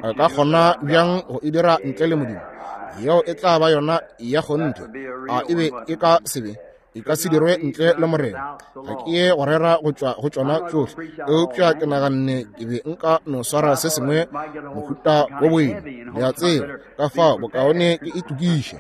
A ka kgona bjang go e dira ntle le Modimo? Yeo e tla ba yona ya kgonthe. A e be e ka se be? E ka se dirwe ntle le Morena. Ga ke ye go rera go tšwa go tšona tšohle, eupša ke naganne ke be nka no swara se sengwe mohuta wo boima, le a tseba, ka fao bokaone ke itokiše.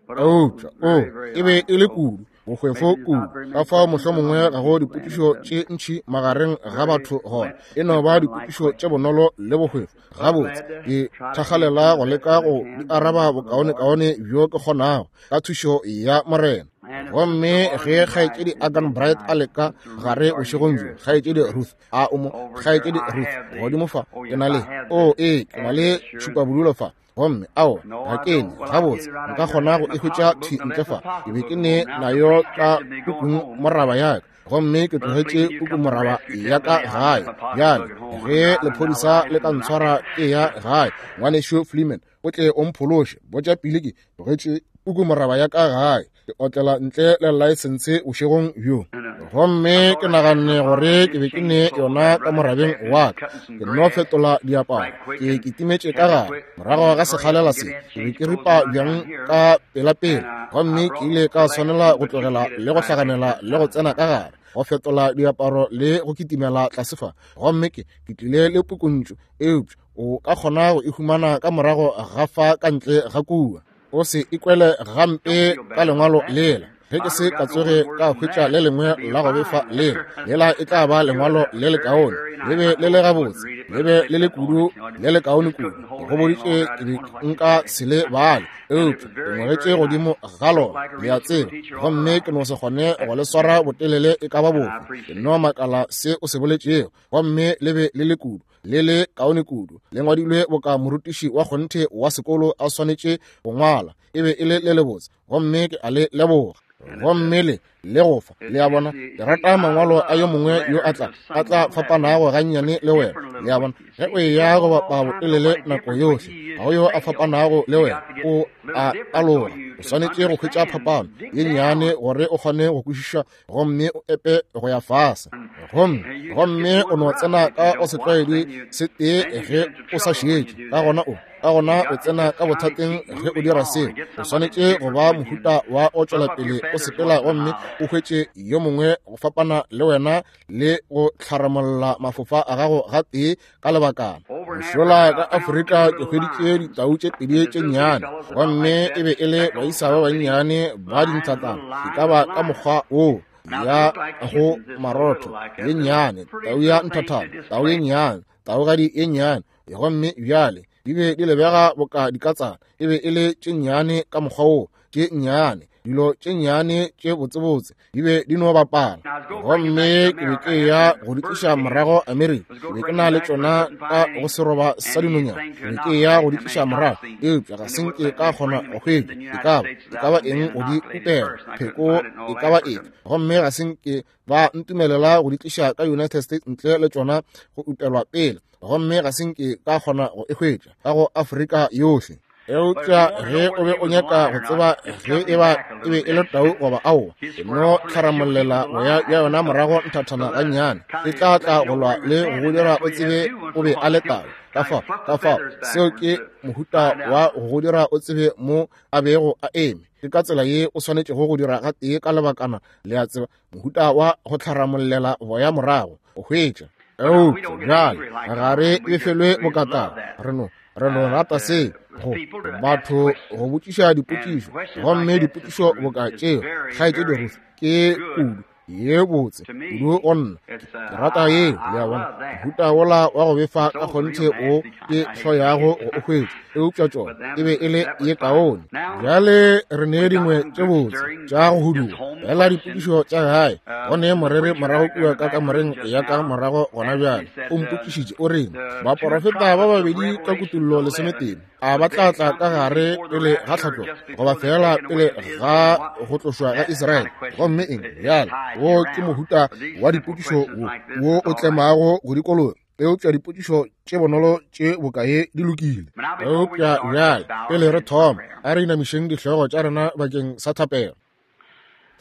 Eupša o e be e le kudu bohwefo kudu, ka fao mohlomongwe ga go dipotšišo tše ntši magareng ga batho gona, e no ba dipotšišo tše bonolo le bohwefo. Gabotse, ke thakgalela go leka go di araba bokaonekaone bjo ke kgonago ka thušo ya Morena. Gomme ge kgaetšedi Agan Bright a leka gare bošegong bjo, kgaetšedi Ruth a o mo, kgaetšedi Ruth godimo fa, ke na le, o ee, ke na le tšhupabodulo fa. Gomme ao ga ke ne gabotse nka kgona go e hwetša thwi ntle fa. Ke be ke ne nayo ka pukung moraba ya ka, gomme ke tlogetše puku moraba ya ka gae. Bjale ge lephodisa le ka ntshwara ke ya gae, ngwanešu Fleeman o tle o mphološe. Botša pele ke tlogetše puku moraba ya ka gae, ke otlela ntle le laesense bošegong bjo. Gomme ke naganne gore ke be ke ne yona ka morabeng wa ka, ke nno fetola diaparo, ke kitimetše ka gare. Morago ga sekgalela se, ke be ke ripa bjang ka pelapela, gomme ke ile ka swanela go tlogela le go hlaganela le go tsena ka gare, go fetola diaparo le go kitimela tlase fa. Gomme ke tlile le pukuntšu, eupša o ka kgona go e humana ka morago ga fa ka ntle ga kua. O se ikwele gampe ka lengwalo lela. Ge ke se ka tsoge ka hwetša le lengwe la go befa lela, lela e tla ba lengwalo le lekaone, le be le le gabotse, le be le le kudu, le lekaone kudu. Ke go boditše ke be nka se le bale, eupša ke ngwagetše godimo ga lona, le a tseba, gomme ke no se kgone go le swara botelele e ka ba bofe. Ke no makala se o se boletšego, gomme le be le le kudu, le le kaone kudu, le ngwadilwe boka morutiši wa kgonthe wa sekolo a swanetše go ngwala. E be e le le lebotse, gomme ke a le leboga. Gomme le le go fa, le a bona, ke rata mangwalo a yo mongwe yo a tla a tla fapanago gannyane le wena. Le a bona, ge o eya go bapa botelele nako yohle, ga go yo a fapanago le wena, o a aloga. O swanetše go hwetša phapano ye nnyane gore o kgone go kwešiša gomme o epe go ya fase. Gomme, gomme o no tsena ka o setlwaedi se tee ge o sa šetše, ka gona o, ka gona o tsena ka bothateng ge o dira seo. O swanetše go ba mohuta wa o tšwela pele o sepela gomme o hwetše yo mongwe go fapana le wena le go tlharamolla mafofa a gago gatee ka lebakana. Mošola ka Afrika ke hweditše ditau tše pedi tše nnyane, gomme e be e le baisa ba bannyane ba dinthatana, e ka ba ka mokgwa woo ya go marotho ye nnyane, tau ya nthathana, tau ye nnyane, taugadi ye nnyane. Gomme bjale di be di lebega boka dikatsana, e be e le tše nnyane ka mokgwa woo, tše nnyane, dilo tše nnyane tše botsebotse, di be di no bapala. Gomme ke be ke ya go di tliša morago Amerika, ke be ke na le tšona ka go seroba sa dinonyana, ke be ke ya go di tliša morago, eupša ga se nke ka kgona go hwetša e ka ba, e ka ba eng go di utela, pheko e ka ba efe. Gomme ga se nke ba ntumelela go di tliša ka United States ntle le tšona go utelwa pele, gomme ga se nke ka kgona go e hwetša ka go Afrika yohle. Eupša ge o be o nyaka go tseba ge e ba e be e le tau goba aowa, e no tlharamollela boya bja yona morago nthathana gannyane, e tla tla go lwa le go go dira o tsebe o be a le tau. Ka fao, ka fao, seo ke mohuta wa go go dira o tsebe mo a bego a eme. Ke ka tsela ye o swanetšego go dira gatee ka lebakana, le a tseba, mohuta wa go tlharamollela boya morago, o hwetša. Eupša bjale ga re befelwe bokatao, re no, re no rata se go batho go botšiša dipotšišo, gomme dipotšišo boka tšeo, kgaetšedi Ruth, ke kudu ye botse kudu go nna. Ke rata yeo, le a bona, mohuta wola wa go befa ka kgonthe o ke hloyago go o hwetša, eupša tšona e be e le ye kaone. Bjale re ne dingwe tše botse tša go huduga, fela dipotšišo tša gae. Go ne moreri morago kua ka kamoreng ya ka morago gona bjale, o mpotšišitše, o reng, baporofeta ba babedi ka Kutullo 18 a ba tla tla ka gare pele ga tlhatlogo goba fela pele ga go tlošwa ga Israele? Gomme eng bjale? Wo ke mohuta wa dipotšišo wo wo o tlemago go dikologa, eupša dipotšišo tše bonolo tše bokae di lokile. Eupša bjale pele re thoma, a re inamišeng dihlogo tša rena bakeng sa thapelo.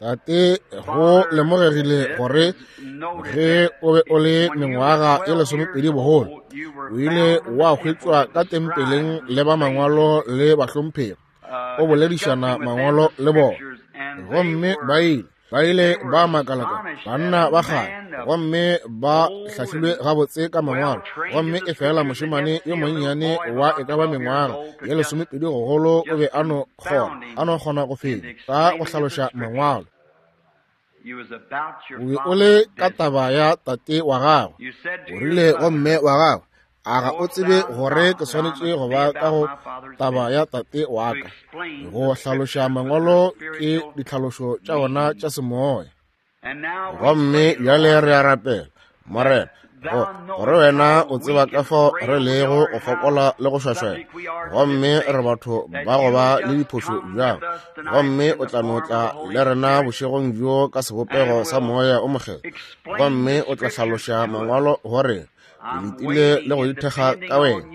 Tate, go lemogegile gore ge o be o le mengwaga e 20 bogolo, o ile wa hwetšwa ka tempeleng le ba mangwalo le bahlomphegi, o boledišana mangwalo le bona. Gomme ba ile ba makalaka banna ba kgale, gomme ba hlahlilwe gabotse ka mangwalo. Gomme e fela mošemane yo monnyane wa e ka ba mengwaga ye 20 gogolo o be a no kgona go fenya ka go hlaloša mangwalo. O be o le ka taba ya tate wa gago, o rile go mme wa gago, a ga o tsebe gore ke swanetše go ba ka go taba ya tate wa ka? Go hlaloša mangwalo ke ditlhalošo tša ona tša semoya. Gomme bjale re a rapela, Morena, gore wena o tseba ka fao re lego go fokola le go šwašwela, gomme re batho ba go ba le diphošo bjang. Gomme o tla no tla le rena bošegong bjo ka sebopego sa Moya o Mokgethwa, gomme o tla hlaloša mangwalo gore ke letile le go ithekga ka wena.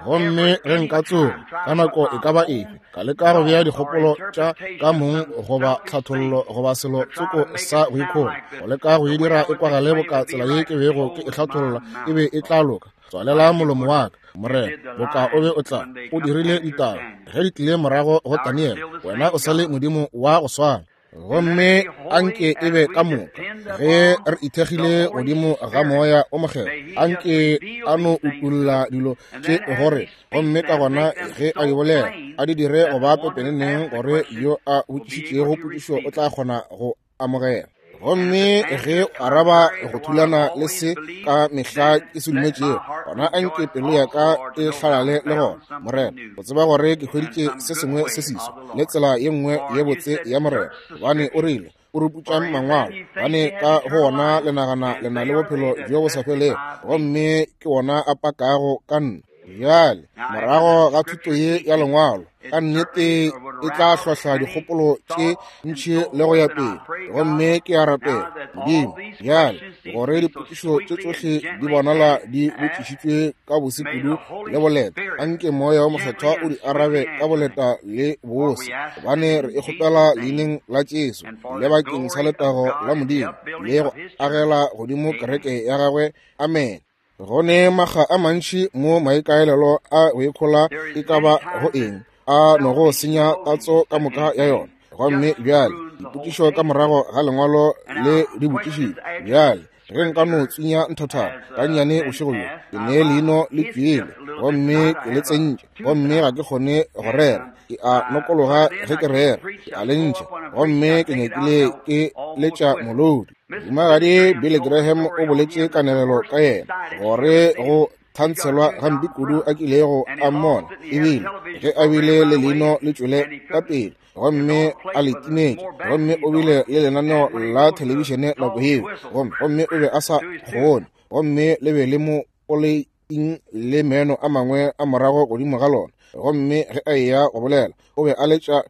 Gomme ge nka tsoga ka nako e ka ba efe ka leka go bea dikgopolo tša ka mong goba tlhathollo goba selo tsoko sa go ikhola, go leka go e dira e kwagale boka tsela ye ke bego ke e hlatholla e be e tla loka, tswalela molomo wa ka, Morena, boka o be o tla. O dirile ditaba ge di tlile morago go Daniel, wena o sa le Modimo wa go swana. Gomme anke e be ka moka ge re ithekgile godimo ga Moya o Mokgethwa, anke a no utulla dilo tše gore, gomme ka gona ge a di bolela a di dire go ba pepeneneng gore yo a botšišitšego potšišo o tla kgona go amogela. Gomme ge araba go thulana le se ka mehla ke se dumetšego, gona anke pelo ya ka e hlalale le gona, Morena, go tseba gore ke hweditše se sengwe se seswa le tsela ye nngwe ye botse ya Morena. Gobane o rile, o ruputšang mangwalo, gobane ka go wona le nagana le na le bophelo bjo bo sa felego, gomme ke wona a pakago ka nna. Bjale, morago ga thuto ye ya lengwalo, ka nnete e tla hlohla dikgopolo tše ntši le go ya pele. Gomme ke a rapela, Modimo, bjale gore dipotšišo tše tšohle di bonala di botšišitšwe ka bose kudu le boleta, anke Moya o Mokgethwa o di arabe ka boleta le bose, gobane re e kgopela leineng la Jesu le bakeng sa letago la Modimo le go agela godimo kereke ya gagwe. Amen. Go ne makga a mantši mo maikaelelo a go ikhola e ka ba go eng a no go senya tatso ka moka ya yona. Gomme bjale dipotšišo ka morago ga lengwalo le di botšišitšwe. Bjale ge nka no tswinya nthathana gannyane bošego bjo, ke ne leino le tšwele gomme ke le tsentše, gomme ga ke kgone go rera, ke a nokologa ge ke rera, ke a le ntšha, gomme ke nyakile ke letša molodi. Mohumagadi Billy Graham o boletše kanegelo ka yena gore go thantshelwa gampe kudu a kilego a mmona, ebile ge a bile le leino le tšwele ka pele gomme a le timetše, gomme o bile le lenaneo la thelebišene nako yeo, gomme o be a sa kgone, gomme le be le mo poleiting le meno a mangwe a morago godimo ga lona, gomme ge a eya go bolela o be a letša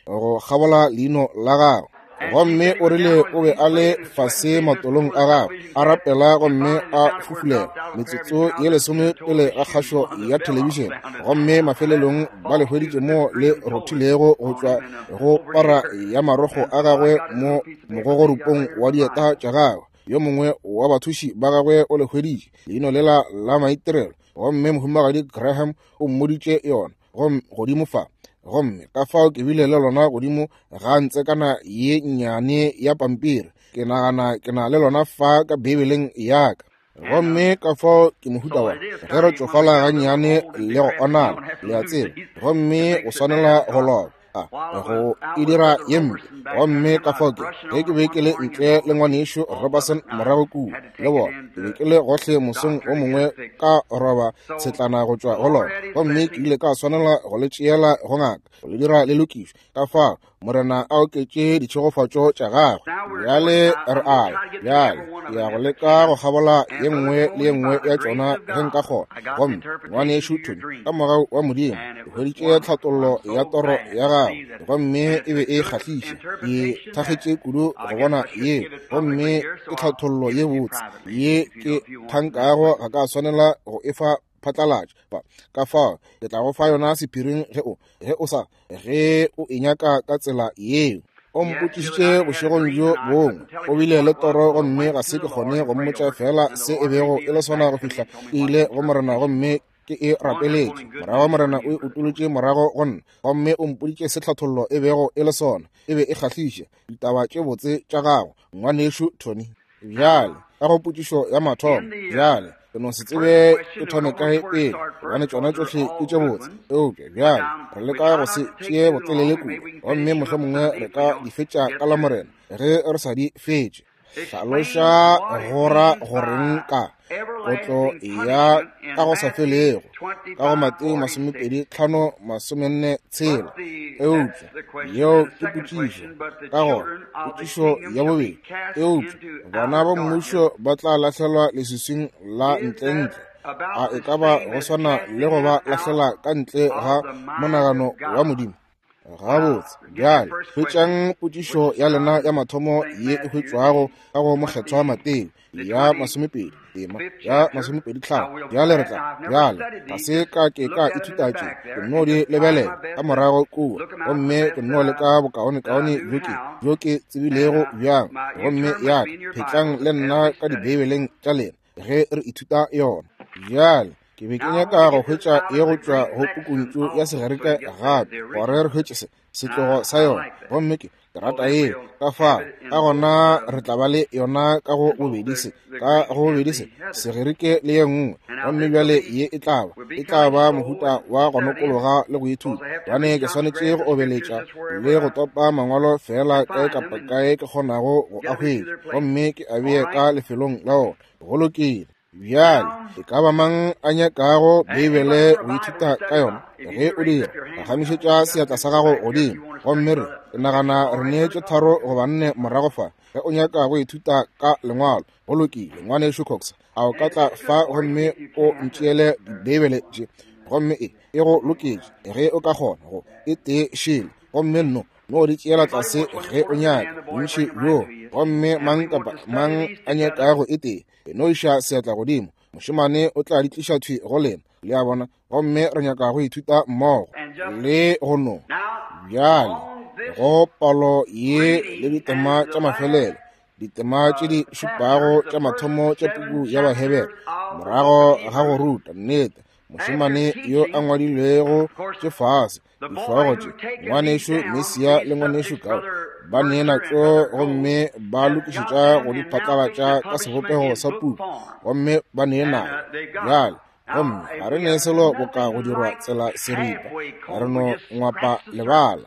go kgabola leino la gagwe. Gomme o rile o be a le fase matolong a gagwe a rapela gomme a fufulela metsotso ye 10 pele ga kgašo ya thelebišene, gomme mafelelong ba le hweditše mo le rothilego go tšwa go para ya marokgo a gagwe mo mogogorupong wa dieta tša gagwe. Yo mongwe wa bathuši ba gagwe o le hweditše leino lela la maitirelo, gomme mohumagadi Graham o mmoditše yona gomme godimo fa. Gomme ka fao ke bile le lona godimo ga ntsekana ye nnyane ya pampiri, ke nagana ke na le lona fa ka Bibeleng ya ka. Gomme ka fao ke mohuta wa ge re tšofala gannyane le go onala, le a tseba, gomme o swanela go loba go e dira ye mpe. Gomme ka fao ke ge ke be ke le ntle le ngwanešu Robertson morago kua le bona, ke be ke le gohle mosong o mongwe ka roba tshetlana go tšwa go lona, gomme ke ile ka swanela go le tšeela go ngaka go le dira le lokišwe. Ka fao Morena a oketše ditšhegofatšo tša gagwe. Bjale re a bjale ke ya go leka go kgabola ye nngwe le ye nngwe ya tšona ge nka kgona. Gomme ngwanešu Tony, ka mogau wa Modimo, ke hweditše tlhathollo ya toro ya gagwe, gomme e be e kgahliša. Ke thakgetše kudu go bona yeo, gomme ke tlhathollo ye botse ye ke thankago ga ka swanela go e fa phatlalatša. Ka fao ke tla go fa yona sephiring ge o e nyaka ka tsela yeo. O mpotšišitše bošegong bjo bongwe, o bile le toro gomme ga se ke kgone go mmotša feela se e bego e le sona go fihla ke ile go Morena gomme ke e rapeletše. Morago Morena o e utolotše morago go nna gomme o mpoditše se tlhathollo e bego e le sona. E be e kgahliša. Ditaba tše botse tša gago, ngwanešu Tony. Bjale, ka go potšišo ya mathomo, bjale, ke no se tsebe ke thome kae pele, gobane tšona tšohle ke tše botse. Eupša bjale re leka go se tšee botelele kudu, gomme mohlomongwe re ka di fetša ka Lamorena ge re sa di fetše. Hlaloša go ra goreng ka kotlo ya ka go sa felego ka go Mateo 25 46. Eupša yeo ke potšišo. Ka gona potšišo ya bobedi, eupša bana ba mmušo ba tla lahlelwa leswiswing la ntlentle. A e ka ba go swana le go ba lahlela ka ntle ga monagano wa Modimo? Gabotse, bjale hwetšang potšišo ya lena ya mathomo ye e hwetšwago ka go Mokgethwa Mateo ya 20 tema ya 25. Bjale re tla, bjale ga se ka ke ka ithuta tše, ke nno di lebelela ka morago kua, gomme ke nno leka bokaonekaone bjo ke, bjo ke tsebilego bjang, gomme ya ka, phetlang le nna ka Dibeibeleng tša lena ge re ithuta yona. Bjale ke be ke nyaka go hwetša ye go tšwa go pukuntšu ya Segerika gape, gore re hwetše se setlogo sa yona, gomme ke ke rata ye ka fa. Ka gona re tla ba le yona ka go bobedi se, ka go bobedi se Segerike le ye nngwe, gomme bjale ye e tla ba, e tla ba mohuta wa go nokologa le go ithuta, gobane ke swanetše go obeletša le go topa mangwalo feela kae kapa kae ke kgonago go a hwetša, gomme ke a bee ka lefelong la ona. Go lokile. Bjale, e ka ba mang a nyakago Beibele go ithuta ka yona? Ge o dira, phagamišetša seatla sa gago godimo. Gomme re, ke nagana re neetše 3 goba 4 morago fa. Ge o nyaka go ithuta ka Lengwalo, go lokile, Ngwanešu Cox, a o ka tla fa gomme o ntšeele Dibeibele tše? Gomme e, e go loketše, ge o ka kgona go e tee šele. Gomme nno, no di tšeela tlase ge o nyaka, bontši bjo. Gomme mang kapa mang a nyakago e tee, e no iša seatla godimo, mošemane o tla di tliša thwi go lena, le a bona. Gomme re nyaka go ithuta mmogo le go no bjale go palo ye le ditema tša mafelelo, ditema tše di šupago tša mathomo tša puku ya Bahebere, morago ga go ruta nnete mošemane yo a ngwadilwego tše fase dihlogo tše, ngwanešu Mesia le ngwanešu Gao ba nee natšo gomme ba lokišetša go di phatlalatša ka sebopego sa puku, gomme ba nee nayo bjale. Gomme ga re ne selo boka go dirwa tsela seripa, re no ngwapa lebala.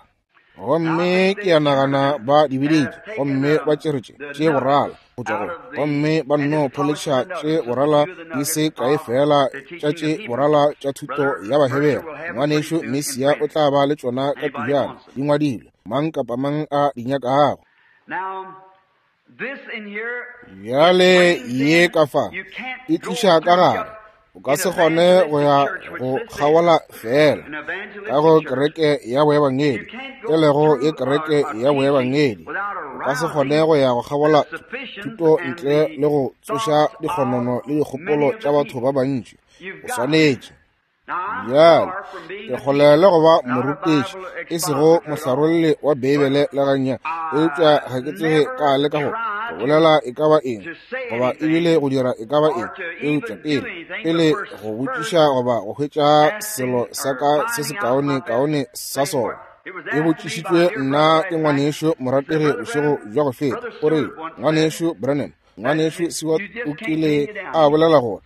Gomme ke a nagana ba di biditše, gomme ba tšere tše, tše borala go tšwa go, gomme ba nno pholetšha tše borala di se kae feela tša tše borala tša thuto ya Bahebere. Ngwanešu Mesia o tla ba le tšona ka pejana, di ngwadilwe, mang kapa mang a di nyakago. Bjale ye ka fa e tliša ka gare, o ka se kgone go ya go kgaola feela ka go kereke ya boebangedi, e lego ye kereke ya boebangedi. O ka se kgone go ya go kgaola thuto ntle le go tsoša dikgonono le dikgopolo tša batho ba bantši. O swanetše Bjale, ke kgole le go ba morutiši, e sego mohlarolle wa Beibele le gannyane, eupša ga ke tsoge ka leka go bolela e ka ba eng, goba ebile go dira e ka ba eng, eupša pele, pele go botšiša goba go hwetša selo sa ka se sekaonekaone sa sona. E botšišitšwe nna ke ngwanešu morategi bošego bja go feta, o rile, Ngwanešu Branham, Ngwanešu Seward o kile a bolela gore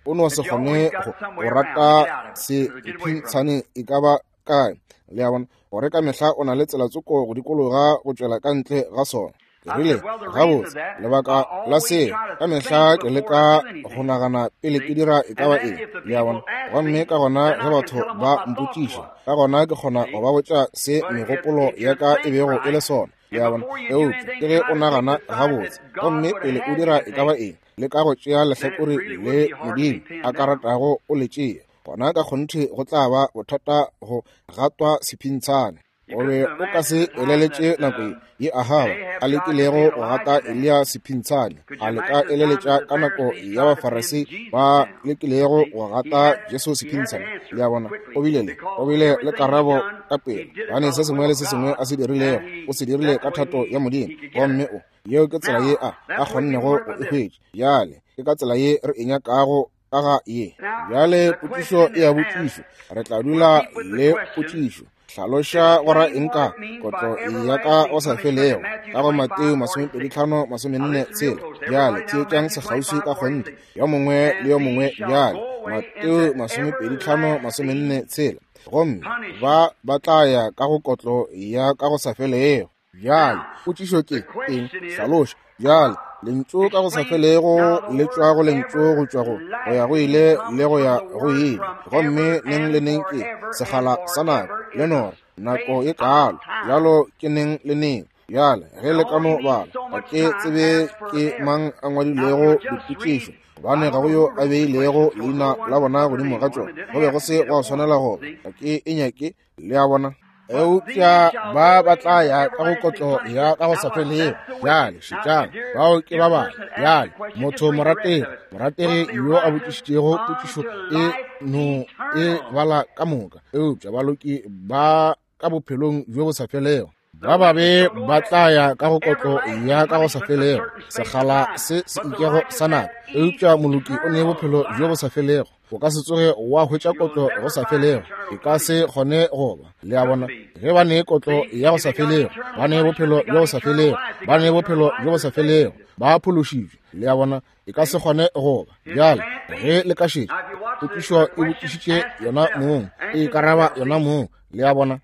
o no se kgone go rata sephintshane e ka ba kae, le a bona, gore ka mehla o na le tsela tsoko go dikologa go tšwela ka ntle ga sona. Ke rile, gabotse, lebaka la seo, ka mehla ke leka go nagana pele ke dira e ka ba eng, le a bona. Gomme ka gona ge batho ba mpotšiša, ka gona ke kgona go ba botša se megopolo ya ka e bego e le sona. Le a bona? Eupša ke ge o nagana gabotse, gomme pele o dira e ka ba eng, leka go tšea lehlakore le Modimo a ka ratago o le tšea, gona ka kgonthe go tla ba bothata go gatwa sephintshane. O be o ka se eleletše nako ye Ahaba a lekilego go gata Eliya sephintshane. A le ka eleletša ka nako ya Bafarasei ba lekilego go gata Jesu sephintshane? Le a bona, o bile le, o bile le karabo ka pela, gobane se sengwe le se sengwe a se dirilego, o se dirile ka thato ya Modimo, gomme o, yeo ke tsela ye a, a kgonnego go e hwetša. Bjale, ke ka tsela ye re e nyakago ka ga ye. Bjale potšišo e a botšišwa, re tla dula le potšišo. Hlaloša go ra eng ka kotlo ya ka go sa felego ka go Mateo 25 46. Bjale theetšang sekgauswi ka kgonthe, yo mongwe le yo mongwe bjale. Mateo 25 46. Gomme ba ba tla ya ka go kotlo ya ka go sa felego. Bjale, potšišo ke eng? Hlaloša. Bjale, lentšu ka go sa felego le tšwa go lentšu go tšwa go go ya go ile le go ya go ile, gomme neng le neng ke sekgala sa nako le nora nako e kaalo. Bjalo ke neng le neng. Bjale, ge le ka no bala, ga ke tsebe ke mang a ngwadilego dipotšišo, gobane ga go yo a beilego leina la bona godimo ga tšona. Go be go se gwa swanela go ba. Ga ke e nyake, le a bona. Eupša ba ba tla ya ka go kotlo ya ka go sa felego. Bjale šetšang, bao ke ba bangwe. Bjale motho morategi, morategi yo a botšišitšego potšišo e no e bala ka moka, eupša baloki ba ka bophelong bjo bo sa felego. Ba babe ba tla ya ka go kotlo ya ka go sa felego, sekgala se se ikego sa nako, eupša moloki o ne bophelo bjo bo sa felego. O ka se tsoge wa hwetša kotlo go sa felego, e ka se kgone go ba. Le a bona, ge ba ne kotlo ya go sa felego, ba ne bophelo bjo bo sa felego, ba ne bophelo bjo bo sa felego, ba phološitšwe. Le a bona, e ka se kgone go ba. Bjale, ge le ka šetša, potšišo e botšišitše yona mong, e ikaraba yona mong. Le a bona?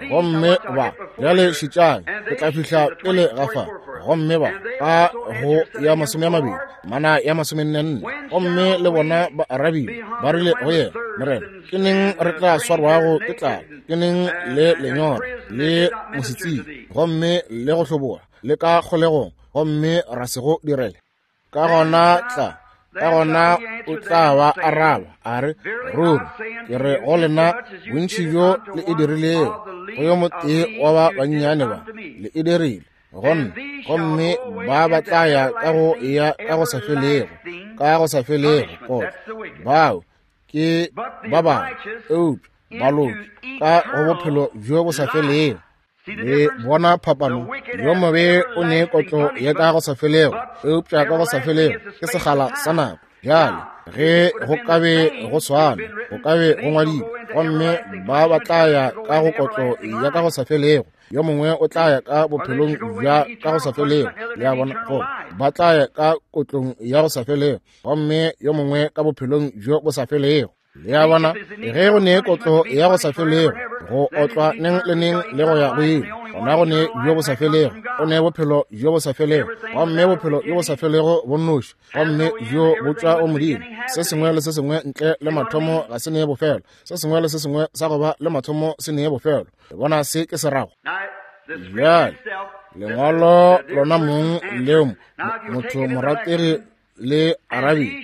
Gomme ba, bjale šetšang, re tla fihla pele ga fa. Gomme ba, ka go ya 20, mana ya 44, gomme le bona ba arabile, ba rile go yena, Morena, ke neng re tla swarwago ke tlala, ke neng le lenyora, le mosetsing, gomme le go hloboga, le ka kgolegong, gomme ra se go direle? Ka gona tla, ka gona o tla ba araba a re, Ruri ke re go lena, bontši bjo le e dirilego go yo motee wa ba bannyane ba, le e dirile go nna. Gomme ba ba tla ya ka go ya ka go sa felego, ka go sa felego kotlo. Bao ke ba bangwe, eupša baloki ka go bophelo bjo bo sa felego. Le bona phapano? Yo mobe o ne kotlo ya ka go sa felego, eupša ka go sa felego ke sekgala sa nako. Bjale ge go ka be go swana, go ka be go ngwadilwe, gomme ba ba tla ya ka go kotlo ya ka go sa felego, yo mongwe o tla ya ka bophelong bja ka go sa felego. Le a bona, go ba tla ya ka kotlong ya go sa felego, gomme yo mongwe ka bophelong bjo bo sa felego. Le a bona, ge go ne kotlo ya go sa felego, go otlwa neng le neng le go ya go ile, gona go ne bjo bo sa felego, go ne bophelo bjo bo sa felego, gomme bophelo bjo bo sa felego bo nnoši, gomme bjo bo tšwa go Modimo. Se sengwe le se sengwe ntle le mathomo ga se ne bofelo, se sengwe le se sengwe sa go ba le mathomo se ne bofelo. Le bona se ke se rago? Bjale, lengwalo lona mong leo motho morategi le arabile.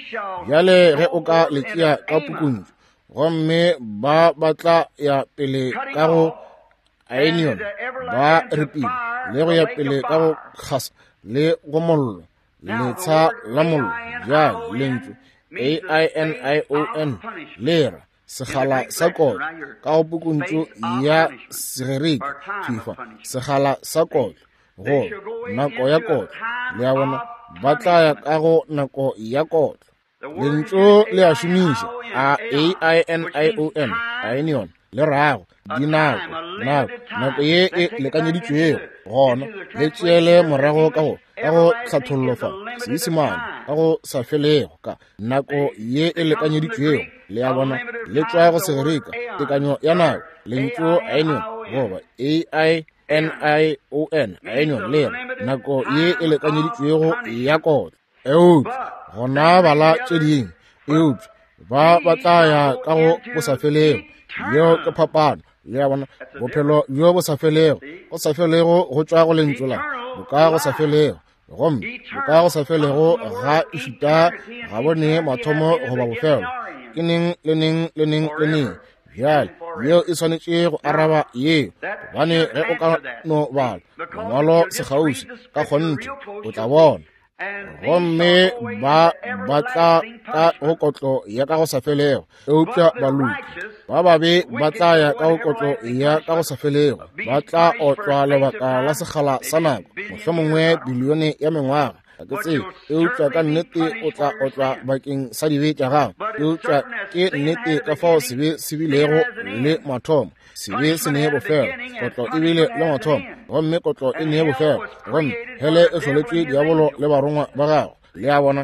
Bjale ge o ka le tšea ka pukuntšu, gomme ba ba tla ya pele ka go Aenion, ba ripile le go ya pele ka go kgasa le go mollo, letsha la mollo. Bjale lentšu A-I-N-I-O-N le ra sekgala sa kotlo ka go pukuntšu ya Segerike, fifa, sekgala sa kotlo, go nako ya kotlo. Le a bona, ba tla ya ka go nako ya kotlo. Lentšu le a šomiša a A I N I O N, ainion, le rago dinako, nako, nako ye e lekanyeditšwego. Gona le tšeele morago ka go ka go tlhathollo fa Seisemane ka go sa felego ka nako ye e lekanyeditšwego. Le a bona, le tšwa go Segerika, tekanyo ya nako, lentšu ainion goba A I N-I-O-N, ainion, le nako ye e lekanyeditšwego ya kotlo. Eupša gona bala tše dingwe, eupša ba ba tla ya ka go bosafelego. Yeo ke phapano. Le a bona, bophelo bjo bo sa felego, go sa felego go tšwa go lentšu la boka go sa felego, gomme boka go sa felego ga ešita ga bo ne mathomo goba bofelo, ke neng le neng le neng le neng. Bjale yeo e swanetše go araba yeo, gobane ge o ka no bala mongwalo sekgauswi ka kgonthe o tla bona. Gomme ba ba tla ka go kotlo ya ka go sa felego, eupša baloki ba babe ba tla ya ka go kotlo ya ka go sa felego, ba tla otlwa lebaka la sekgala sa nako, mohlomongwe bilione ya mengwaga, ga ke tsebe, eupša ka nnete o tla otlwa bakeng sa dibe tša gago. Eupša ke nnete ka fao sebe se bilego le mathomo, sebe se ne bofelo, kotlo e bile le mathomo, gomme kotlo e ne bofelo, gomme hele e hloletšwe diabolo le barongwa ba gagwe. Le a bona?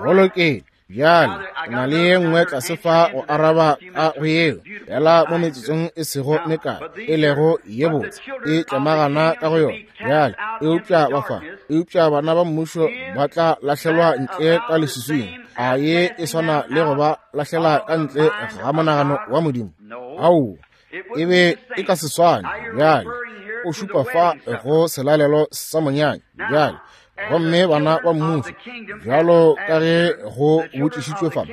Go lokile. Bjale ke na le ye nngwe tlase fa go araba ka go yeo, fela mo metsotsong e sego mekae e lego ye botse e tlemagana ka go yona. Bjale eupša ba fa, eupša bana ba mmušo ba tla lahlelwa ntle ka leswiswing. A ye e swana le go ba lahlela ka ntle ga monagano wa Modimo? Aowa, e be e ka se swane. Bjale o šupa fa go selalelo sa monyanya. Bjale gomme bana ba mmušo, bjalo ka ge go botšišitšwe fa,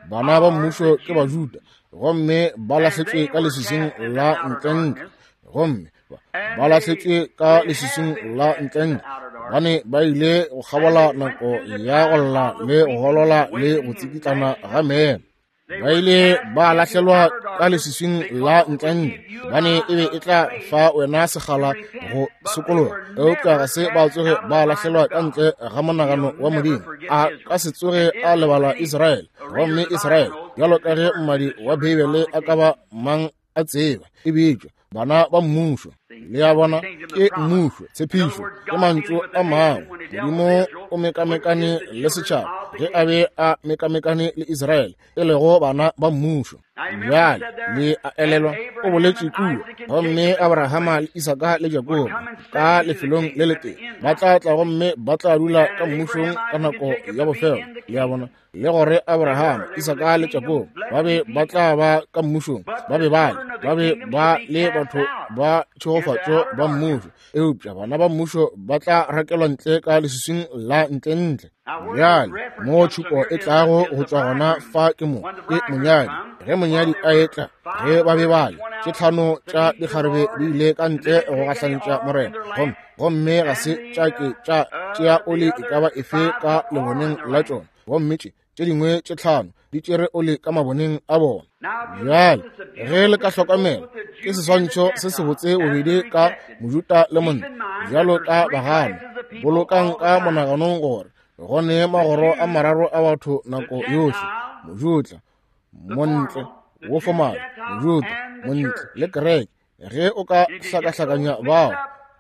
bana ba mmušo ke Bajuda, gomme ba lahletšwe ka leswiswing la ntlentle, gomme ba lahletšwe ka leswiswing la ntlentle, gobane ba ile go kgabola nako ya go lla le go golola le go tsikitlana ga meno. Ba ile ba lahlelwa ka leswiswing la ntlentle, gobane e be e tla fa wena sekgala go sokologa, eupša ga se ba tsoge ba lahlelwa ka ntle ga monagano wa Modimo. A ka se tsoge a lebala Israele, gomme Israele, bjalo ka ge mmadi wa Beibele a ka ba mang a tseba, e bitšwa bana ba mmušo. Le a bona, ke mmušo, tshepišo, ke mantšu a mangwe. Modimo o mekamekane le setšhaba ge a be a mekamekane le Israele, e lego bana ba mmušo. Bjale le a elelwa, o boletše kua, gomme Abrahama le Isaka le Jakobo ka lefelong le letee ba tla tla gomme ba tla dula ka mmušong ka nako ya bofelo. Le a bona, le gore Abraham, Isaka le Jakobo ba be ba tla ba ka mmušong, ba be ba le, ba be ba le batho ba tšhegofatšo ba mmušo, eupša bana ba mmušo ba tla rakelwa ntle ka leswiswing la ntlentle. Bjale mo tšhupo e tlago go tšwa gona fa ke mo, ke monyadi. Ge monyadi a etla, ge ba be ba le tše tlhano tša dikgarebe di ile ka ntle go gahlantša Morena, gomme ga se tša ke tša tšea oli e ka ba efe ka leboneng la tšona, gomme tše tše dingwe tše tlhano di tšere oli ka maboneng a bona. Bjale ge le ka hlokomela, ke seswantšho se sebotse bobedi ka Mojuda le monna, bjalo ka bagana. Bolokang ka monaganong gore go ne magoro a mararo a batho nako yohle, Mojuda, montle, wo fomale, Mojuda, montle le kereke. Ge o ka hlakahlakanya bao,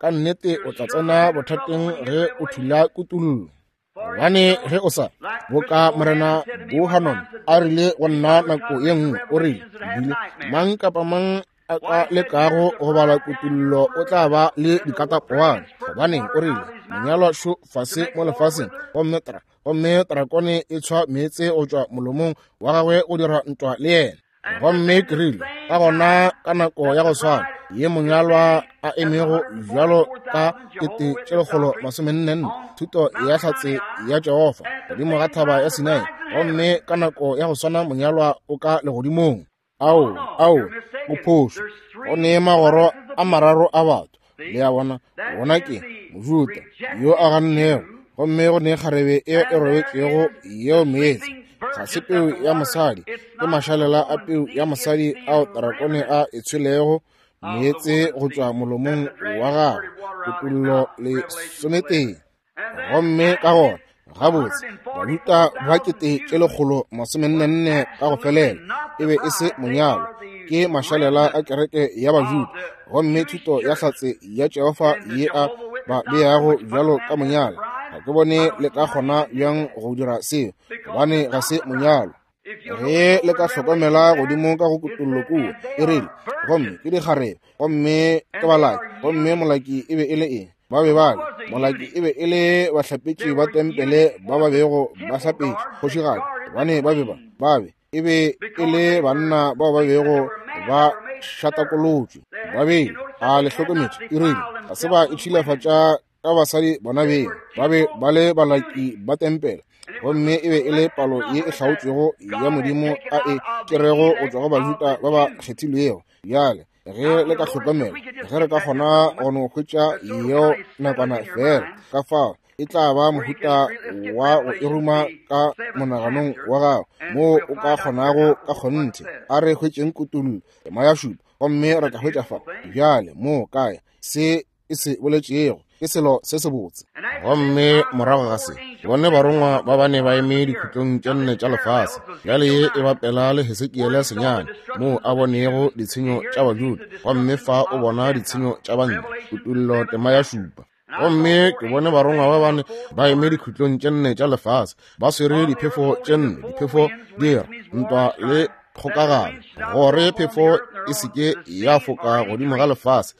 ka nnete o tla tsena bothateng ge o thula kutullo. Gobane ge o sa, boka Morena Bohanon a rile go nna nako ye nngwe, o rile, bile mang kapa mang a ka lekago go bala kutullo o tla ba le dikatapowana. Gobaneng, o rile, monyalwa šo fase mo lefaseng, gomme tra, gomme trakone e tshwa meetse go tšwa molomong wa gagwe go dira ntwa le yena. Gomme ke rile, ka gona ka nako ya go swana ye monyalwa a emego bjalo ka 1444, thuto ya hlatse ya Jehofa godimo ga thaba ya Sinai, gomme ka nako ya go swana monyalwa o ka legodimong. Ao, ao, o phošo. Go ne magoro a mararo a batho. Le a bona, bona ke Mojuda yo a gannego, gomme go ne kgarebe e e robetšego yeo meetse. Ga se peu ya mosadi, ke mašalela a peu ya mosadi ao tarakone a e tshwelego meetse go tšwa molomong wa gagwe. Kutollo 11. Gomme ka gona, gabotse, Bajuda ba 1444 ka go felela e be e se monyalo, ke mašalela a kereke ya Bajuda, gomme thuto ya hlatse ya Jehofa ye a ba beago bjalo ka monyalo. Ga ke bone le ka kgona bjang go dira seo, gobane ga se monyalo. Ge le ka hlokomela godimo ka go kutollo kua, e rile, gomme ke dikgarebe, gomme ke balaki, gomme molaki e be e le eng? Ba be ba le, molaki e be e le bahlapetši ba tempele ba ba bego ba hlapetše kgošigadi, gobane ba be ba, ba be, e be e le banna bao ba bego ba šatakolotšwe. Ba be, a le hlokometše, e rile, ga se ba itšhilafatša ka basadi bona beng, ba be ba le balaki ba tempele. Gomme e be e le palo ye e hlaotšwego ya Modimo a e tšerego go tšwa go Bajuda ba ba kgethilwego. Bjale, ge le ka hlokomela, ge re ka kgona go no hwetša yeo nakwana feela, ka fao e tla ba mohuta wa go e ruma ka monaganong wa gago, moo o ka kgonago ka kgonthe. A re hwetšeng kutullo, tema ya šupa, gomme re tla hwetša fa bjale moo kae se e se boletšego ke selo se sebotse. Gomme morago ga se, ke bone barongwa ba bane ba eme dikhutlong tše nne tša lefase. Bjale ye e bapela le Hesekiele senyane, moo a bonego ditshenyo tša Bajuda, gomme fa o bona ditshenyo tša bantle, Kutullo tema ya šupa. Gomme ke bone barongwa ba bane ba eme dikhutlong tše nne tša lefase, ba swere diphefo tše nne, diphefo di ra ntwa le kgokagano, gore phefo e se ke ya foka godimo ga lefase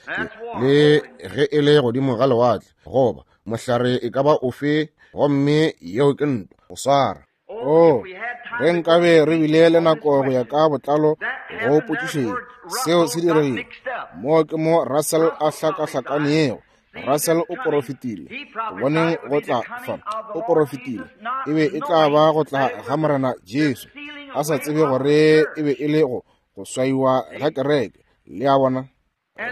le ge e le godimo ga lewatle goba mohlare e ka ba ofe, gomme yeo ke ntwa go swara. Oh, ge nkabe re bile le nako go ya ka botlalo go potšišeng seo se diregile mo, ke mo Russell a hlakahlakanego. Russell o porofetile go boneng go tla fa, o porofetile e be e tla ba go tla ga Morena Jesu, a sa tsebe gore e be e le go go swaiwa ga kereke. Le a bona?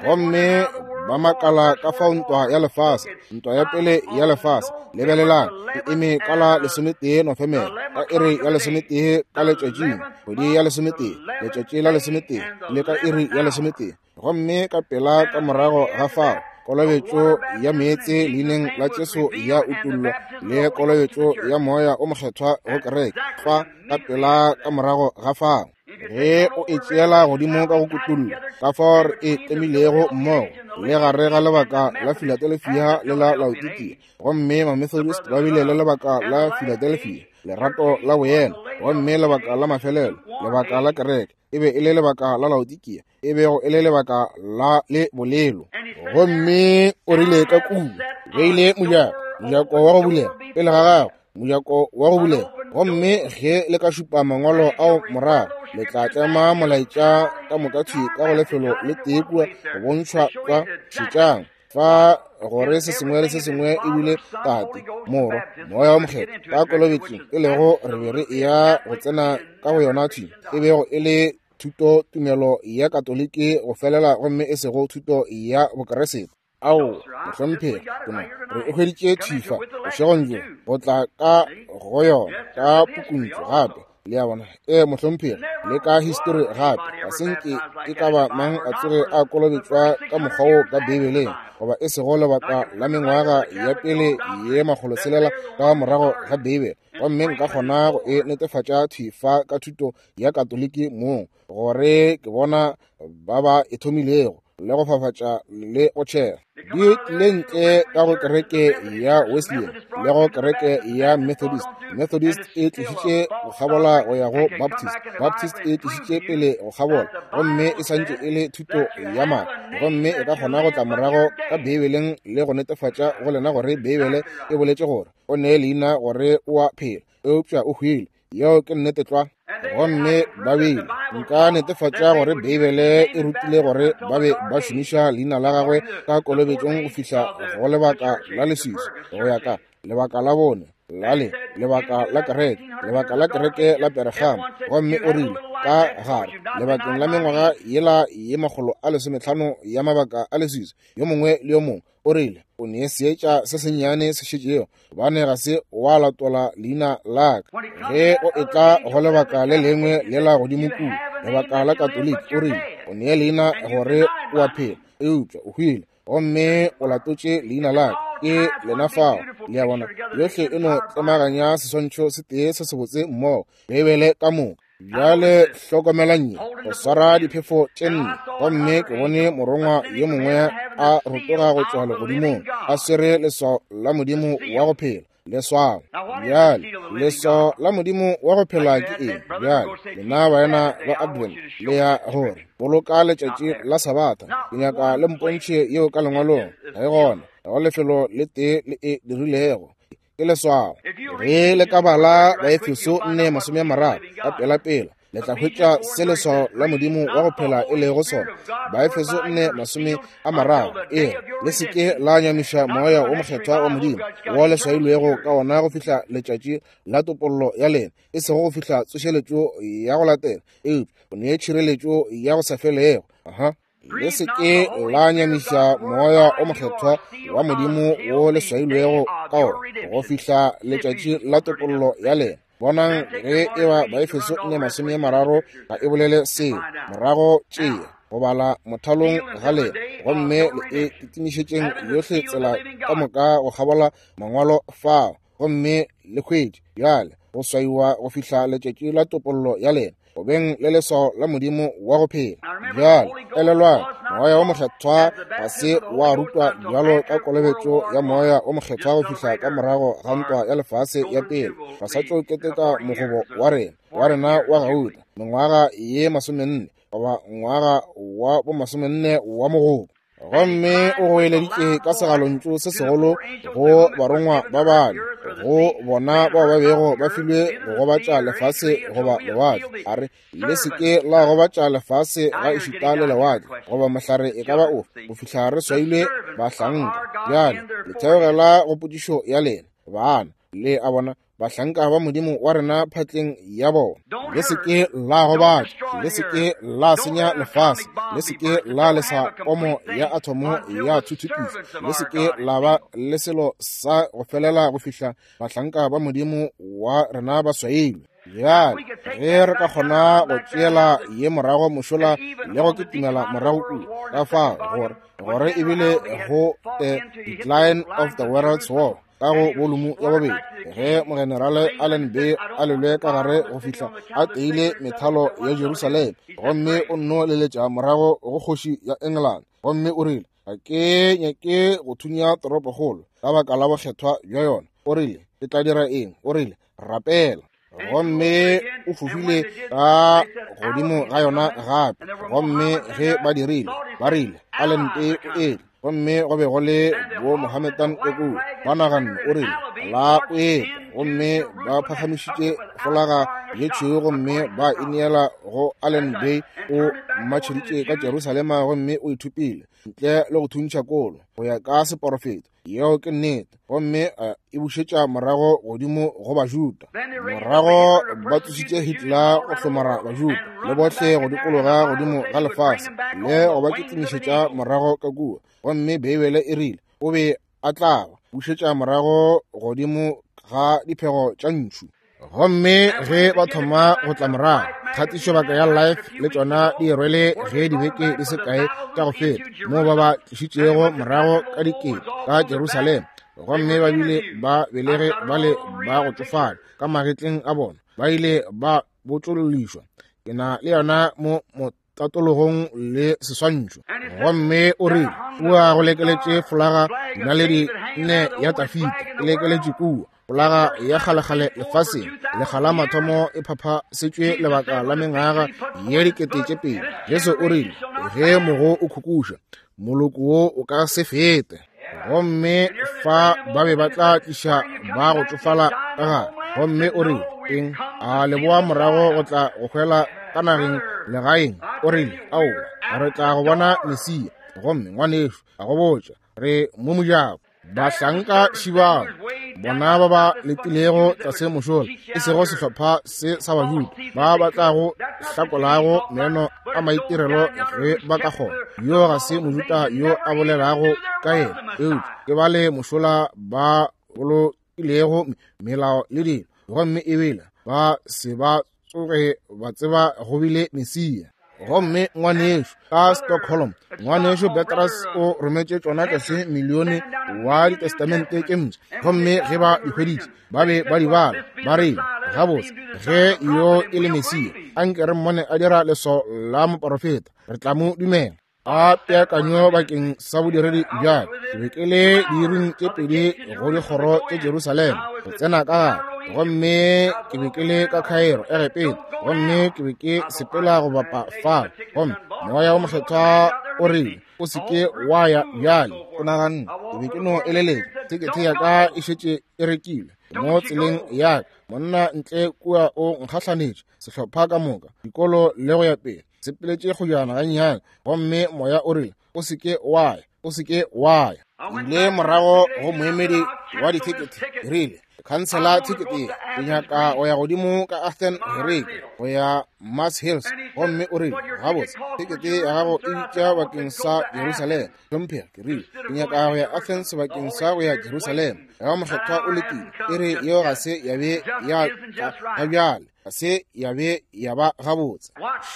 Gomme ba makala ka fao ntwa ya lefase, ntwa ya pele ya lefase, lebelelang, e eme ka la 11 Nofemere, ka iri ya 11 ka letšatšing, kgwedi ya 11, letšatši la 11, le ka iri ya 11. Gomme ka pela ka morago ga fao, kolobetšo ya meetse leineng la Jesu ya utollwa, le kolobetšo ya Moya o Mokgethwa go kereke, fa ka pela ka morago ga fao. Ge o e tšeela godimo ka go kutollo, ka fao re e tlemilego mmogo, le gare ga lebaka la Philadelphia le la Laodikia, gomme Mamethodist ba bile le lebaka la Philadelphia, lerato la boyena, gomme lebaka la mafelelo, lebaka la kereke, e be e le lebaka la Laodikia, e bego e le lebaka la le bolelo. Gomme o rile ka kua, beile mojako, mojako wa go bulega pele ga gago, mojako wa go bulega. Gomme ge le ka šupa mangwalo ao morago, le tla tlema molaetša ka moka thwi ka go lefelo le tee kua go bontšhwa kwa. Šetšang fa gore se sengwe le se sengwe e bile Tate, Morwa, Moya wa Mokgethwa ka kolobetšong, e lego re be re eya go tsena ka go yona thwi, e bego e le thuto tumelo ya Katoliki go felela, gomme e sego thuto ya Bokeresete. Ao, mohlomphegi, ke no re e hweditše thwi fa bošegong bjo, go tla ka go yona ka pukuntšu gape. Le a bona? Ee, mohlomphegi, le ka histori gape. Ga se nke e ka ba mang a tsoge a kolobetšwa ka mokgwa wo ka Beibeleng, goba e sego lebaka la mengwaga ya pele ye 600 ka morago ga Beibele. Gomme nka kgona go e netefatša thwi fa ka thuto ya Katoliki mong, gore ke bona ba ba e thomilego le go fafatša le go tšhela. Di tlile ntle ka go kereke ya Wesleyan le go kereke ya Methodist. Methodist e tlišitše go kgabola go ya go Baptist. Baptist e tlišitše pele go kgabola, gomme e santše e le thuto ya maaka. Gomme e ka kgona go tla morago ka Beibeleng le go netefatša go lena gore Beibele e boletše gore o ne leina gore o a phela, eupša o hwile. Yeo ke nnete tlwa. Gomme ba bile, nka netefatša gore Beibele e rutile gore ba be ba šomiša leina la gagwe ka kolobetšong go fihla go lebaka la leswiswi, go ya ka lebaka la bone la le lebaka la kereke, lebaka la kereke la Peregamo. Gomme o rile ka gare lebakeng la mengwaga yela ye 150 ya mabaka a leswiswi, yo mongwe le yo mongwe o rile, o ne seetša se sennyane se šetšego, gobane ga se wa latola leina la ka. Ge o etla go lebaka le lengwe lela godimo kua, lebaka la Katoliki, o rile, o ne leina gore o a phela, eupša o hwile, gomme o latotše leina la ka. Ke lena fao. Le a bona, yohle e no tlemaganya seswantšho se tee se sebotse mmogo, Beibele ka moka. Bjale hlokomelang ye, go swara diphefo tše nne. Gomme ke bone morongwa yo mongwe a rotoga go tšwa legodimong, a swere leswao la Modimo wa go phela. Leswao. Bjale, leswao la Modimo wa go phela ke eng? Bjale, lena baena ba Advent, le ya gore boloka letšatši la Sabatha. Ke nyaka le mpontšhe yeo ka lengwalong. Ga e gona, ga go lefelo le tee le e dirilego. Ke leswao. Ge le ka bala Baefeso 4:30 ka pelapela, Le tla hwetša se leswao la Modimo wa go phela e lego sona. Baefeso 4:30 e re, Le se ke la nyamiša Moya wo Mokgethwa wa Modimo, wo le swailwego ka wona go fihla letšatši la topollo ya lena, e sego go fihla tsošeletšo ya go latela, eupša o nee tšhireletšo ya go sa felego. Aha. Le se ke la nyamiša Moya o Mokgethwa wa Modimo wo le swailwego ka wona go fihla letšatši la topollo ya lena. Bonang ge e ba Baefeso 4:30 ga e bolele seo. Morago tšea go bala mothalong ga lena gomme le e kitimišetšeng yohle tsela ka moka go kgabola mangwalo fao, gomme le hwetše bjale go swaiwa go fihla letšatši la topollo ya lena, go beng le leswao la Modimo wa go phela. Bjale elelwang, Moya wo Mokgethwa ga se wa rutwa bjalo ka kolobetšo ya Moya wo Mokgethwa go fihla ka morago ga ntwa ya lefase ya pele. Re sa tšo keteka mogobo wa rena, wa rena wa gauta, mengwaga ye 40, goba ngwaga wa bo 40 wa mogobo. Gomme o goeleditše ka segalontšu se segolo go barongwa ba bane, go bona bao ba bego ba filwe go gobatša lefase goba lewatle, a re, Le se ke la gobatša lefase ga ešita le lewatle goba mohlare e ka ba ofe, go fihla re swailwe bahlanka. Bjale le theogela go potšišo ya lena, bana. Le a bona, bahlanka ba Modimo wa rena phatleng ya bona. Le se ke la gobatša, le se ke la senya lefase, le se ke la lesa pomo ya athomo ya thuthupiša, le se ke la ba le selo sa go felela go fihla bahlanka ba Modimo wa rena ba swailwe. Bjale ge re ka kgona go tšeela ye morago mošola le go kitimela morago kua, ka fao gore gore ebile go the decline of the world's war ka go bolumu ya bobedi, ge mogenerale Allenby a lelwe ka gare go fihla a teile methalo ya Jerusalem, gomme o nno leletša morago go kgoši ya England, gomme o rile, Ga ke nyake go thunya toropokgolo ka baka la bokgethwa bja yona. O rile, Ke tla dira eng? O rile, Rapela. Gomme o fofile ka godimo ga yona gape. Gomme ge ba dirile, ba rile, Allenby o etla. Gomme go be go le bo Mohammedan ka kua, ba naganne, o rile, La o etla. Gomme ba phagamišitše folaga ye tšhweu gomme ba e neela go Allenby. O matšheditše ka Jerusalema gomme o ithupile ntle le go thuntšha kolo go ya ka seporofeto. Yeo ke nnete. Gomme e bušetša morago godimo go Bajuda. Morago ba tsošitše Hitler go hlomara Bajuda le bohle go dikologa godimo ga lefase le go ba kitimišetša morago ka kua. Gomme Beibele e rile o be a tla ba bušetša morago godimo ga diphego tša ntšhu. Gomme ge ba thoma go tla morago, kgatišobaka ya Life le tšona di rwele ge dibeke di se kae tša go feta, moo ba ba tlišitšego morago ka dikete ka Jerusalema, gomme ba bile ba belege ba le ba go tšofala ka magetleng a bona, ba ile ba botšollišwa. Ke na le yona mo tatologong le seswantšho. Gomme o rile, Kua go lekeletše folaga dinaledi nne ya Tafita, e lekeletše kua, folaga ya kgalekgale lefaseng, lekga la mathomo e phaphasetšwe lebaka la mengwaga ye 2000. Jesu o rile, Ge mogo o khukuša, moloko wo o ka se fete. Gomme fa ba be ba tla tliša ba go tšofala ka gare. Gomme o rile, Eng? A le boa morago go tla go hwela ka nageng legaeng? O rile, Aowa, re tla go bona Mesia. Gomme ngwanešu, a go botša, re mo mojako. Bahlanka šibao, bona ba ba letilego tlase mošola, e sego sehlopha se sa Bajuda, ba ba tlago hlakolago meno a maitirelo ge ba ka kgona. Yo ga se Mojuda yo a bolelago ka yena, eupša ke bale mošola ba bolokilego melao le dilo, gomme ebile ba se ba tsoge ba tseba go bile Mesia. Gomme ngwanešu ka Stockholm, ngwanešu Petrus o rometše tšona tlase milione wa ditestamente tše mpsha, gomme ge ba di hweditše ba be ba di bala, ba rile, Gabotse, ge yo e le Mesia, anke re mmone a dira leswao la moporofeta, re tla mo dumela. A peakanyo bakeng sa bodiredi bja ke be ke le diiring tše pedi go dikgoro tše Jerusalema go tsena ka gare, gomme ke be ke le ka Cairo, Egepeta, gomme ke be ke sepela go bapa fao, gomme Moya wo Mokgethwa o rile, O se ke wa ya bjale. O naganne ke be ke no eleletša, tekete ya ka e šetše e rekilwe. Mo tseleng ya ka, monna ntle kua o nkgahlanetše, sehlopha ka moka, dikolo le go ya pele, sepeletše kgojana gannyane, gomme moya o rile, O se ke wa ya, o se ke wa ya. Ile morago go moemedi wa dithekete, ke rile, Khansela thekete ye, ke nyaka go ya godimo ka Athen Gerike, go ya Mars Hills. Gomme o rile, Gabotse, thekete ya gago e bitša bakeng sa Jerusalema. Hlomphega, ke rile, ke nyaka go ya Athens bakeng sa go ya Jerusalema. Ga mokgethwa o letile, e re yeo ga se ya be ya ka ga bjale, ga se ya be ya ba gabotse.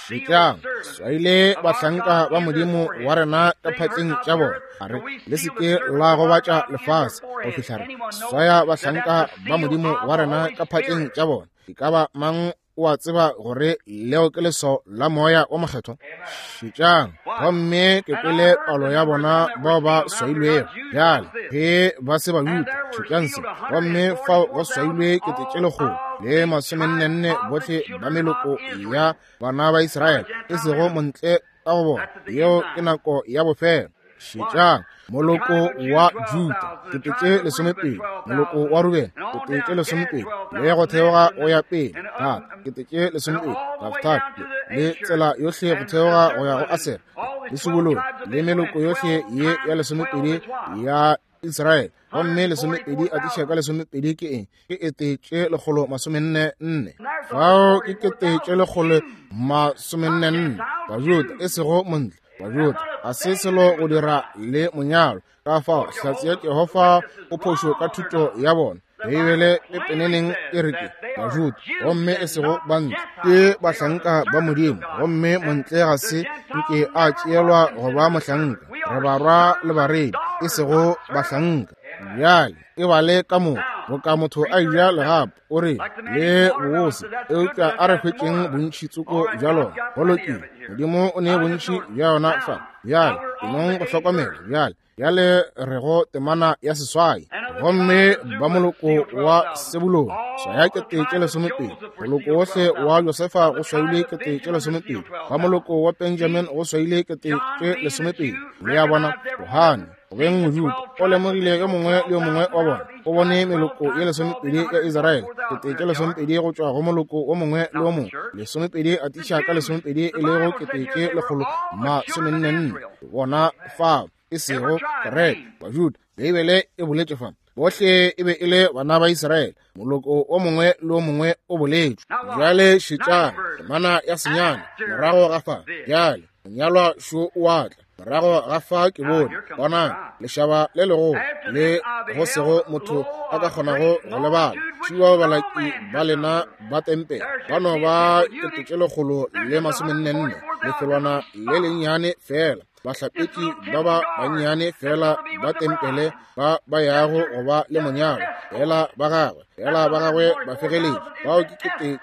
Šetšang, swaile bahlanka ba Modimo wa rena ka phatleng tša bona. A re, le se ke la gobatša lefase go fihla re swaya bahlanka ba Modimo wa rena ka phatleng tša bona. E ka ba mang o a tseba gore leo ke leswao la moya o mokgethwa? Šetšang, gomme ke kwele palo ya bona bao ba swailwego. Bjale ge ba se Bajuda, šetšang se, gomme fao go swailwe 144,000 bohle ba meloko ya bana ba Israele, e sego montle ka go bona. Yeo ke nako ya bofelo. Šetšang, moloko wa Juda 20,000, moloko wa Rubene 20,000, le go theoga go ya pele Gad 20,000, Naftali le tsela yohle go theoga go ya go Asere le Sebulone le meloko yohle ye ya 12 ya Israele. Gomme 12 atiša ka 12 ke eng? Ke 144. Fao ke 144 Bajuda, e sego montle. Bajuda ga se selo go dira le monyalo. Ka fao Hlatse ya Jehofa o phošo ka thuto ya bona. Beibele pepeneneng e re ke Bajuda, gomme e sego bantle. Ke bahlanka ba Modimo, gomme montle ga se nke a tšeelwa go ba mohlanka. Re barwa le baredi, e sego bahlanka. Bjale e bale ka moka boka motho a eja legapo, o re le bobose, eupša a re hwetšeng bontši tsoko bja lona. Go lokile, Modimo o ne bontši bja yona fa. Bjale e nong go hlokomela bjale. Bjale re go temana ya 8. Gomme ba moloko wa Sebulone swaya 20,000, moloko wohle wa Josefa go swaile 20,000, ba moloko wa Benjamin go swaile 20,000. Le a bona, Johane go beng Mojuda o lemogile yo mongwe le yo mongwe wa bona. O bone meloko ye 12 ya Israele, 20,000 go tšwa go moloko wo mongwe le wo mongwe, 12 atiša ka 12 e lego 144. Bona fao, e sego kereke, Bajuda. Beibele e boletše fa, bohle e be e le bana ba Israele, moloko o mongwe le o mongwe o boletšwe. Bjale šetšang temana ya 9 morago ga fa. Bjale monyalwa šo o a tla. Morago ga fa ke bone, bonang, lešaba le legolo le go sego motho a ka kgonago go lebala. Šiwa balaki ba lena ba tempele ba no ba 144, lefelwana le lennyane fela. Bahlapetši ba ba bannyane fela ba tempele ba ba yago go ba le monyalo, fela ba gagwe, fela ba gagwe ba fegeletše. Bao ke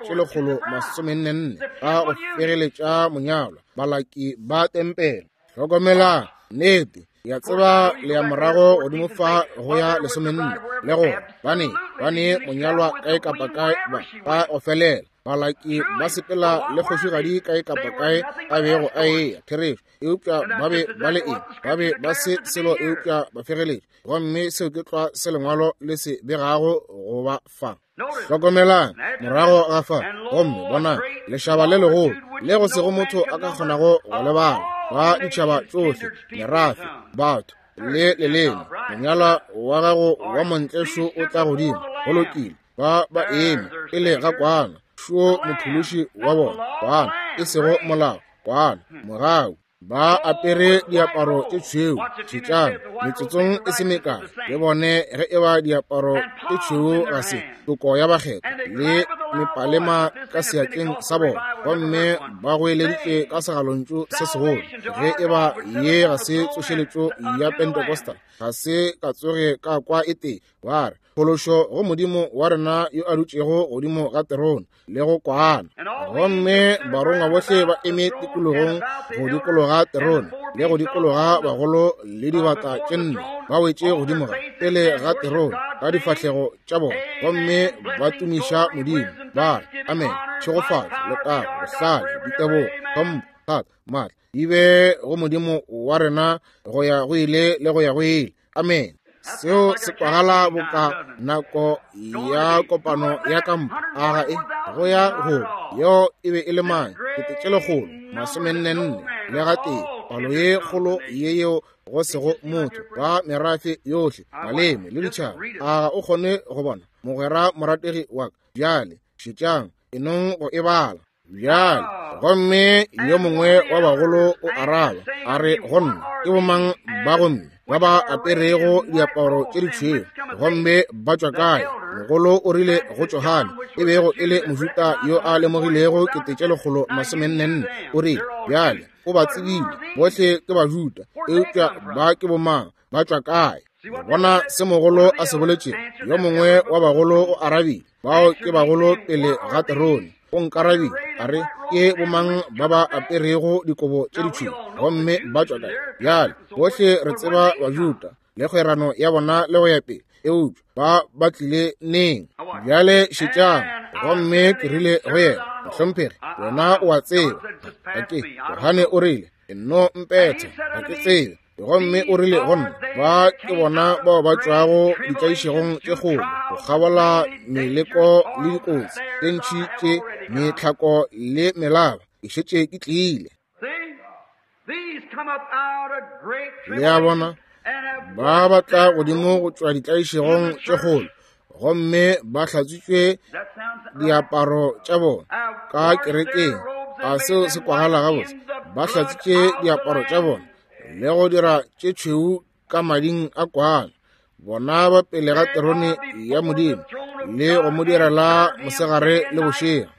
144 ba go fegeletša monyalo, balaki ba tempele. Hlokomelang, nnete, ya tseba le ya morago godimo fa go ya 14, le go bane ba ne monyalwa kae kapa kae ba ba go felela. Balaki ba sepela le kgošigadi kae kapa kae a bego a eya, therešo. Eupša ba be ba le eng? Ba be ba se selo eupša ba fegeletše. Gomme seo ke tlwa se lengwalo le se begago go ba fa. Hlokomelang, morago ga fa, gomme bonang, lešaba le legolo le go sego motho a ka kgonago go lebala, ba ditšhaba tšohle, merafe, batho le leleme. Monyalwa wa gago wa montle šo o tla godimo. Go lokile, ba ba eme pele ga kwana, šo mophološi wa bona, kwana, e sego molao, kwana, mogau. Ba apere diaparo tše tšhweu. Šetšang, metsotsong e se mekae le bone ge e ba diaparo tše tšhweu ga se toko ya bakgethwa le mepalema ka seatleng sa bona, gomme ba goeleditše ka segalontšu se segolo. Ge e ba ye ga se tsošeletšo ya Pentecostal, ga se ka tsoge ka kwa e tee. Ba re, Phološo go Modimo wa rena yo a dutšego godimo ga terone le go kwana. Gomme barongwa bohle ba eme tikologong go dikologa terone le go dikologa bagolo le dibata tše nne, ba wetše godimo ga pele ga terone ka difahlego tša bona, gomme ba tumiša Modimo, ba re, Amen, tšhegofatšo, letago, bohlale, ditebogo, tlhompho, thata, maatla di be go Modimo wa rena go ya go ile le go ya go ile. Amen. Seo se kwagala boka nako ya kopano ya kampa. A ga e go ya go yeo e be e le mang? 144 le gatee, palo ye kgolo ye yeo go sego motho ba merafe yohle, maleme le ditšhaba. A ga o kgone go bona, mogwera morategi wa ka? Bjale šetšang, enong go e bala bjale. Gomme yo mongwe wa bagolo o araba a re go nna, ke bomang ba gomme ba ba aperego diaparo tše ditšhweu, gomme ba tšwa kae? Mogolo o rile go Johane, e bego e le Mojuda yo a lemogilego 144, o rile, bjale o ba tsebile bohle ke Bajuda, eupša ba ke bomang, ba tšwa kae? Bona se mogolo a se boletšego. Yo mongwe wa bagolo o arabile, bao ke bagolo pele ga terone. O nkarabile a re, ke bomang ba ba aperego dikobo tše ditšhweu, gomme ba tšwa kae? Bjale bohle re tseba Bajuda le kgwerano ya bona le go ya pele, eupša ba ba tlile neng? Bjale šetšang. Gomme ke rile go yena, mohlomphegi, wena o a tseba. Ke Johane o rile, nno mpetha, ga ke tsebe. Gomme o rile go nna, ba ke bona bao ba tšwago ditlaišegong tše kgolo, go kgabola meleko le dikotsi tše ntši tše metlhako le melaba, e šetše ke tlile. Le a bona, ba ba tla godimo go tšwa ditlaišegong tše kgolo, gomme ba hlatswitšwe diaparo tša bona ka kerekeng. A seo se kwagala gabotse? Ba hlatswitše diaparo tša bona le go dira tše tšhweu ka mading a kwana. Bona ba pele ga terone ya Modimo le go mo direla mosegare le bošego.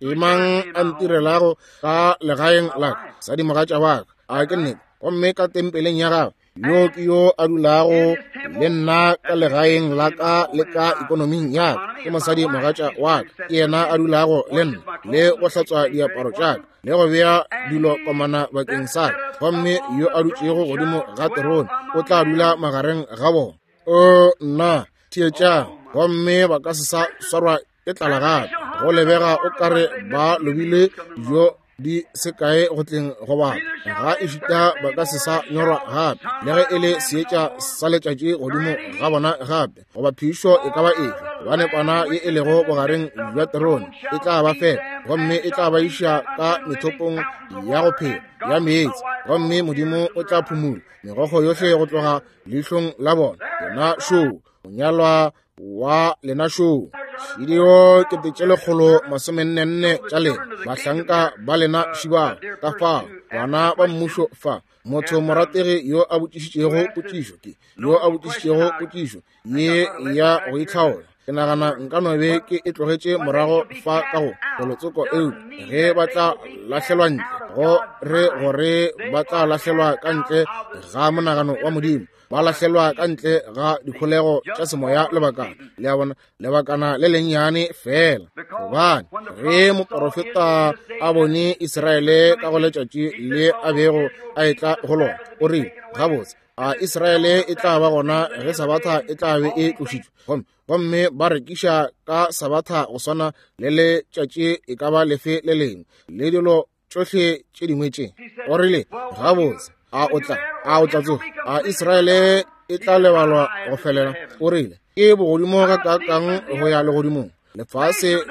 Ke mang a ntirelago ka legaeng la ka, sadimogatša wa ka? A ke nnete? Gomme ka tempeleng ya gagwe, yo ke yo a dulago le nna ka legaeng la ka le ka ikonoming ya ka, ke mosadi mogatša wa ka, ke yena a dulago le nna le go hlatswa diaparo tša ka le go bea dilo komana bakeng sa ka. Gomme yo a dutšego godimo ga terone o tla dula magareng ga bona. O nna, theetšang. Gomme ba ka se sa swarwa ke tlala gape. Go lebega o kare ba lobile dijo di se kae go tleng go batho, ga ešita ba ka se sa nyorwa gape, le ge e le seetša sa letšatši godimo ga bona gape, goba phišo e ka ba efe, gobane kwana ye e lego bogareng bja terone e tla ba fepa, gomme e tla ba iša ka methopong ya go phela ya meetse, gomme Modimo o tla phumula megokgo yohle go tloga leihlong la bona. Yena šoo, monyalwa wa lena šoo. Šidio 144 tša lena, bahlanka ba lena šibao. Ka fao bana ba mmušo fa, motho morategi yo a botšišitšego potšišo, ke yo a botšišitšego potšišo ye ya go itlhaola. Ke nagana nka no be ke e tlogetše morago fa ka go kolotsoko, eupša ge ba tla lahlelwa ntle, go re gore ba tla lahlelwa ka ntle ga monagano wa Modimo, ba lahlelwa ka ntle ga dikholego tša semoya lebakana, le a bona, lebakana le lennyane fela. Gobane ge moporofeta a bone Israele ka go letšatši le a bego a etla go lona, o rile, gabotse, a Israele e tla ba gona ge Sabatha e tla be e tlošitšwe? Gomme ba rekiša ka Sabatha go swana le letšatši e ka ba lefe le lengwe, le dilo tšohle tše dingwe tše. O rile, gabotse, a o tla tsoga? A Israele e tla lebalwa go felela? O rile, ke bogodimo ga kakang go ya legodimong, lefase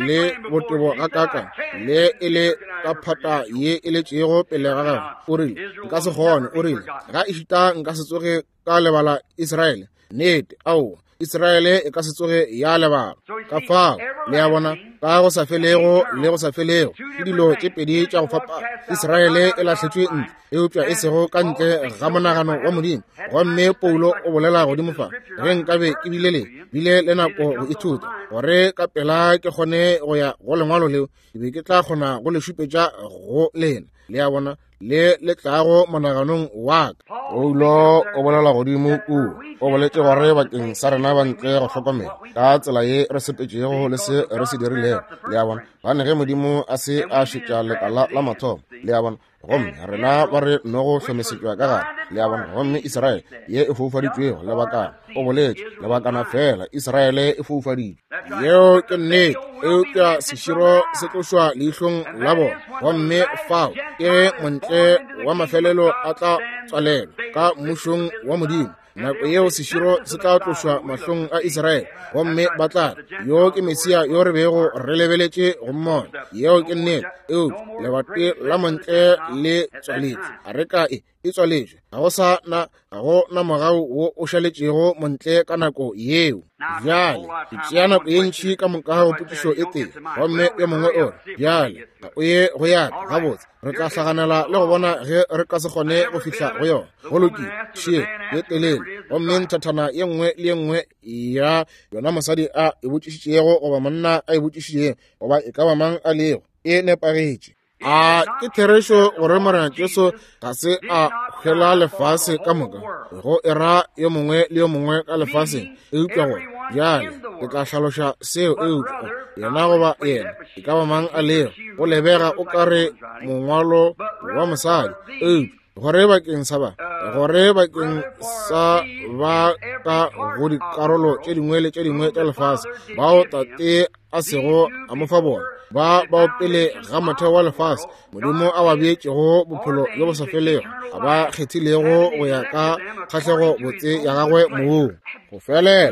le botebo ga kakang, le e le ka phata ye e letšego pele ga gagwe. O rile, nka se kgone. O rile, ga ešita nka se tsoge ka lebala Israele. Nnete, aowa, Israele e ka se tsoge ya lebala. Ka fao, le a bona, ka go sa felego le go sa felego ke dilo tše pedi tša go fapana. Israele e lahletšwe ntle, eupša e sego ka ntle ga monagano wa Modimo. Gomme Paulo o bolela godimo fa, ge nkabe ke bile le bile le nako go ithuta, gore ka pela ke kgone go ya go lengwalo leo, ke be ke tla kgona go le šupetša go lena. Le a bona, le le tlago monaganong wa ka. Paulo o bolela godimo kua, o boletše gore bakeng sa rena ba ntle go hlokomela ka tsela ye re sepetšego le se re se dirilego. Le a bona, gane ge Modimo a se a šetša lekala la mathomo, le a bona, gomme rena ba re nogo hlomesetšwa ka gare, le a bona, gomme Israele ye e foufaditšwego lebakana, o boletše lebakana fela, Israele e foufaditšwe. Yeo ke nnete, eupša seširo se tlošwa leihlong la bona, gomme fao ke ge montle wa mafelelo a tla tswalelwa ka mmušong wa Modimo. Nako yeo seširo se tla tlošwa mahlong a Israele, gomme ba tla re, Yo ke Mesia yo re bego re lebeletše go mmona. Yeo ke nnete. Eupša lebati la montle le tswaletšwe. Areka e e tswaletšwe. Ga go sa na, ga go na mogau wo o šaletšego montle ka nako yeo. Bjale, ke tšea nako ye ntši ka moka go potšišo e tee, gomme yo mongwe o re, Bjale, ga o ye go ya ka. Gabotse, re tla hlaganela le go bona ge re ka se kgone go fihla go yona. Go lokile, šie ye telele, gomme nthathana ye nngwe le ye nngwe ya yona mosadi a e botšišitšego goba monna a e botšišitšego goba e ka ba mang a lego, e nepagetše. A ke therešo gore Morena Jesu ga se a hwela lefase ka moka, go e ra yo mongwe le yo mongwe ka lefaseng, eupša gore bjale ke tla hlaloša seo, eupša yena goba yena e ka ba mang a lego, go lebega o ka re mongwalo wa mosadi, eupša gore bakeng sa ba gore bakeng sa ba ka go dikarolo tše dingwe le tše dingwe tša lefase bao tate a sego a mo fa bona ba bao pele ga motheo wa lefase modimo a ba beetšego bophelo bjo bo sa felego a ba kgethilego go ya ka kgahlego botse ya gagwe mong go felela.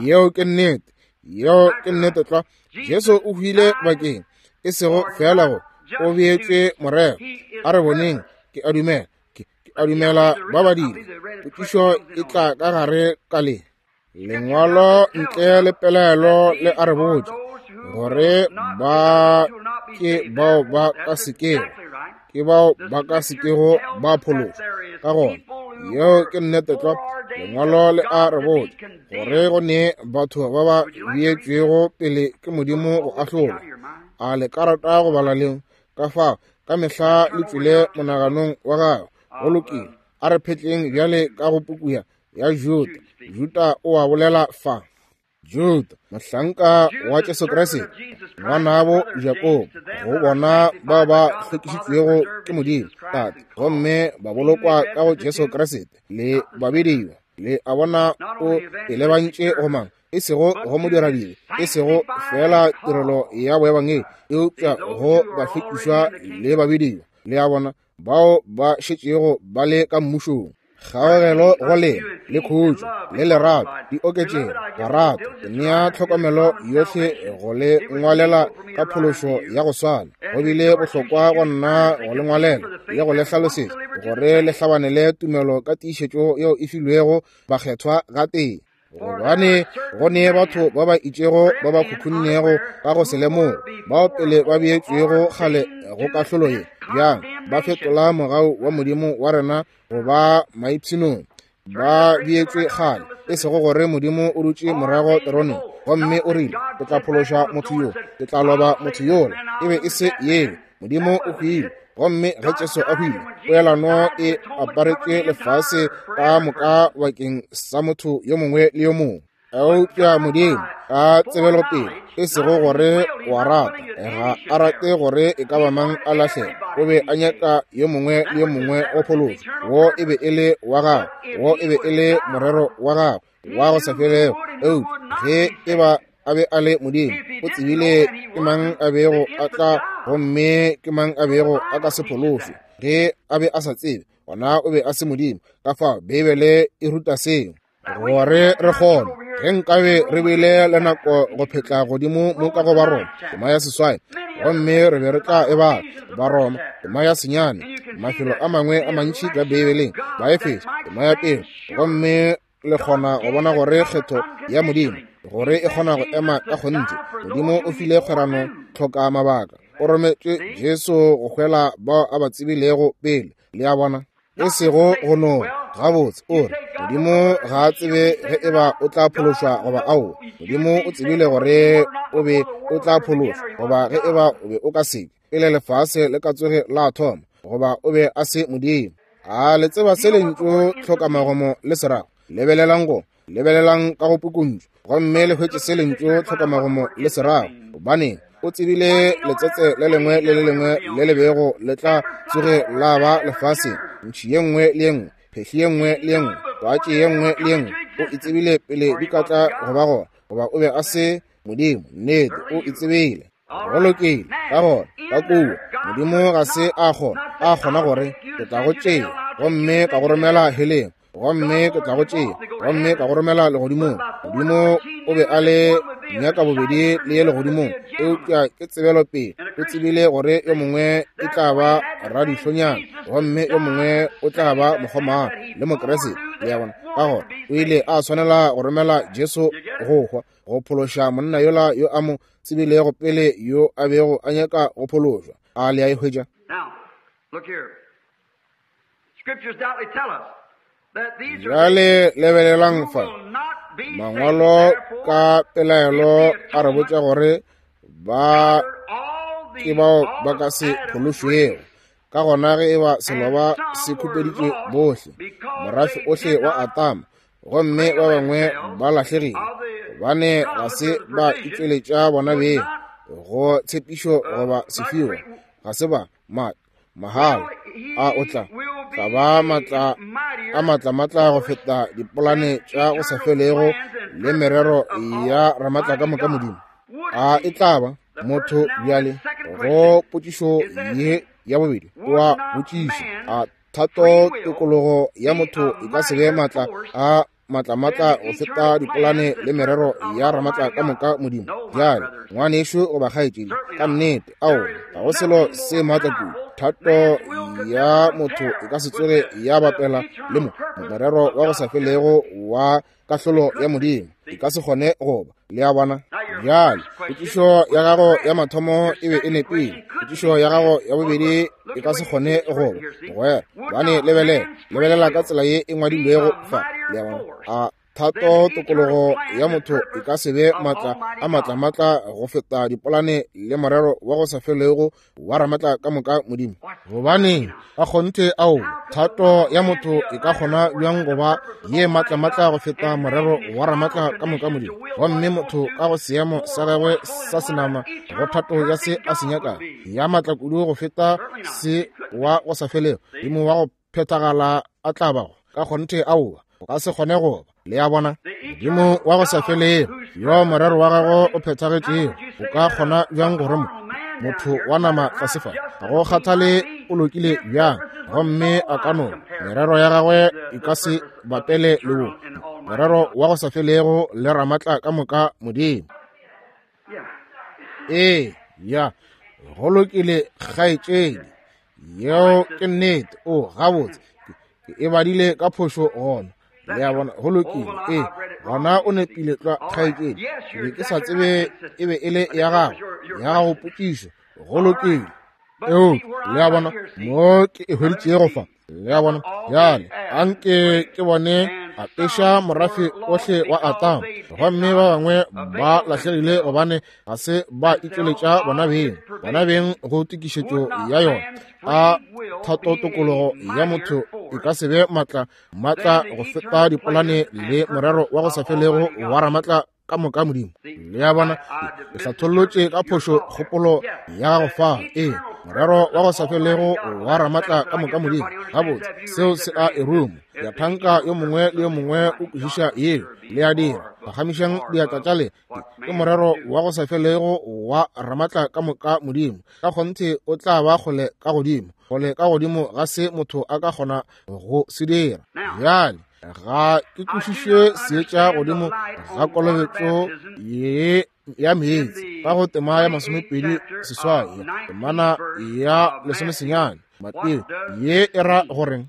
Yeo ke nnete, yeo ke nnete tlwa. Jesu o hwile bakeng e sego feela go o beetšwe morero. A re boneng, ke a dumela, ke, ke a dumela ba badile. Potšišo e tla ka gare ka le lengwalo ntle le pelaelo le a re botša gore ba ke bao ba ka sekego, ke bao ba ka sekego ba phološwa. Ka gona yeo ke nnete tlwa. Lengwalo le a re botša gore go ne batho ba ba beetšwego pele ke Modimo go ahlolwa. A le ka rata go bala leo? Ka fao ka mehla le tšwele monaganong wa gago. Go lokile, a re phetleng bjale ka go puku ya Juda. Juda o a bolela fa. Juda, mohlanka wa Jesu Kriste, ngwanabo Jakobo, go bona bao ba hlwekišitšwego ke Modimo Tate gomme ba bolokwa ka go Jesu Kriste le babediwa. Le a bona o e lebantše go mang? E sego go modiradibe, e sego feela tirelo ya boebangedi, eupša go bahlwekišwa le babediwa. Le a bona, bao ba šetšego ba le ka mmušong. Kgaogelo go lena le khutšo le lerato di oketšego. Barato, ke nea tlhokomelo yohle go le ngwalela ka phološo ya go swana. Go bile bohlokwa go nna go le ngwalela le go le hlalosetša gore le hlabanele tumelo ka tiišetšo yeo e filwego bakgethwa gatee. Gobane go ne batho ba ba itšego ba ba khukhunnego ka go se lemoge, bao pele ba beetšwego kgale go kahlolo ye, bjang ba fetola mogau wa Modimo wa rena go ba maipshinong. Ba beetšwe kgale, e sego gore Modimo o dutše morago teroneng gomme o rile, Ke tla phološa motho yo, ke tla loba motho yola. E be e se yeo. Modimo o hwile, gomme ge Jesu a hwile, poelano e aparetše lefase ka moka bakeng sa motho yo mongwe le yo mongwe. Eupša Modimo ka tsebelopele, e sego gore o a rata, ga a rate gore e ka ba mang a lahlege, o be a nyaka yo mongwe le yo mongwe go phološwa. Wo e be e le wa gagwe, wo e be e le morero wa gagwe wa go sa felego. Eupša ge e ba a be a le Modimo, o tsebile ke mang a bego a tla gomme ke mang a bego a ka se phološwe. Ge a be a sa tsebe, gona o be a se Modimo. Ka fao Beibele e ruta seo gore re kgone. Ge nkabe re bile le nako go phetla godimo mo ka go Baroma tema ya 8, gomme re be re tla e bala. Baroma tema ya 9, mafelo a mangwe a mantši ka Beibeleng, Baefeso tema ya 1, gomme le kgona go bona gore kgetho ya Modimo gore e kgona go ema ka kgonthe. Modimo o file kgwerano tlhoka mabaka, o rometše Jesu go hwela bao a ba tsebilego pele. Le a bona? E sego go no gabotse o re Modimo ga a tsebe ge e ba o tla phološwa goba aowa. Modimo o tsebile gore o be o tla phološwa goba ge e ba o be o ka seke, pele lefase le ka tsoge la thoma, goba o be a se Modimo. A le tseba se lentšu tlhokamagomo le se rago? Lebelelang go, lebelelang ka go pukuntšu, gomme le hwetše se lentšu tlhokamagomo le se rago. Gobaneng, o tsebile letsetse le lengwe le le lengwe le le bego le tla tsoge la ba lefaseng, ntšhi ye nngwe le ye nngwe, phehli ye nngwe le ye nngwe, twatši ye nngwe le ye nngwe, o e tsebile pele di ka tla go ba gona, goba o be a se Modimo. Nnete, o e tsebile. Go lokile. Ka gona, ka kua, Modimo ga se a kgona, a kgona gore, Ke tla go tšea gomme ka go romela heleng. Gomme ke tla go tšea gomme ka go romela legodimong. Modimo o be a le nyaka bobedi le ye legodimong, eupša ke tsebelopele. O tsebile gore yo mongwe e tla ba radihlonyana gomme yo mongwe o tla ba mokgomana le Mokriste. Le a bona? Ka gona o ile a swanela go romela Jesu go hwa, go phološa monna yola yo a mo tsebilego pele yo a bego a nyaka go phološwa. A le a e hwetša? Bjale lebelelang fa. Mangwalo ka pelaelo a re botša gore ba ke bao ba ka se phološwego. Ka gona ge e ba seloba se khupeditšwe bohle, morafe ohle wa Atama, gomme ba bangwe ba lahlegile, gobane ga se ba itšweletša bona beng go tshepišo goba sefiwa, ga se ba mahala a o tla tla ba matla a matlamatla go feta dipolane tša go sa felego le merero ya ramatla ka moka Modimo. A e tla ba motho bjale go potšišo ye ya bobedi wa botšiša a thato tokologo ya motho e ka se be matla a matlamatla go feta dipolane le merero ya ramatla ka moka Modimo. Bjale ngwanešu goba kgaetšedi, ka nnete ao ga go selo se maatla kudu. Thato ya motho e ka se tsoge ya bapela le mo morero wa go sa felego wa kahlolo ya Modimo, e ka se kgone go ba. Le a bona? Bjale potšišo ya gago ya mathomo e be e nepile, potšišo ya gago ya bobedi e ka se kgone go ba, mogwera, gobane lebelela, lebelela ka tsela ye e ngwadilwego fa. Le a bona? A thato tokologo ya motho e ka se be matla a matlamatla go feta dipolane le morero wa go sa felego wa ramatla ka moka Modimo? Gobane ka kgonthe ao thato ya motho e ka kgona bjang go ba ye matlamatla go feta morero wa ramatla ka moka Modimo? Gomme motho ka go seemo sa gagwe sa senama go thato ya se a se nyakago ya matla kudu go feta se wa go sa felego Modimo wa go phethagala a tla bago? Ka kgonthe aowa, o ka se kgone go ba. Le a bona? Modimo wa go sa felego yo morero wa gagwe o phethagetšego o ka kgona bjang gore mo motho wa nama tlase fa, ga go kgathale o lokile bjang, gomme a ka no merero ya gagwe e ka se bapele le wo morero wa go sa felego le ramatla ka moka Modimo. Ee, ya, go lokile kgaetšedi, yeo ke nnete. O gabotse, ke e badile ka phošo gona. Le a bona? Go lokile. Ee, gona o nepile tlwa kgaetšedi. Ke be ke sa tsebe e be e le ya gago, ya gago potšišo. Go lokile. Eo, le a bona, mo ke e hweditšego fa. Le a bona? Bjale, anke ke bone apeša morafe ohle wa Atama, gomme ba bangwe ba lahlegile gobane ga se ba itšweletša bona beng, bona beng go tokišetšo ya yona. A thato tokologo ya motho e ka se be matla matla go feta dipolane le morero wa go sa felego wa ramatla ka moka Modimo? Le a bona, ke hlathollotše ka phošo kgopolo ya gago fa. Ee, morero wa go sa felego wa ramatla ka moka Modimo. Gabotse, seo se a e ruma. Ke a thanka yo mongwe le yo mongwe o kwešiša yeo. Le a dira. Phagamišang diatla tša lena. Ke morero wa go sa felego wa ramatla ka moka Modimo. Ka kgonthe o tla ba kgole ka godimo, kgole ka godimo ga se motho a ka kgona go se dira. Bjale ga ke kwešiše seetša godimo ga kolobetšo ye ya meetse ka go tema ya 28, temana ya 19 Mateo, ye e ra goreng?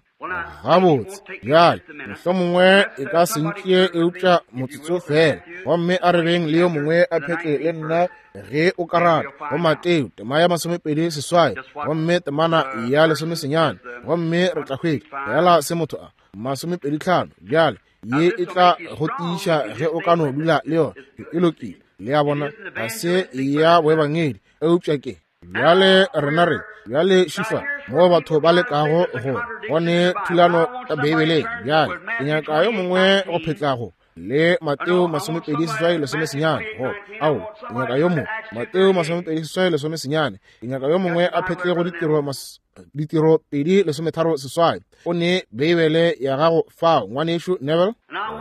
Gabotse, bjale mohlomongwe e ka se ntšee eupša motsotso fela, gomme a re beng le yo mongwe a phetle le nna ge o ka rata, go Mateo tema ya 28 gomme temana ya 19, gomme re tla hwetša fela se motho a 25. Bjale ye e tla go tiiša ge o ka no dula le yona e lokile. Le a bona, ga se ya boebangedi, eupša ke bjale rena re bjale šifa moo batho ba lekago go bone thulano ka Beibeleng. Bjale ke nyaka yo mongwe go phetlago le Mateo 28 19 go ao, ke nyaka yo mongwe Mateo 28 19, ke nyaka yo mongwe a phetle go ditiro 2 36. O ne Beibele ya gago fao, ngwanešu Neville?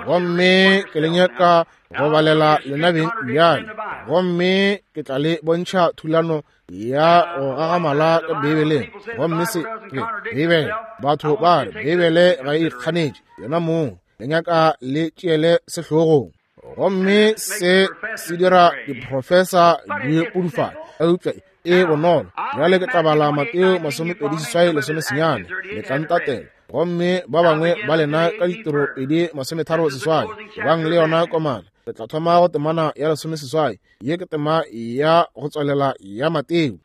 Gomme ke le nyaka go balela lena beng bjale, gomme ke tla le bontšha thulano ya go gagamala ka Beibeleng. Gomme se ke Beibele. Batho ba re Beibele ga e ikganetše yona mong. Le nyaka le tšeele sehlogong. Gomme se se dira diprofesa di pudufale, eupša e bonolo. Bjale ke tla bala Mateo 28 19, le tla ntatela. Gomme ba bangwe ba lena ka Ditiro 2:38, bang le yona komana. Re tla thoma go temana ya 18. Ye ke tema ya go tswalela ya Mateo.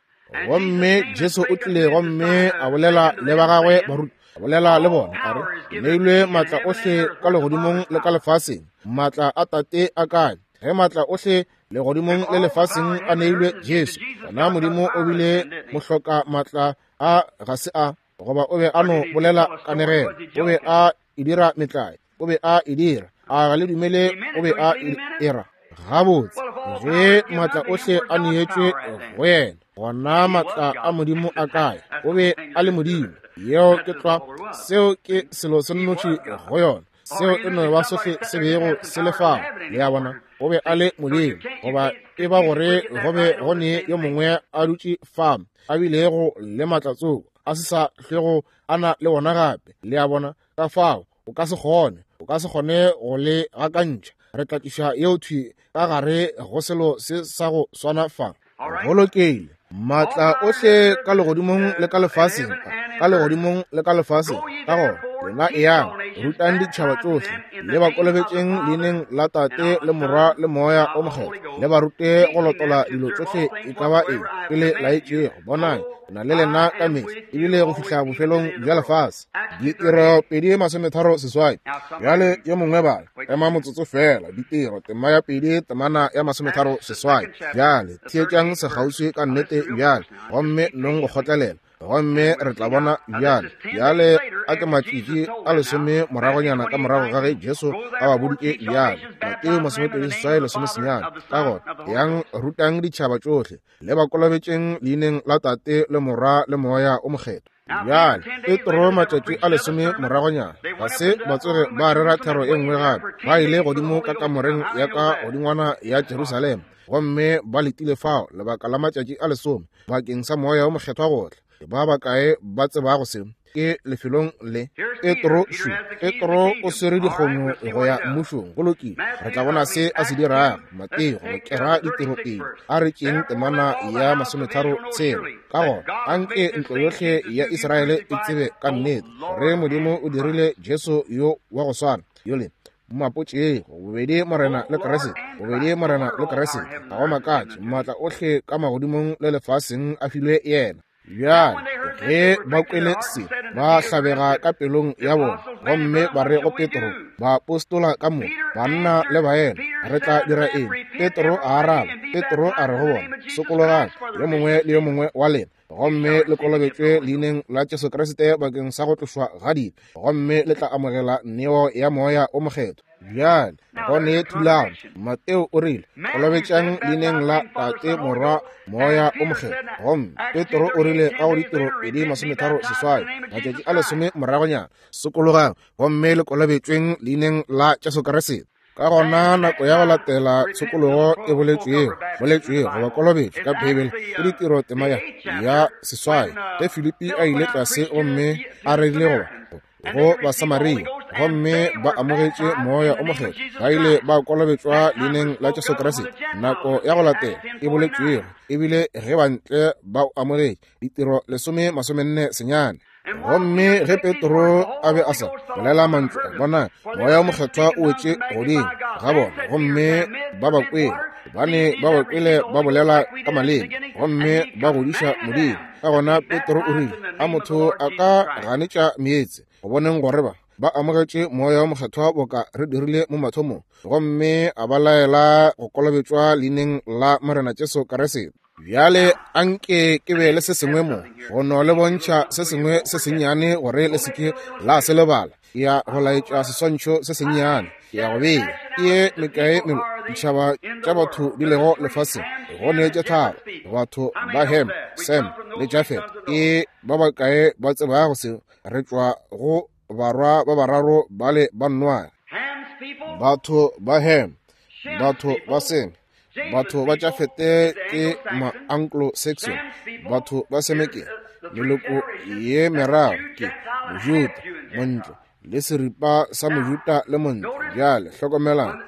Gomme Jesu o tlile gomme a bolela le ba gagwe barutwa, a bolela le bona, a re, Ke neilwe maatla ohle ka legodimong le ka lefaseng. Maatla a Tate a kae? Ge maatla ohle legodimong le lefaseng a neilwe Jesu, gona Modimo o bile mohloka maatla a ga se a, goba o be a no bolela kanegelo, o be a e dira metlae, o be a e dira. A ga le dumele o be a e era? Gabotse, ge maatla ohle a neetšwe go yena, gona maatla a Modimo a kae? O be a le Modimo. Yeo ke tlwa, seo ke selo se nnoši go yona. Seo e no ba sohle se bego se le fao. Le a bona, o be a le Modimo. Goba e ba gore go be go ne yo mongwe a dutše fa a bilego le maatla tsoko, a se sa hlwego a na le wona gape. Le a bona, ka fao o ka se kgone, o ka se kgone go le gakantšha. Re tla tliša yeo thwi ka gare go selo se sa go swana fa. Go lokile. Maatla ohle ka legodimong le ka lefaseng, ka legodimong le ka lefaseng. Ka gona, lena eyang, rutang ditšhaba tšohle, le ba kolobetšeng leineng la Tate le Morwa le Moya o Mokgethwa, le ba rute go lotola dilo tšohle e ka ba eng ke le laetšego. Bonang, ke na le lena ka mehla, ebile go fihla bofelong bja lefase. Ditiro 2:38. Bjale yo mongwe bala, ema motsotso fela. Ditiro tema ya 2 temana ya 38. Bjale theetšang sekgauswi ka nnete bjale, gomme nong go kgotlelela, gomme re tla bona bjale. Bjale a ke matšatši a lesome moragonyana ka morago ga ge Jesu a ba boditše bjale, Mateo 28 19. Ka gona yang rutang ditšhaba tšohle, le ba kolobetšeng leineng la Tate le Morwa le Moya o Mokgethwa. Bjale Petro matšatši a lesome moragonyana ga se ba tsoge ba rera thero e nngwe gape. Ba ile godimo ka kamoreng ya ka godingwana ya Jerusalema, gomme ba letile fao lebaka la matšatši a lesome bakeng sa Moya o Mokgethwa go tla. Ba bakae ba tsebago se? Ke lefelong le Petro šu. Petro o swere dikgomo go ya mmušong. Go lokile, re tla bona se a se dirago. Mateo go kera ditiro pele. A re tšeeng temana ya 36. Ka gona anke ntlo yohle ya Israele e tsebe ka nnete gore Modimo o dirile Jesu yo wa go swana yole mmapotšego, bobedi Morena le Kriste, bobedi Morena le Kriste. Ga go makatše, maatla ohle ka magodimong le lefaseng a filwe yena. Bjale ge ba kwele se, ba hlabega ka pelong ya bona, gomme ba re go Petro, baapostola ka moka, banna le baena, re tla dira eng? Petro a araba. Petro a re go bona, Sokologang, yo mongwe le yo mongwe wa lena, gomme le kolobetšwe leineng la Jesu Kriste bakeng sa go tlošwa ga dibe, gomme le tla amogela neo ya Moya o Mokgethwa. Bjale go ne thulano. Mateo o rile, Kolobetšang leineng la Tate, Morwa, Moya o Mokgethwa. Gomme Petro o rile ka go Ditiro 2:38, matšatši a lesome moragonyana, Sokologang gomme le kolobetšweng leineng la Jesu Kriste. Ka gona nako ya go latela tshokologo e boletšwego, boletšwego goba kolobetšo ka Beibele ke Ditiro tema ya 8, ge Filipi a ile tlase gomme a rerile goba go Basamaria, gomme ba amogetše Moya o Mokgethwa, ba ile ba kolobetšwa leineng la Jesu Kriste. Nako ya go latela e boletšwego e bile ge bantle ba o amogetše, Ditiro 10:49. Gomme ge Petro a be a sa bolela mantšu a, bona, Moya o Mokgethwa o wetše godimo ga bona, gomme ba ba kwele, gobane ba ba kwele ba bolela ka maleme, gomme ba godiša Modimo. Ka gona Petro o rile, A motho a ka ganetša meetse, go boneng gore ba amogetše Moya o Mokgethwa boka re dirile mo mathomong? Gomme a ba laela go kolobetšwa leineng la Morena Jesu Kriste. Bjale anke ke be le se sengwe mo go no le bontšha se sengwe se sennyane gore le se ke la se lebala. Ke ya go laetša seswantšho se sennyane. Ke ya go bea ke ye mekae melo ditšhaba tša batho di lego lefaseng. Go ne tše tharo, batho ba Ham, Sem le Jafet. Ke ba bakae ba tsebago seo? Re tšwa go barwa ba bararo bale ba Noage. Batho ba Ham, batho ba Seme, batho ba Jafete ke ma-Anglo-Saxon, batho ba Seme ke meloko ye meraro ke Mojuda, Montle, le seripa sa Mojuda le Montle. Bjale hlokomelang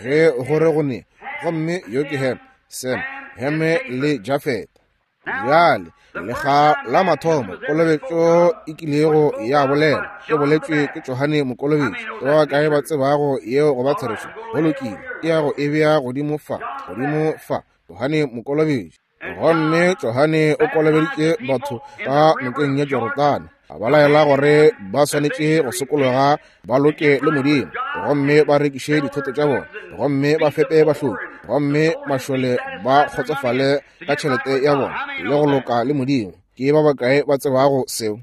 ge gore go ne, gomme yo ke Ham, Sem, Heme le Jafete. Bjale lekga la mathomo kolobetšo e kilego ya bolela e boletšwe ke Johane Mokolobetši. Ke ba bakae ba tsebago yeo go ba therešo? Go lokile, ke ya go e bea godimo fa, godimo fa, Johane Mokolobetši. Gomme Johane o kolobeditše batho ka nokeng ya Jorodane, a ba laela gore ba swanetše go sokologa ba loke le Modimo, gomme ba rekiše dithoto tša bona, gomme ba fepe bahloki, gomme mašole ba kgotsofale ka tšhelete ya bona le go loka le Modimo. Ke ba bakae ba tsebago seo?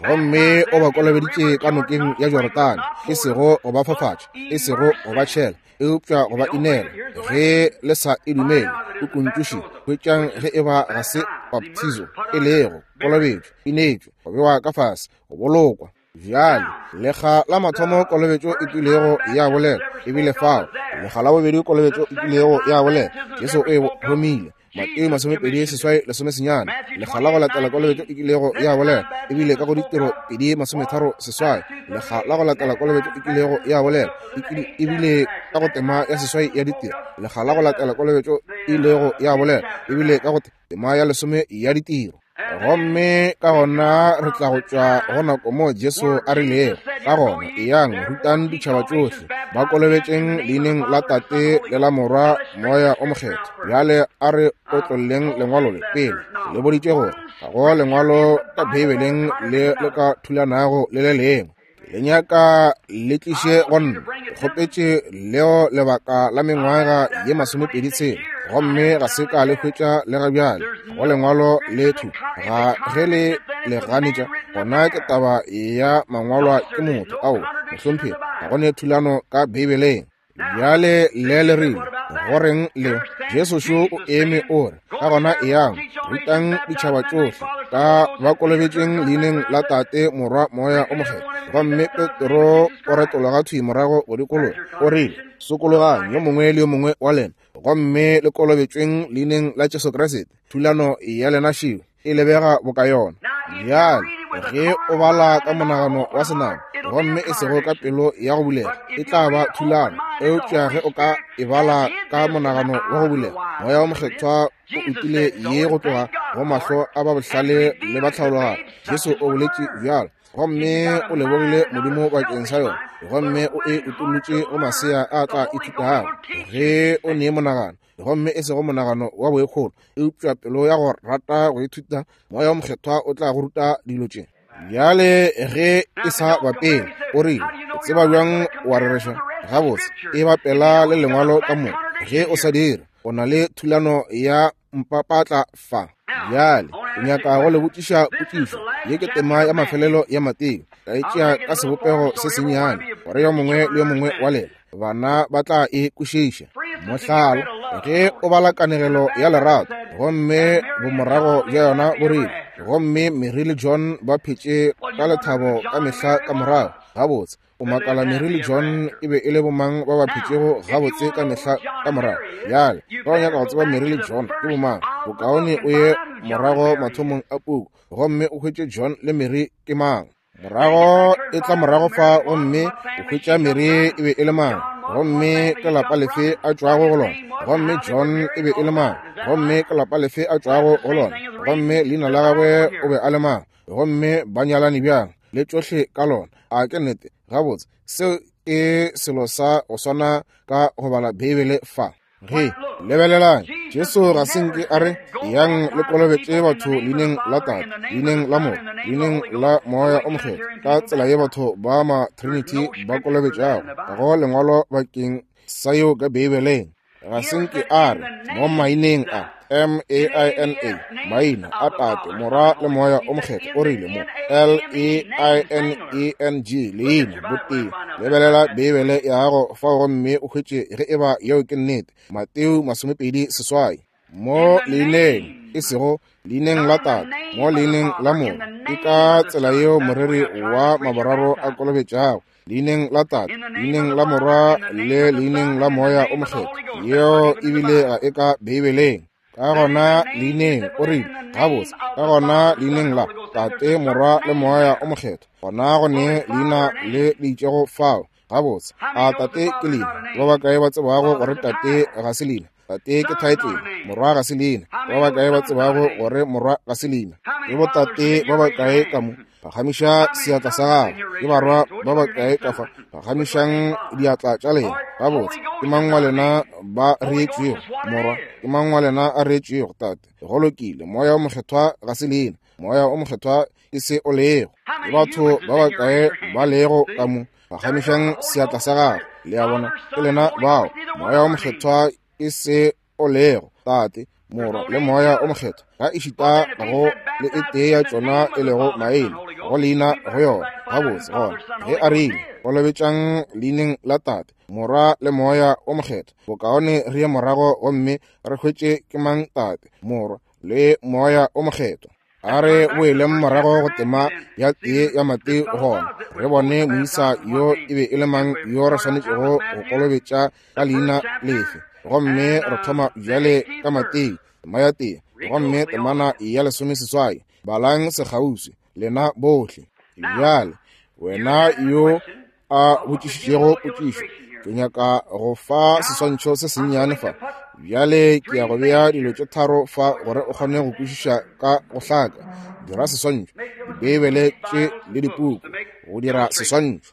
Gomme o ba kolobeditše ka nokeng ya Jorodane, e sego go ba fafatša, e sego go ba tšhela, eupša go ba inela. Ge le sa e dumele, o kuntšuši, hwetšang ge e ba ga se baptizo, e lego kolobetšo, inetšwe, go bewa ka fase, go bolokwa. Bjale, lekga la mathomo kolobetšo e kilego ya bolela, e bile fao. Lekga la bobedi kolobetšo e kilego ya bolela, Jesu o e thomile. Mateo 28 lesomesenyane. Lekga la go latela kolobetšo e kilego ya bolela, e bile ka go Ditiro 2:38. Lekga la go latela kolobetšo e kilego ya bolela, e bile ka go tema ya 8 ya Ditiro. Lekga la go latela kolobetšo e ilego ya bolela, e bile ka go tema ya 10 ya Ditiro. Gomme ka gona re tla go tšwa go nako moo Jesu a rilego, ka gona eyang rutang ditšhaba tšohle, ba kolobetšeng leineng la Tate le la Morwa Moya o Mokgethwa. Bjale a re otlolleng lengwalo le pele. Le boditše gore ga go lengwalo ka Beibeleng le le ka thulanago le le lengwe. Le nyaka le tliše go nna. Ke kgopetše leo lebaka la mengwaga ye 26, gomme ga se ka le hwetša le ga bjale. Go lengwalo le thu ga ge le le ganetša, gona ke taba ya mangwalwa ke motho. Ao, mohlomphegi, ga go ne thulano ka Beibeleng. Bjale le le rile, go reng le Jesu šo o eme o re, ka gona eyang, rutang ditšhaba tšohle, ka ba kolobetšeng leineng la Tate, Morwa, Moya o Mokgethwa. Gomme Petro o retologa thwi morago go dikologa, o rile, sokologang yo mongwe le yo mongwe wa lena, gomme le kolobetšweng leineng la Jesu Kriste. Thulano ya lena šeo e lebega boka yona. Bjale ge o bala ka monagano wa senama gomme e sego ka pelo ya go bulega, e tla ba thulano. Eupša ge o ka e bala ka monagano wa go bulega, Moya wa Mokgethwa o utile ye go tloga go mahlo a ba bohlale le ba tlhaologanyo. Jesu o boletše bjalo, gomme o lebogile Modimo bakeng sa yona, gomme o e utollotše go masea a tla ithutago. Ge o ne monagano gomme e sego monagano wa boikgolo, eupša pelo ya go rata go ithuta, Moya wa Mokgethwa o tla go ruta dilo tše. Bjale ge e sa bapele, o rile, o tseba bjang wa rereša? Gabotse, e bapela le lengwalo ka moka. Ge o sa dire, o na le thulano ya mpapatla fa. Bjale ke nyaka go le botšiša potšišo. Ye ke tema ya mafelelo ya Mateo. Ka e tšea ka sebopego se sennyane, gore yo mongwe le yo mongwe wa lena bana ba tla e kwešiša. Mohlala, ge o bala kanegelo ya lerato gomme bomorago bja yona bo rile, gomme Mary le John ba phetše ka lethabo ka mehla ka morago. Gabotse, o makala Mary le John e be e le bomang ba ba phetšego gabotse ka mehla ka morago. Bjale, ge o nyaka go tseba Mary le John ke bomang, bokaone o ye morago mathomong a puku gomme o hwetše John le Mary ke mang. Morago e tla morago fa gomme o hwetša Mary e be e le mang, gomme ke lapa lefe a tšwago go lona, gomme John e be e le mang, gomme ke lapa lefe a tšwago go lona, gomme leina la gagwe o be a le mang, gomme ba nyalane bjang, le tšohle ka lona. A ke nnete? Gabotse, seo ke selo sa go swana ka go bala Beibele fa. Ge, lebelelang, Jesu ga se nke a re, yang le kolobetše batho leineng la Tate, leineng la Morwa, leineng la Moya o Mokgethwa, ka tsela ye batho ba ma Trinity ba kolobetšago. Ga go lengwalo bakeng sa yeo ka Beibeleng. Ga se nke a re, mo maineng a, M-A-I-N-A, maina a Tate, Morwa le Moya o Mokgethwa, o rile mo, L-E-I-N-E-N-G, leina, botee. Lebelela Beibele ya gago fao gomme o hwetše ge eba yeo ke nnete. Mateo 28. Mo leineng. E sego leineng la Tate, mo leineng la Morwa. Ke ka tsela yeo moreri wa maboraro a kolobetšago, leineng la Tate, leineng la Morwa le leineng la Moya o Mokgethwa. Yeo ebile ga e ka Beibeleng. Ka gona leineng, o rile, gabotse, ka gona leineng la Tate, Morwa le Moya o Mokgethwa, gona go ne leina le le itšego fao. Gabotse, a Tate ke leina? Ba bakae ba tsebago gore Tate ga se leina? Tate ke thaetlele. Morwa ga se leina. Ba bakae ba tsebago gore Morwa ga se leina? Ke botate ba bakae ka mo? Phagamiša seatla sa gago. Ke barwa ba bakae ka fa? Phagamišang diatla tša lena. Gabotse, ke mang wa lena ba reetšwego? Morwa. Ke mang wa lena a reetšwego? Tate. Go lokile. Moya o Mokgethwa ga se leina. Moya o Mokgethwa ke se o lego. Ke batho ba bakae ba lego ka mo? Phagamišang seatla sa gago. Le a bona, ke lena bao. Moya o Mokgethwa ke se o lego. Tate, Morwa le Moya o Mokgethwa, ga ešita go le e tee ya tšona e lego maina go leina go yona. Gabotse, gona ge a rile kolobetšang leineng la Tate, Morwa le Moya o Mokgethwa, bokaone re ye morago gomme re hwetše ke mang Tate, Morwa le Moya o Mokgethwa. A re boeleng morago go tema ya tee ya Mateo gona re bone moisa yo e be e le mang yo re swanetšego go kolobetša ka leina lefe. Gomme re thoma bjale ka Mateo tema ya tee gomme temana ya 18. Balang sekgauswi lena bohle. Bjale wena yo a botšišitšego potšišo, ke nyaka go fa seswantšho se sennyane fa. Bjale ke ya go bea dilo tše tharo fa gore o kgone go kwešiša ka go hlaka. Dira seswantšho, Dibeibele tše le dipuku, go dira seswantšho.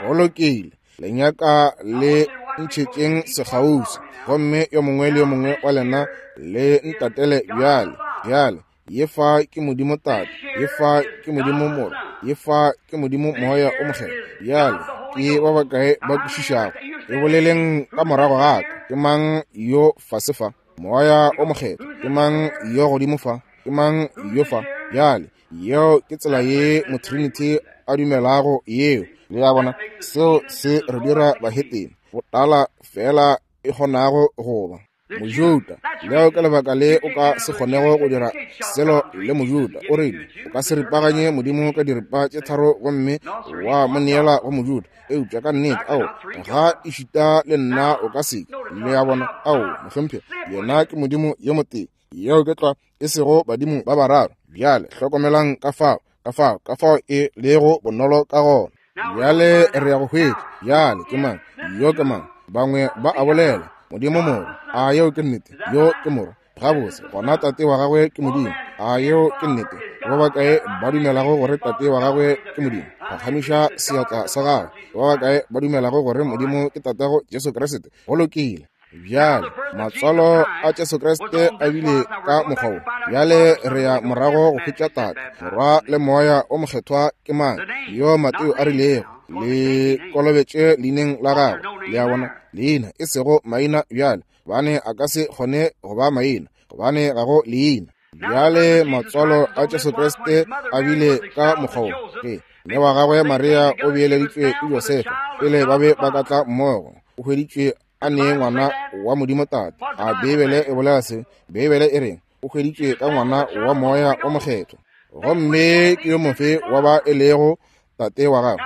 Go lokile, le nyaka le ntšhetšeng sekgauswi, gomme yo mongwe le yo mongwe wa lena le ntatele bjale. Bjale ye fa ke Modimo Tate, ye fa ke Modimo Morwa, ye fa ke Modimo Moya o Mokgethwa. Bjale ke ba bakae ba kwešišago? E boleleng ka morago ga ka. Ke mang yo fase fa? Moya o Mokgethwa. Ke mang yo godimo fa? Ke mang yo fa? Bjale yeo ke tsela ye Motrinity a dumelago yeo. Le a bona, seo se re dira bahetene, botala fela e kgonago go ba Mojuda. Leo ke lebaka le o ka se kgonego go dira selo le Mojuda. O rile o ka se ripaganye Modimo ka diripa tše tharo gomme wa mo neela go Mojuda. Eupša ka nnete, ao, ga ešita le nna o ka se. Le a bona? Ao, mohlomphegi, yena ke Modimo yo motee. Yeo ke tlwa, e sego badimo ba bararo. Bjale hlokomelang ka fao, ka fao, ka fao e lego bonolo ka gona. Bjale re ya go hwetša. Bjale ke mang? Yo ke mang? Bangwe ba a bolela, Modimo Morwa. A yeo ke nnete? Yo ke Morwa. Gabotse, gona Tate wa gagwe ke Modimo. A yeo ke nnete? Ba bakae ba dumelago gore Tate wa gagwe ke Modimo? Phagamiša seatla sa gago. Ba bakae ba dumelago gore Modimo ke Tatago Jesu Kriste? Go lokile. Bjale matswalo a Jesu Kriste a bile ka mokgwa wo. Bjale re ya morago go hwetša Tate, Morwa le Moya o Mokgethwa ke mang, yo Mateo a rilego le kolobetše leineng la gagwe. Le a bona, leina e sego maina bjale, gobane a ka se kgone go ba maina, gobane ga go leina. Bjale matswalo a Jesu Kriste a bile ka mokgwa wo. Ge mme wa gagwe Maria o beeleditšwe ke Josefa pele ba be ba ka tla mmogo, o hweditšwe a nee ngwana wa Modimo Tate. A Beibele e bolela se? Beibele e reng? O hweditšwe ka ngwana wa Moya o Mokgethwa. Gomme ke yo mofe wa ba e lego tate wa gagwe?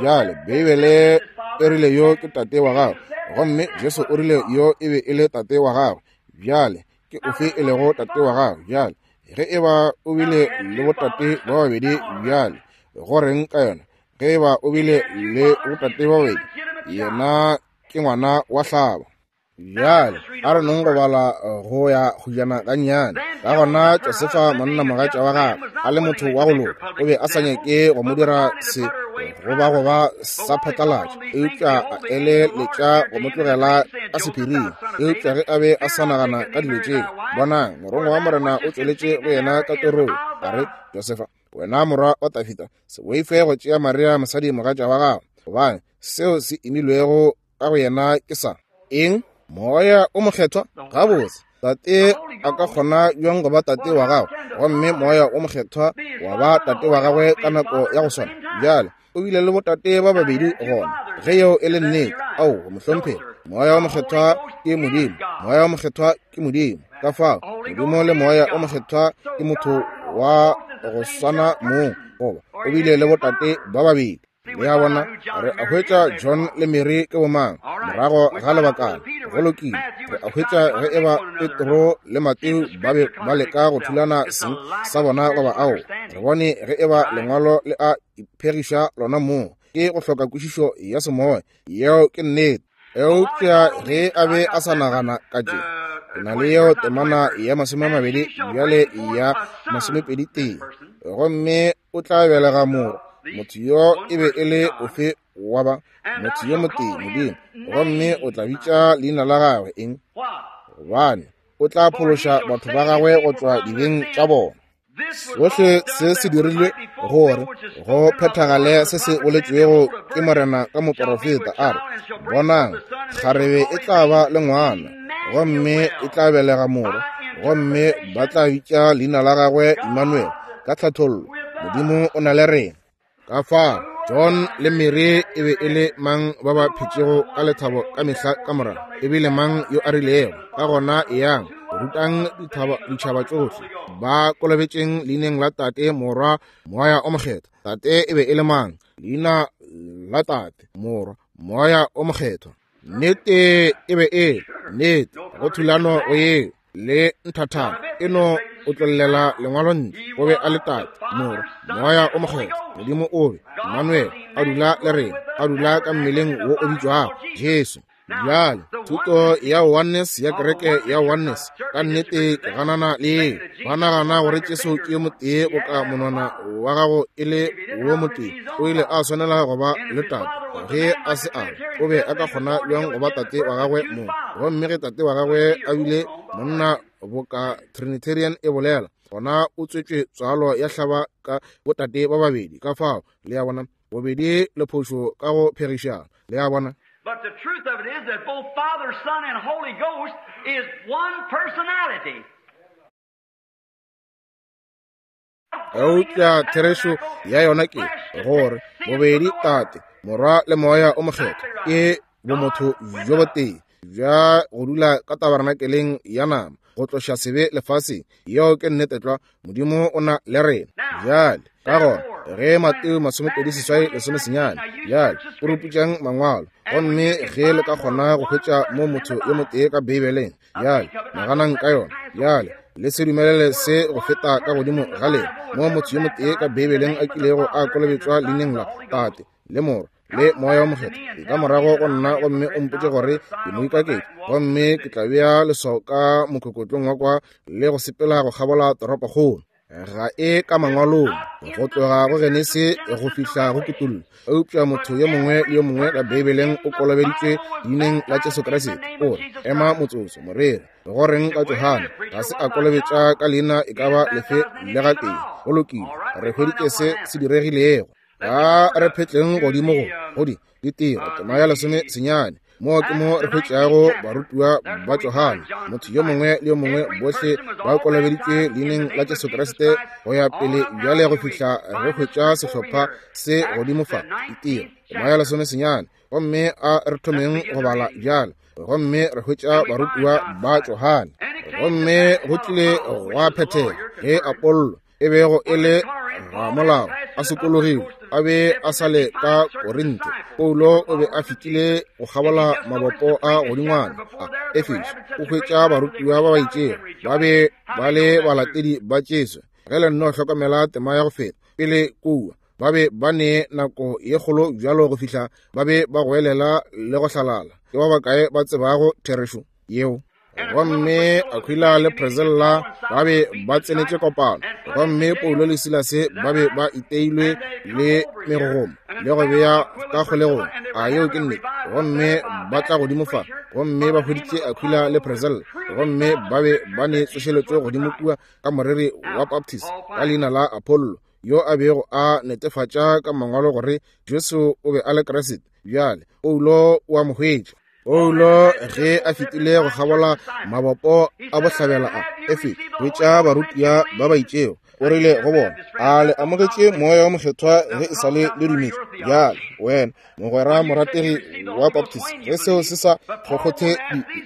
Bjale Beibele e rile yo ke tate wa gagwe, gomme Jesu o rile yo e be e le tate wa gagwe. Bjale ke ofe e lego tate wa gagwe? Bjale ge e ba o bile le botate ba babedi, bjale go reng ka yona? Ge e ba o bile le botate ba babedi, yena ke ngwana wa hlabo. Bjale a re nong go bala go ya kgujana gannyane. Ka gona Josefa monnamogatša wa gagwe a le motho wa go loka, o be a sa nyake go mo dira se goba go ba sa phatlalatša, eupša a eleletša go mo tlogela ka sephiring. Eupša ge a be a sa nagana ka dilo tše, bonang, morongwa wa Morena o tšweletše go yena ka torong, a re, Josefa, wena morwa wa Dafida, se boife go tšea Maria mosadi mogatša wa gago, gobane seo se imilwego ka go yena ke sa eng? Moya o Mokgethwa. Gabotse, Tate a ka kgona bjang go ba tate wa gagwe gomme Moya o Mokgethwa wa ba tate wa gagwe ka nako ya go swana? Bjale o bile le botate ba babedi gona, ge yeo e le nnete. Ao, mohlomphegi, Moya o Mokgethwa ke Modimo. Moya o Mokgethwa ke Modimo. Ka fao Modimo le Moya o Mokgethwa ke motho wa go swana mong, goba o bile le botate ba babedi. Le a bona, re a hwetša John le Mary ke bomang morago ga lebakana. Go lokile, re a hwetša ge eba Petro le Mateo ba be ba leka go thulana seng sa bona goba ao. Re bone ge eba Lengwalo le a iphegiša lona mong. Ke go hloka kwešišo ya semoya. Yeo ke nnete. Eupša ge a be a sa nagana ka tše, ke na le yeo temana ya 20 bjale ya 21. Gomme o tla belega morwa. Motho yo e be e le ofe wa ba? Motho yo motee, Modimo. Gomme o tla bitša leina la gagwe eng? Gobane o tla phološa batho ba gagwe go tšwa dibeng tša bona. Sohle se se dirilwe gore go phethagale se se boletšwego ke Morena ka moporofeta, a re, Bonang, kgarebe e tla ba le ngwana, gomme e tla belega morwa, gomme ba tla bitša leina la gagwe Immanuel, ka tlhathollo, Modimo o na le rena. Ka fao John le Mary e be e le mang ba ba phetšego ka lethabo ka mehla ka morago? E bile mang yo a rilego, Ka gona eyang, rutang ditšhaba tšohle, ba kolobetšeng leineng la Tate, Morwa, Moya o Mokgethwa? Tate e be e le mang? Leina la Tate, Morwa, Moya o Mokgethwa. Nnete e be e nnete go thulano go yeo le nthathana e no o tlollela lengwalo ntle. O be a le Tate, Morwa, Moya o Mokgethwa. Modimo o be Emmanuel, a dula le rena, a dula ka mmeleng wo o bitšwago Jesu. Bjale thuto ya oneness ya kereke ya oneness ka nnete ke ganana le yeo. Ba nagana gore Jesu ke yo motee boka monwana wa gago e le wo motee. O ile a swanela go ba le tate. Ge a se a, o be a ka kgona bjang go ba tate wa gagwe mong? Gomme ge tate wa gagwe a bile monna boka Trinitarian e bolela, gona o tswetšwe tswalo ya hlaba ka botate ba babedi. Ka fao, le a bona, bobedi le phošo ka go phegišana. Le a bona? But the truth of it is that both Father, Son, and Holy Ghost is one personality. Eupša therešo ya yona ke gore bobedi Tate, Morwa le Moya o Mokgethwa ke bomotho bjo botee bja go dula ka tabernakeleng ya nama go tloša sebe lefaseng. Yeo ke nnete tlwa. Modimo o na le rena bjale. Ka gona ge Mateo 28 19, bjale o ruputšang mangwalo, gomme ge le ka kgona go hwetša mo motho yo motee ka Beibeleng, bjale naganang ka yona. Bjale le se dumelele se go feta ka godimo ga lena, mo motho yo motee ka Beibeleng a kilego a kolobetšwa leineng la Tate le Morwa le Moya o Mokgethwa. E ka morago go nna gomme o mpotše gore ke moikaketši, gomme ke tla bea leswao ka mokokotlong wa kwa le go sepela go kgabola toropokgolo. Ga e ka mangwalong go tloga go Genesi go fihla go Kutullo, eupša motho yo mongwe le yo mongwe ka Beibeleng o kolobeditšwe leineng la Jesu Kriste. O re, ema motsotso, moreri, go reng ka Johane? Ga se a kolobetša ka leina e ka ba lefe le gatee. Go lokile, re hweditše se se diregilego. A re phetleng godimo go go di ditiro tema ya 19. Mo ke mo re hwetšago barutiwa ba Johane, motho yo mongwe le yo mongwe, bohle ba kolobeditšwe leineng la Jesu Kriste go ya pele bjale go fihla re hwetša sehlopha se godimo fa, ditiro tema ya 19. Gomme a re thomeng go bala bjale. Gomme re hwetša barutiwa ba Johane. Gomme go tlile gwa phethega ge Apollo e bego e le ramolao a sokologile, a be a sa le ka Korinthe. Paulo o be a fetile go kgabola mabopo a godingwana a Efeso, o hwetša barutiwa ba ba itšego ba be ba le balatedi ba Jesu. Ge le nno hlokomela tema ya go feta pele kua, ba be ba ne nako ye kgolo bjalo go fihla ba be ba goelela le go hlalala. Ke ba bakae ba tsebago therešo yeo? Gomme Aquila le Priscilla ba be ba tsenetše kopano, gomme Paulo le Silase ba be ba iteilwe le megogomo le go bea ka kgolegong. A yeo ke nnete? Gomme ba tla godimo fa, gomme ba hweditše Aquila le Priscilla, gomme ba be ba ne tsošeletšo godimo kua ka moreri wa Baptist ka leina la Apollo, yo a bego a netefatša ka mangwalo gore Jesu o be a le Kriste. Bjale Paulo o a mo hwetša. Paulo ge a fetile go kgabola mabopo a bohlabela a Efeso, hwetša barutiwa ba ba itšego. O rile go bona, A le amogetše Moya wo Mokgethwa ge e sa le le dumetše? Bjale, wena, mogwera morategi wa Baptist, ge seo se sa kgokgothe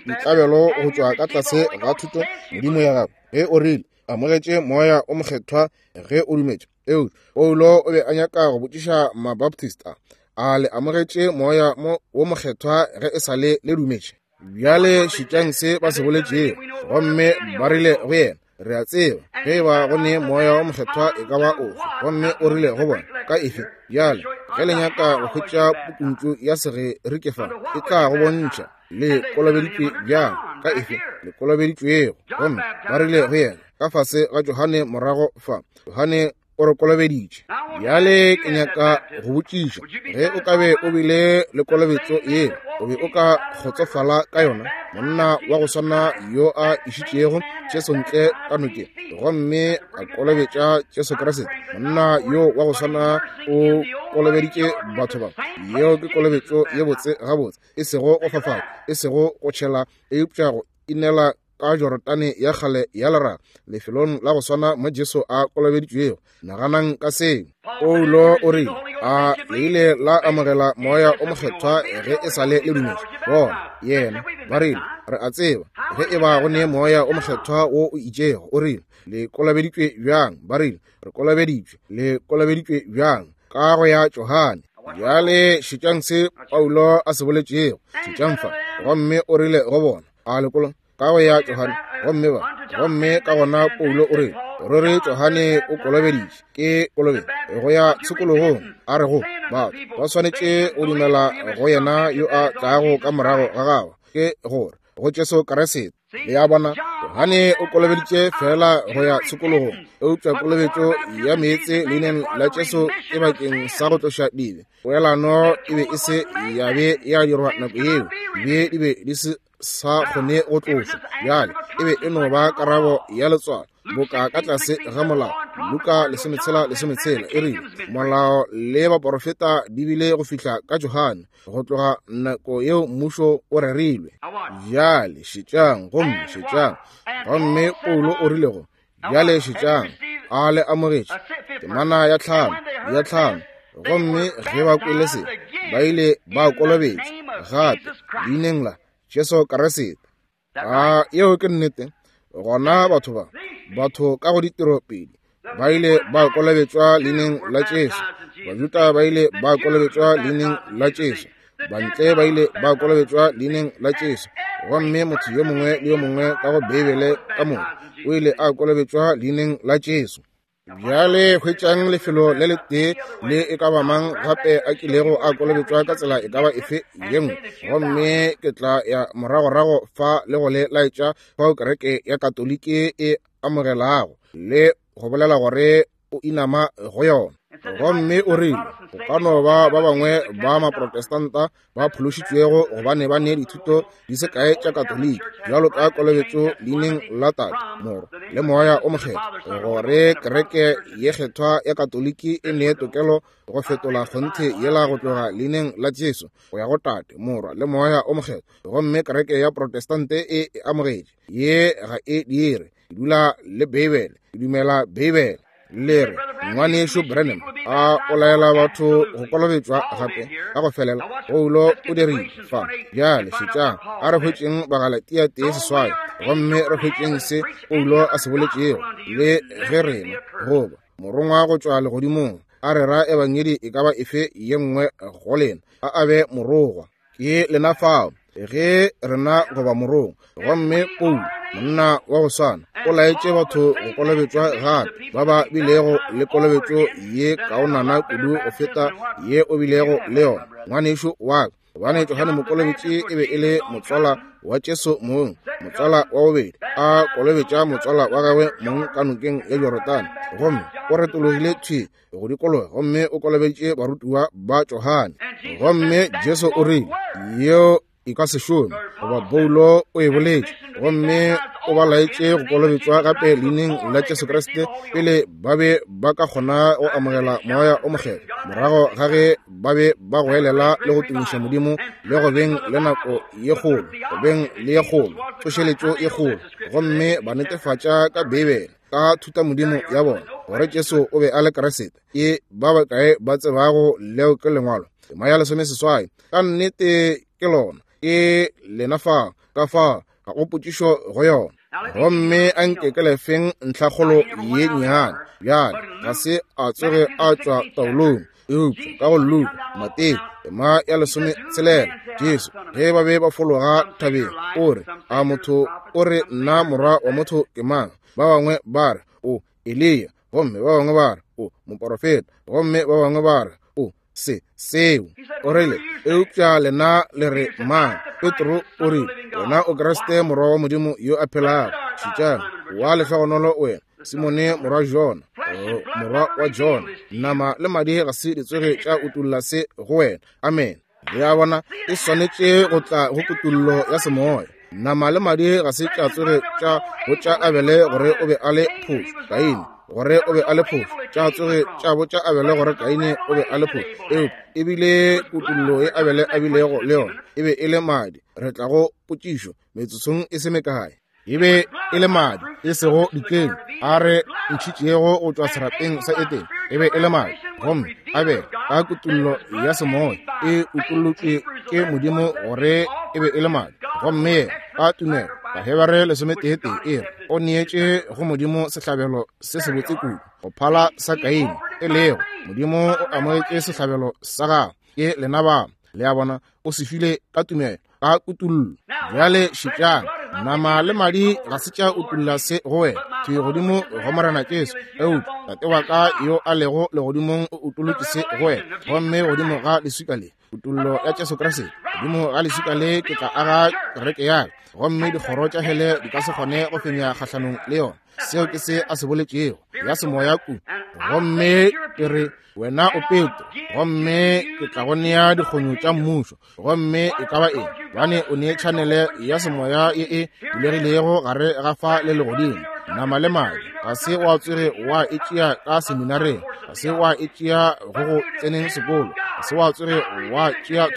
ditlabelo go tšwa ka tlase ga thuto Modimo ya gago, ge o rile, amogetše Moya wo Mokgethwa ge o dumetše. Eupša Paulo o be a nyaka go botšiša Mabaptist a, A le amogetše Moya wo Mokgethwa ge e sa le le dumetše? Bjale šetšang se ba se boletšego. Gomme ba rile go yena, Re a tseba ge e ba go ne Moya wo Mokgethwa e ka ba ofe. Gomme o rile go bona, Ka efe? Bjale, ge le nyaka go hwetša pukuntšu ya Segerike fa, e tla go bontšha le kolobeditšwe bjang, ka efe le kolobeditšwego. Gomme ba rile go yena, Ka fase ga Johane morago fa. Johane o re kolobeditše. Bjale ke nyaka go botšiša, ge o ka be o bile le kolobetšo yeo, o be o ka kgotsofala ka yona? Monna wa go swana yo a išitšego Jesu ntle ka nokeng gomme a kolobetša Jesu Kriste, monna yo wa go swana o kolobeditše batho ba. Yeo ke kolobetšo ye botse gabotse, e sego go fafatša, e sego go tšhela, eupša go inela ka Jorodane ya kgale ya leraga, lefelong la go swana mo Jesu a kolobeditšwego. Naganang ka seo. Paulo o rile, A le ile la amogela Moya o Mokgethwa ge e sa le le dumetše? Bona, yena, ba rile, re a tseba ge e ba go ne Moya o Mokgethwa wo o itšego. O rile, Le kolobeditšwe bjang? Ba rile, Re kolobeditšwe. Le kolobeditšwe bjang? Ka go ya Johane. Bjale šetšang se Paulo a se boletšego. Šetšang fa. Gomme o rile go bona, A le kolo ka go ya Johane? Gomme ba, gomme ka gona Paulo o rile, Ruri Johane o kolobeditše ke kolobetšo go ya tshokologong, a re go batho ba swanetše go dumela go yena yo a tlago ka morago ga gagwe, ke gore go Jesu Kriste. Le a bona, Johane o kolobeditše fela go ya tshokologong, eupša kolobetšo ya meetse leineng la Jesu ke bakeng sa go tloša dibe. Poelano e be e se ya be ya dirwa nako yeo, dibe di be di se sa kgone go tlošwa. Bjale e be e no ba karabo ya letswalo, boka ka tlase ga molao. Luka 16:16 e rile, Molao le baporofeta di bile go fihla ka Johane, go tloga nako yeo mmušo o rerilwe. Bjale šetšang, gomme šetšang. Gomme Paulo o rile go, Bjale šetšang, a le amogetše temana ya tlhano, ya tlhano. Gomme ge ba kwele se, ba ile ba kolobetšwa gape leineng la Jesu Kriste. A yeo ke nnete? Gona batho ba, batho ka go ditiro pedi, ba ile ba kolobetšwa leineng la Jesu. Bajuda ba ile ba kolobetšwa leineng la Jesu. Bantle ba ile ba kolobetšwa leineng la Jesu. Gomme motho yo mongwe le yo mongwe ka go Beibele ka moka o ile a kolobetšwa leineng la Jesu. Bjale hwetšang lefelo le letee le e ka ba mang gape a kilego a kolobetšwa ka tsela e ka ba efe ye nngwe, gomme ke tla ya moragorago fa le go le laetša fao kereke ya Katoliki e amogelago le go bolela gore o inama go yona. Gomme o rile, Go ka no ba ba bangwe ba Maprotestanta ba phološitšwego gobane ba ne dithuto di se kae tša Katoliki, bjalo ka kolobetšo leineng la Tate, Morwa, le Moya o Mokgethwa, gore kereke ye kgethwa ya Katoliki e ne tokelo go fetola kgonthe yela go tloga leineng la Jesu go ya go Tate, Morwa, le Moya o Mokgethwa. Gomme kereke ya Protestante e e amogetše. Ye ga e dire. Ke dula le Beibele. Ke dumela Beibele. Le re, Ngwanešu Branham, a o laela batho go kolobetšwa gape ka go felela? Paulo o dirile fa. Bjale šetšang, a re hwetšeng Bagalatia 1:8, gomme re hwetšeng se Paulo a se boletšego, le ge rena, goba morongwa go tšwa legodimong, a rera ebangedi e ka ba efe ye nngwe go lena, a a be morogwa. Ke lena fao, ge rena goba morongwa. Gomme Paulo, monna wa go swana, o laetše batho go kolobetšwa gape, ba ba bilego le kolobetšo ye kaonana kudu go feta ye o bilego le yona, ngwanešu wa ka. Gobane Johane Mokolobetši e be e le motswala wa Jesu mong, motswala wa bobedi, a kolobetša motswala wa gagwe mong ka nokeng ya Jorodane, gomme o retologile thwi go dikologa gomme o kolobeditše barutiwa ba Johane. Gomme Jesu o rile, yeo e ka se šome, goba Paulo o e boletše, gomme o ba laetše go kolobetšwa gape leineng la Jesu Kriste pele ba be ba ka kgona go amogela Moya o Mokgethwa, morago ga ge ba be ba goelela le go tumiša Modimo le go beng le nako ye kgolo, go beng le ye kgolo, tsošeletšo ye kgolo, gomme ba netefatša ka Beibele, ka thutamodimo ya bona. gore Jesu o be a le Kriste? Ke ba bakae ba tsebago leo ke Lengwalo? Tema ya 18. Ka nnete ke lona. Ke lena fa, ka fa, ga go potšišo go yona. Gomme a nke ke lefeng ntlhakgolo ye nnyane. Bjale, ga se a tsoge a tšwa taolong, eupša ka go Luka, Mateo, tema ya 16, Jesu, ge ba be ba fologa thabeng, o re, a motho o re nna morwa wa motho ke mang? Ba bangwe ba re, o Eliya, gomme ba bangwe ba re, o moporofeta, gomme ba bangwe ba re, o se seo. O rile, eupša lena le re mang? Petro o rile, wena o Kriste morwa wa Modimo yo a phelago. Šetšang, wa lehlogonolo wena, Simone morwa Jona, morwa wa Jona, nama le madi ga se di tsoge tša utolla se go wena. Amen. Le a bona, e swanetše go tla go kutollo ya semoya. Nama le madi ga se tša tsoge tša botša Abele gore o be a le phošo, Kaine gore o be a le phošo, tša tsoge tša botša Abele gore Kaine o be a le phošo. Eupša e bile kutollo ye Abele a bilego le yona, e be e le madi. Re tla go potšišo metsotsong e se mekae. E be e le madi, e sego dikeng a re ntšhitšego go tšwa serapeng sa Edene. E be e le madi, gomme Abele ka kutollo ya semoya e utollotšwe ke Modimo gore e be e le madi. Gomme yena ka tumelo, Bahebere 11 e re, o neetše go Modimo sehlabelo se sebotse kudu go phala sa Kaine, e lego Modimo o amogetše sehlabelo sa gagwe. Ke lena ba, le a bona, o se file ka tumelo, ka kutollo. Bjale šetšang, nama le madi ga se tša utolla se go wena, thwi godimo go Morena Jesu, eupša Tate wa ka yo a lego legodimong o utolotše se go wena. Gomme godimo ga leswika le, kutollo ya Jesu Kriste, godimo ga leswika le ke tla aga kereke ya ka, gomme dikgoro tša hele di ka se kgone go fenya kgahlanong le yona. Seo ke se a se boletšego, ya semoya ku. Gomme ke re, wena o Petro, gomme ke tla go nea dikgonyo tša mmušo. Gomme e ka ba eng, bane o ne tšhanele ya semoya ye e bulegilego gare ga fa le legodimo. Nama le madi ga se wa tsoge wa e tšea ka seminareng, ga se wa e tšea go go tseneng sekolo, ga se wa tsoge wa tšea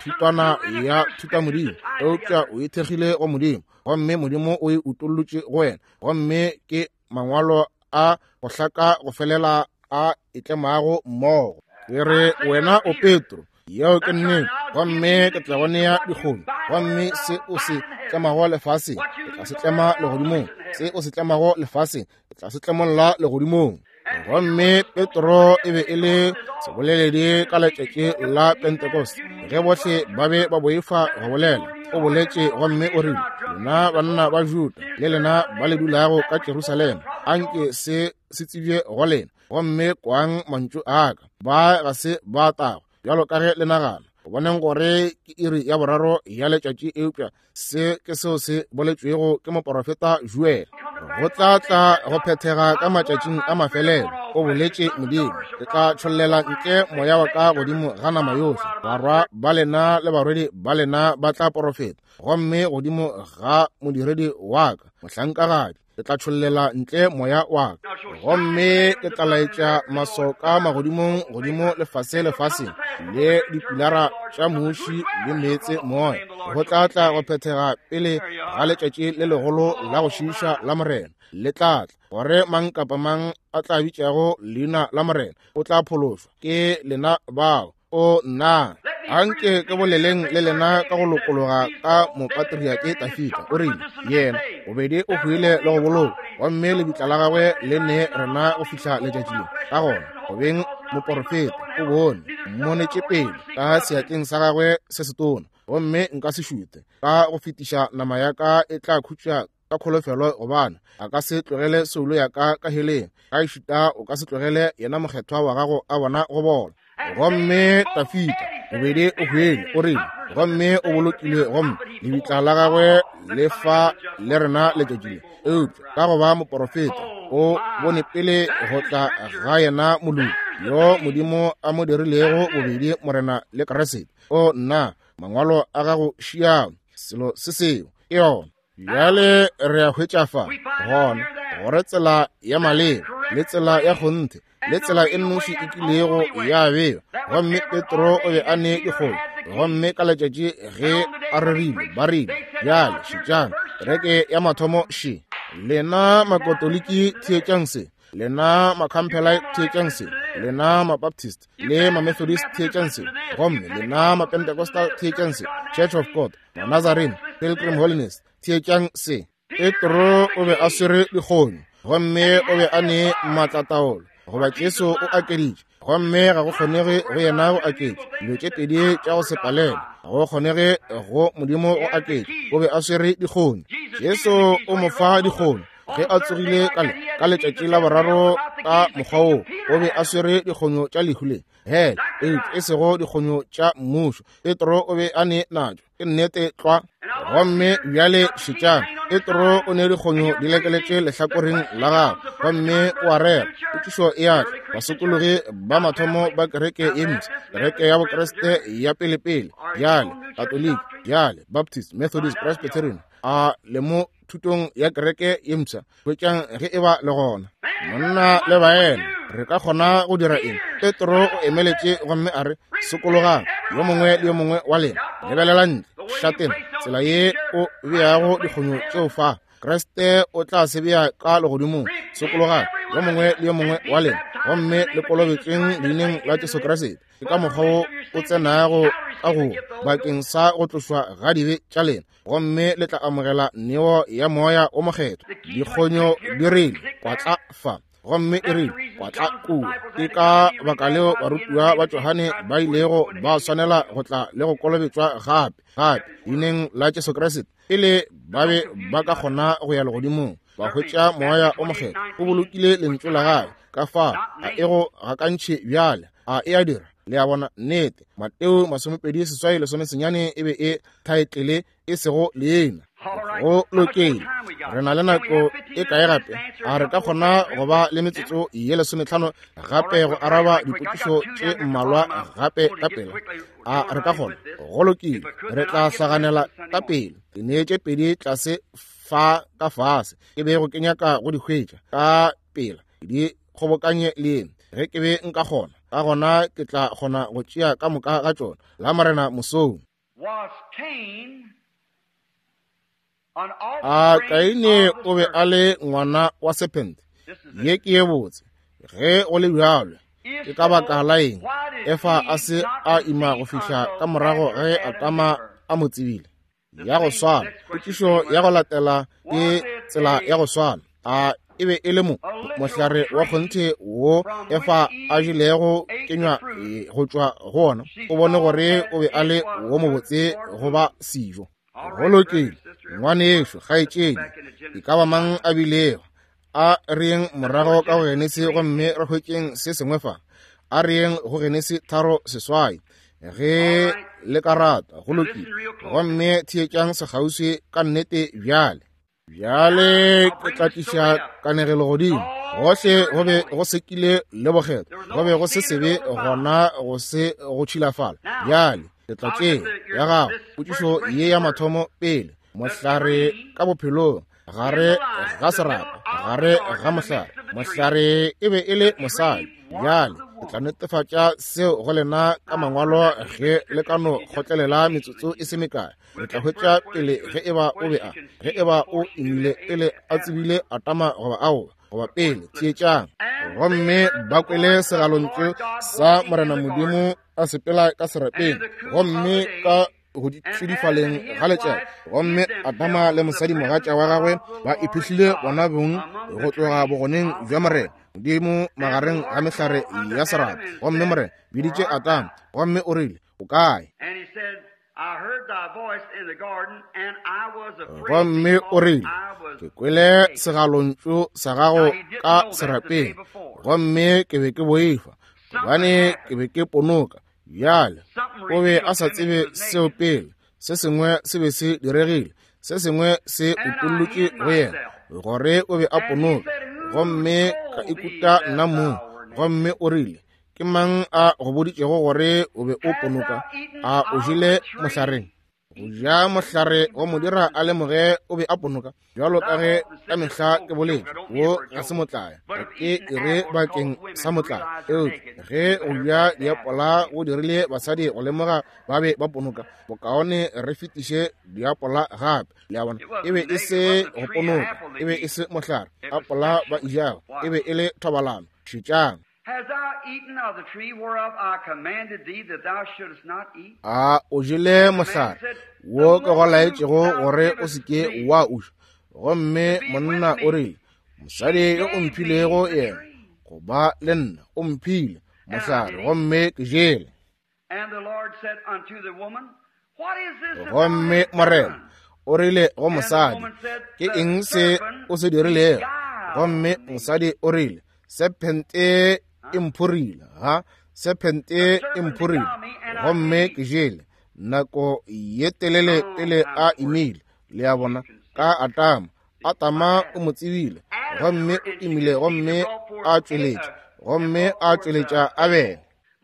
thutwana ya thutamodimo, eupša o ithekgile go Modimo, gomme Modimo o e utollotše go wena. Gomme ke mangwalo a go hlaka go felela a e tlemago mmogo. Ke re wena o Petro, yeo ke nnete, gomme ke tla go nea dikgomo, gomme se o se tlemago lefaseng ke tla se tlema legodimong, se o se tlemago lefaseng ke tla se tlemolla legodimong. Gomme Petro e be e le seboleledi ka letšatši la Pentecost, ge bohle ba be ba boifa go bolela. O boletše gomme o rile, lena banna ba Juda le lena ba le dulago ka Jerusalema, anke se se tsebje go lena, gomme kwang mantšu a ka. Ba ga se ba tagwa bjalo ka ge le nagana, go boneng gore ke iri ya boraro ya letšatši, eupša se ke seo se boletšwego ke moporofeta Joel. Go tla tla go phethega ka matšatšing a mafelelo, o boletše Modimo, ke tla tšhollela ntle moya wa ka godimo ga nama yohle, barwa ba lena le barwedi ba lena ba tla porofeta, gomme godimo ga modiredi wa ka mohlankagadi ke tla tšhollela ntle moya wa ka, gomme ke tla laetša masoka magodimong godimo lefase lefaseng, le dipilara tša muši le meetse moya. Go tla tla go phethega pele ga letšatši le legolo la go šiiša la Morena le tla tla, gore mang kapa mang a tla bitšago leina la Morena o tla phološwa. Ke lena bao. O nna, anke ke boleleng le lena ka go lokologa ka mopatriake Dafida. O rile, yena bobedi o hwile le go bolokwa, gomme lebitla la gagwe le ne rena go fihla letšatši le. Ka gona, go beng moporofeta, o bone mmonetše pele ka seatleng sa gagwe se setona, gomme nka se šute ka go fetiša nama ya ka e tla khutša ka kholofelo, gobane a ka se tlogele soulo ya ka ka heleng, ga ešita o ka se tlogele yena mokgethwa wa gago a bona go bola. Gomme Dafida bobedi o hwele, o rile, gomme o bolokilwe, gomme lebitla la gagwe le fa le rena letšatši le. Eupša ka go ba moporofeta, o bone pele go tla ga yena moloki yo Modimo a mo dirilego bobedi Morena le Kriste. O nna, mangwalo a gago šiao, selo se seo ke yona. Bjale re a hwetša fa gona gore tsela ya maleba le tsela ya kgonthe le tsela e nnoši e kilego ya bewa, gomme Petro o be a ne dikgomo, gomme ka letšatši ge a rerile ba rile, bjale šetšang kereke ya mathomo še. Lena Makatoliki theetšang se. Lena Macampbellite theetšang se, lena Mabaptist le Mamethodist theetšang se, gomme lena Mapentecostal theetšang se, Church of God, Manazarene, Pilgrim Holiness theetšang se. Petro o be a swere dikgonyo gomme o be a ne maatlataolo, goba Jesu o akeditše, gomme ga go kgonege go yena go aketša dilo tše pedi tša go se palelwe, ga go kgonege go Modimo go aketša. O be a swere dikgonyo. Jesu o mo fa dikgonyo ge a tsogile ka le ka letšatši la boraro ka mokgwa woo. O be a swere dikgonyo tša lehu le hele, eupša e sego dikgonyo tša mmušo. Petro o be a ne natšo. Ke nnete tlwa. Gomme bjale šetšang, Petro o ne dikgonyo di lekeletše lehlakoreng la gagwe, gomme o a rera. Potšišo e a tla, basokologi ba mathomo ba kereke ye mpsha, kereke ya Bokriste ya pelepele, bjale Katoliki, bjale Baptist, Methodist, Presbyterian, a le mo thutong ya kereke ye mpsha? Hwetšang ge e ba le gona. Monna le baena, re ka kgona go dira eng? Petro o emeletše gomme a re, sokologang, yo mongwe le yo mongwe wa lena. Lebelela ntle, šatena, tsela ye o beago dikgonyo tšeo fa, Kriste o tla se bea ka legodimong. Sokologang, yo mongwe le yo mongwe wa lena, gomme le kolobetšweng leineng la Jesu Kriste. Ke ka mokgwa wo o tsenago ka go bakeng sa go tlošwa ga dibe tša lena, gomme le tla amogela neo ya Moya o Mokgethwa. Dikgonyo di rile kwatla fa, gomme e rile kwatla kua. Ke ka baka leo barutiwa ba Johane ba ilego ba swanela go tla le go kolobetšwa gape, gape leineng la Jesu Kriste, pele ba be ba ka kgona go ya legodimong ba hwetša Moya o Mokgethwa. O bolokile lentšu la gagwe ka fa a e go gakantšhe bjale, a e a dira. Le a bona? Nnete. Mateo 28 19 e be e thaetlele e sego leina. Go lokile. Re na le nako e kae gape? A re ka kgona go ba le metsotso ye 15 gape go araba dipotšišo tše mmalwa gape ka pela? A re ka kgona? Go lokile. Re tla hlaganela ka pele. Ke neetše pedi tlase fa ka fase, ke bego ke nyaka go di hwetša ka pela, di kgobokanye le ge ke be nka kgona. Ka gona ke tla kgona go tšea ka moka ga tšona la Morena mosong. A Kaine o be a le ngwana wa sephente? Ye ke ye botse. Ge go le bjalo, ke ka baka la eng Efa a se a ima go fihla ka morago ge Adama a mo tsebile? Ya go swana. Potšišo ya go latela ke tsela ya go swana. A e be e le mo mohlare wa kgonthe wo Efa a jelego kenywa go tšwa go ona? O bone gore o be a le wo mobotse go ba sejo. Go lokile, ngwanešo, kgaetšedi, e ka ba mang a bilego, a re yeng morago ka go Genesi gomme re hwetšeng se sengwe fa. A re yeng go Genesi 3:8, ge le ka rata. Go lokile. Gomme theetšang sekgauswi ka nnete bjale. Bjale ke tla tliša kanegelo godimo. Gohle go be go sekile le bokgethwa, go be go se sebe gona, go se go tšhilafala. Bjale ke tla tšea ya gago potšišo ye ya mathomo pele. Mohlare ka bophelong, gare ga serapa, gare ga mohlare, mohlare e be e le mosadi. Bjale ke tla netefatša seo go lena ka mangwalo ge le ka no kgotlelela metsotso e se mekae. Re tla hwetša pele ge e ba o be a, ge e ba o imile pele a tsebile Adama goba aowa, goba pele. Theetšang. Gomme ba kwele segalontšu sa Morena Modimo a sepela ka serapeng, gomme ka go tšidifaleng ga letšatši, gomme Adama le mosadimogatša wa gagwe ba iphihlile bona bong go tloga bogoneng bja Morena Modimo magareng ga mehlare ya serapa. Gomme Morena biditše Adama, gomme o rile, O kae? Gomme o rile, Ke kwele segalontšu sa gago ka serapeng, gomme ke be ke boifa, gobane ke be ke ponoka. Bjale o be a sa tsebe seo pele. Se sengwe se be se diregile, se sengwe se utollotše go yena gore o be a ponoka. Gomme ka ikuta nna mong. Gomme o rile, Ke mang a go boditšego gore o be o ponoka? A o jele mohlareng? Go ja mohlare wa mo dira a lemoge o be a ponoka, bjalo ka ge ka mehla ke boletše, wo ga se motlaya, ga ke e re bakeng sa motlaya, eupša ge go ja diapola go dirile basadi go lemoga ba be ba ponoka, bokaone re fetiše diapola gape. Le a bona, e be e se go ponoka, e be e se mohlare, apola ba e jago, e be e le thobalano. Šetšang. A o jele mohlare wo ke go laetšego gore o se ke wa o ja? Gomme monna o rile, Mosadi yo o mphilego yena go ba le nna o mphile mohlare, gomme ke jele. Gomme Morena o rile go mosadi, Ke eng se o se dirilego? Gomme mosadi o rile, Sephente e mphorile, ha sephente e mphorile, gomme ke jele. Nako ye telele pele a imile, le a bona, ka Atama. Atama o mo tsebile, gomme o imile gomme a tšweletša, gomme a tšweletša Abele.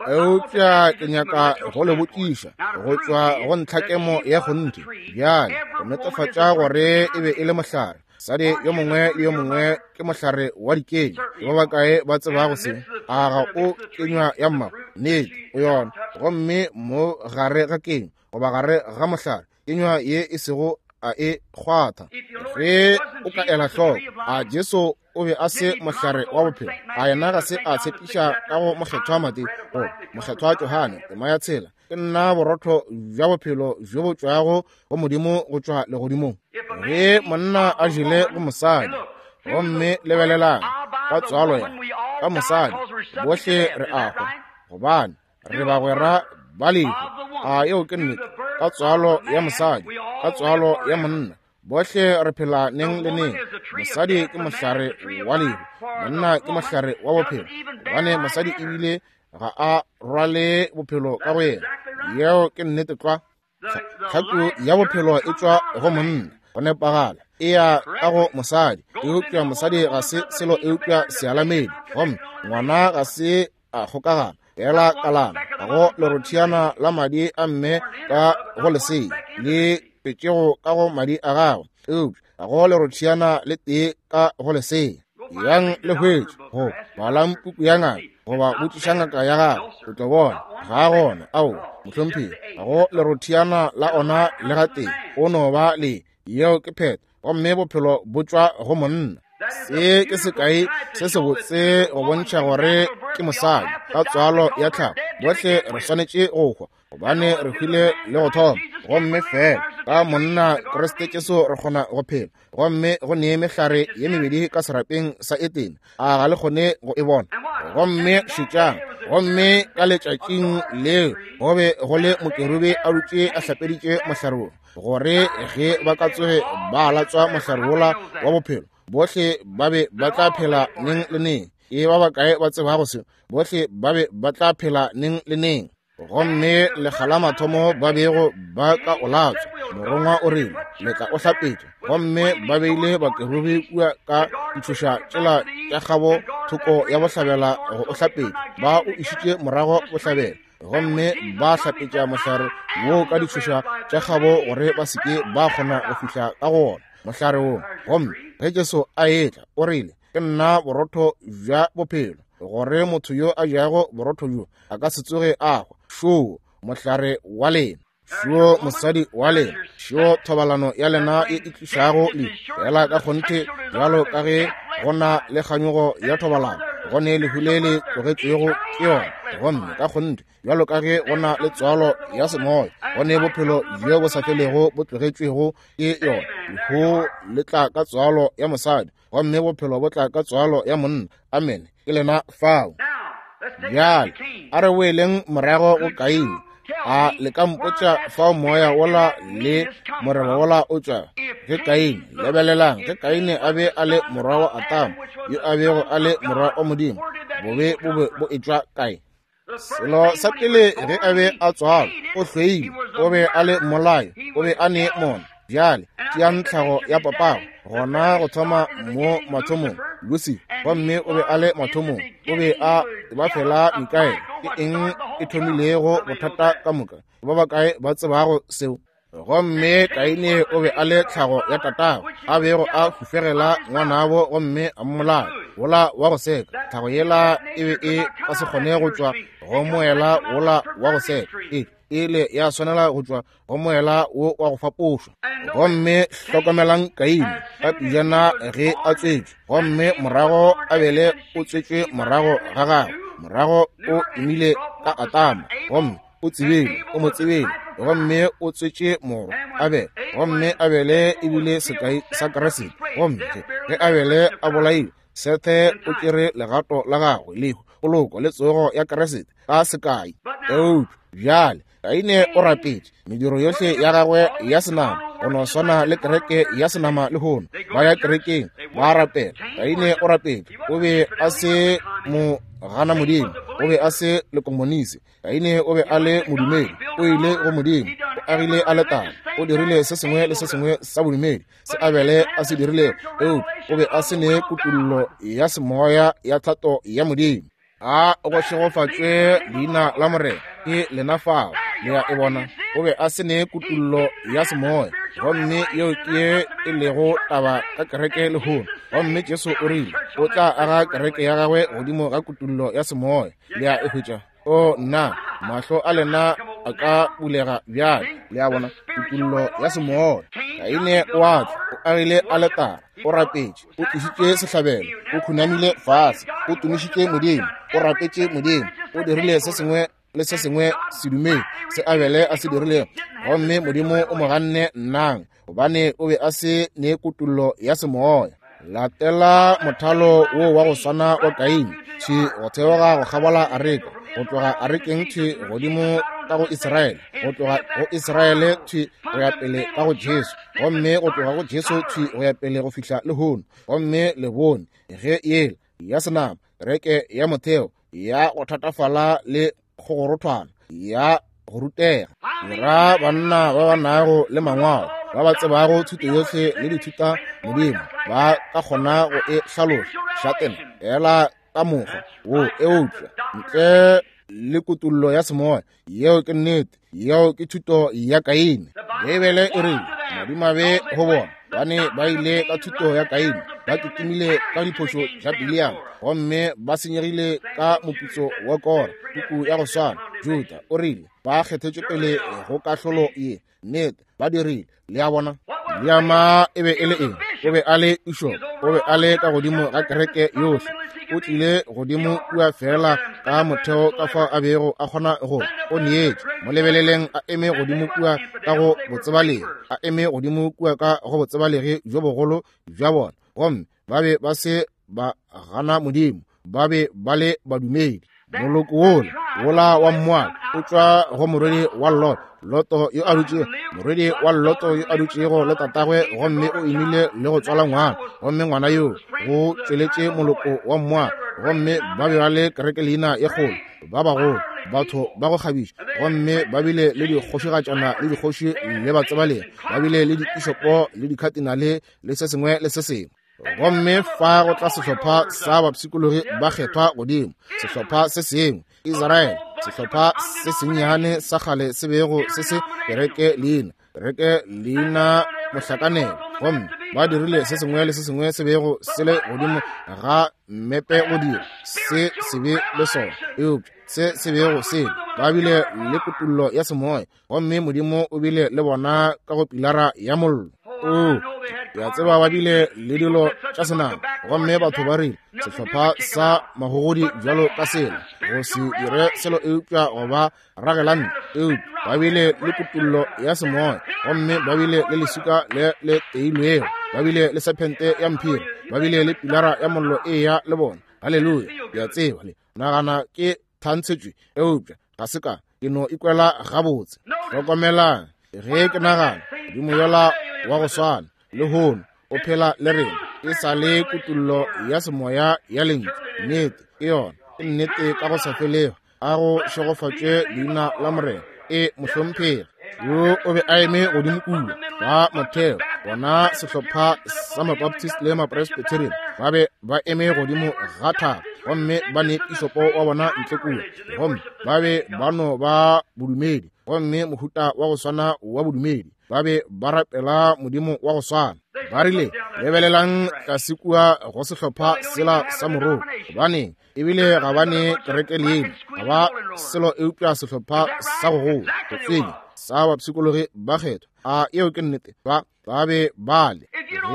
Eupša ke nyaka go le botšiša go tšwa go ntlhakemo ya kgonthe bjale, go netefatša gore e be e le mohlare. Mosadi yo mongwe le yo mongwe ke mohlare wa dikenywa. Ke ba bakae ba tsebago se? A ga o kenywa ya mmago? Nnete, o yona. Gomme mo gare ga kenywa, goba gare ga mohlare, kenywa ye e sego a e kgwatha. Ge o ka ela hloko, a Jesu o be a se mohlare wa bophelo? A yena ga se a tshepiša ka go Mokgethwa Mateo goba Mokgethwa Johane tema ya tshela, Ke nna borotho bja bophelo bjo bo tšwago go Modimo go tšwa legodimong? Ge monna a jele go mosadi, gomme lebelelang, ka tswalo ya ka mosadi, bohle re a hwa, gobane re bagwera ba lehu. A yeo ke nnete? Ka tswalo ya mosadi, ka tswalo ya monna, bohle re phela neng le neng. Mosadi ke mohlare wa lehu, monna ke mohlare wa bophelo, gobane mosadi ebile ga a rwale bophelo ka go yena. Yeo ke nnete tlwa. Tlhaku ya bophelo e tšwa go monna, go nepagala, e ya ka go mosadi. Eupša mosadi ga se selo eupša sealamedi, gomme ngwana ga se a kgokagana fela kalana ga go lerothiana la madi a mme ka go lesea le petšego ka go madi a gagwe, eupša ga go lerothiana le tee ka go lesea. Yang le hwetše go balang puku ya ngaka goba botšiša ngaka ya gago, o tlo bona ga a gona. Aowa, mohlomphegi, ga go lerothiana la ona le gatee, o no ba le yeo ke phetho, gomme bophelo bo tšwa go monna. Se ke sekai se sebotse go bontšha gore ke mosadi ka tswalo ya tlhago. Bohle re swanetše go hwa, gobane re hwile le go thoma, gomme fela ka monna Kriste Jesu re kgona go phela. Gomme go ne mehlare ye mebedi ka serapeng sa Etene, a ga le kgone go e bona? Gomme šetšang, gomme ka letšatšing leo go be go le mokerubi a dutše a hlapeditše mohlare wo, gore ge ba ka tsoge ba latswa mohlare wola wa bophelo, bohle ba be ba tla phela neng le neng. Ke ba bakae ba tsebago se? Bohle ba be ba tla phela neng le neng. Gomme lekga la mathomo ba bego ba ka o latswa, morongwa o rile, Le tla o hlapetša. Gomme ba beile bakerubi kua ka ditšhoša tšela tša kgabo thoko ya bohlabela go o hlapetša. Ba o išitše morago bohlabela, gomme ba hlapetša mohlare woo ka ditšhoša tša kgabo gore ba se ke ba kgona go fihla ka go wona mohlare woo. Gomme ge Jesu a etla, o rile, Ke nna borotho bja bophelo, gore motho yo a jago borotho bjo a ka se tsoge a hwa. Šoo mohlare wa lena, šoo mosadi wa lena, šoo thobalano ya lena ye e tlišago lehu. Fela ka kgonthe bjalo ka ge go na le kganyogo ya thobalano, go ne lehu le le tlogetšwego ke yona. Gomme ka kgonthe bjalo ka ge go na le tswalo ya semoya, go ne bophelo bjo bo sa felego bo tlogetšwego ke yona. Lehu le tla ka tswalo ya mosadi, gomme bophelo bo tla ka tswalo ya monna. Amene. Ke lena fao. Bjale a re boeleng morago go Kaine. A le ka mpotša fao moya wola le moreba wola o tšwa? Ge Kaine, lebelelang, ge Kaine a be a le morwa wa Atama, yo a bego a le morwa wa Modimo, bobe bo be bo etšwa kae? Selo sa pele ge a be a tswalwa, o hloile, o be a le mmolai, o be a ne mona. Bjale tšeang tlhago ya papago gona go thoma mo mathomong, Lucifer, gomme o be a le mathomong, o be a ba fela Mikaele. Ke eng e thomilego bothata ka moka? Ba bakae ba tsebago seo? Gomme Kaine o be a le tlhago ya tatagwe, a bego a hufegela ngwanabo gomme a mmolaya, wola wa go seka. Tlhago yela e be e ka se kgone go tšwa go moela wola wa go seka, e ile ya swanela go tšwa go moela wo wa go fapošwa. Gomme hlokomelang Kaine ka pejana ge a tswetšwe, gomme morago Abele o tswetšwe morago ga gagwe, morago o imile ka Atama, gomme o tsebile, o mo tsebile, gomme o tswetše morwa Abele, gomme Abele e bile sekai sa Kriste. Gomme ge Abele a bolailwe, Sethe o tšere legato la gagwe, lehu, poloko le tsogo ya Kriste ka sekai. Eupša bjale Kaine o rapetše mediro yohle ya gagwe ya senama, go no swana le kereke ya senama lehono. Ba ya kerekeng, ba rapela. Kaine o rapetše, o be a se mo gana Modimo, o be a se lekomonisi. Kaine o be a le modumedi, o ile go Modimo, o agile aletare, o dirile se sengwe le se sengwe sa bodumedi se Abele a se dirilego, eupša o be a se ne kutullo ya semoya ya thato ya Modimo. A go šegofatšwe leina la Morena, ke lena fao, le a e bona. O be a se ne kutullo ya semoya, gomme yeo ke ye e lego taba ka kereke lehono. Gomme Jesu o rile o tla aga kereke ya gagwe godimo ga kutullo ya semoya. Le a e hwetša? O nna, mahlo a lena a ka bulega bjale. Le a bona, kutullo ya semoya. Kaine o a tla, o agile aletara, o rapetše, o tlišitše sehlabelo, o khunamile fase, o tumišitše Modimo, o rapetše Modimo, o dirile se sengwe le se sengwe sedumedi se Abele a se dirilego, gomme Modimo o mo ganne nnang, gobane o be a se ne kutullo ya semoya. Latela mothalo wo wa go swana wa Kaine, thwi go theoga go kgabola areka, go tloga arekeng thwi godimo ka go Israele, go tloga go Israele thwi go ya pele ka go Jesu, gomme go tloga go Jesu thwi go ya pele go fihla lehono. Gomme le bone ge yela ya senama, kereke ya motheo ya go thatafala le kgogorothwana ya go rutega, ra banna ba ba nago le mangwalo, ba ba tsebago thuto yohle le dithuta Modimo, ba ka kgona go e hlaloša šatena fela ka mokgwa wo, eupša ntle le kutullo ya semoya. Yeo ke nnete. Yeo ke thuto ya Kaine. Beibele e rile madimabe go bona, bane ba ile ka thuto ya Kaine, ba kitimile ka diphošo tša Biliama, gomme ba senyegile ka moputso wa Kora. Puku ya go swana, Juda o rile ba kgethetšwe pele go kahlolo ye. Nnete, ba dirile. Le a bona? Biliama e be e le eng? O be a le pišopo, o be a le ka godimo ga kereke yohle. O tlile godimo kua feela ka motheo ka fao a bego a kgona go o neetše. Mo lebeleleng a eme godimo kua ka go botsebalegi, a eme godimo kua ka go botsebalegi bjo bogolo bja bona, gomme ba be ba se ba gana Modimo, ba be ba le badumedi. Moloko wola, wola wa Moaba, o tšwa go morwedi wa Lot, Loto yo a dutšego, morwedi wa Loto yo a dutšego le tatagwe, gomme o imile le go tswala ngwana, gomme ngwana yo go tšweletše moloko wa Moaba, gomme ba be ba le kereke leina ye kgolo, ba bagolo, batho ba go kgabiša, gomme ba bile le dikgošigatšana le dikgoši le batsebalegi, ba bile le dipišopo le dikhatinale le se sengwe le se sengwe. Gomme fa go tla sehlopha sa bapshikologi ba kgethwa godimo, sehlopha se sengwe, Israele, sehlopha se sennyane sa kgale se bego se se kereke leina, kereke leina mohlakanelo, gomme ba dirile se sengwe le se sengwe se bego se le godimo ga mmepe go dira se sebe le sona, eupša se se bego se ba bile le kutullo ya semoya, gomme Modimo o bile le bona ka go pilara ya mollo. O ya tseba ba bile le dilo tša senama, gomme batho ba rile sehlopha sa magogodi bjalo ka sela go se dire selo eupša go ba ragelante, eupša ba bile le kutullo ya semoya, gomme ba bile le leswika le le teilwego, ba bile le sephente ya mphiri, ba bile le pilara ya mollo e ya le bona. Haleluya! Ya tseba le nagana ke thantshetšwe, eupša ga se ka, ke no ikwela gabotse. Hlokomelang, ge ke nagana Modimo yola wa go swana lehono o phela le rena, e sa le kutullo ya semoya ya lentšu. Nnete ke yona, ke nnete ka go sa felego. A go šegofatšwe leina la Morena. E mohlomphegi yo o be a eme godimo kua ba motheo, bona sehlopha sa Mabaptist le Mapresbyterian ba be ba eme godimo ga thaba, gomme ba ne pišopo wa bona ntle kua, gomme ba be ba no ba bodumedi. gomme mohuta wa go swana wa bodumedi. Ba be ba rapela Modimo wa go swana. Ba rile, Lebelelang tlase kua go sehlopha sela sa moroko. Gobaneng, ebile ga ba ne kereke leina, ga ba selo eupša sehlopha sa go gola, go tsenya, sa bapshikologi ba kgethwa. A yeo ke nnete? Ba, ba be ba le,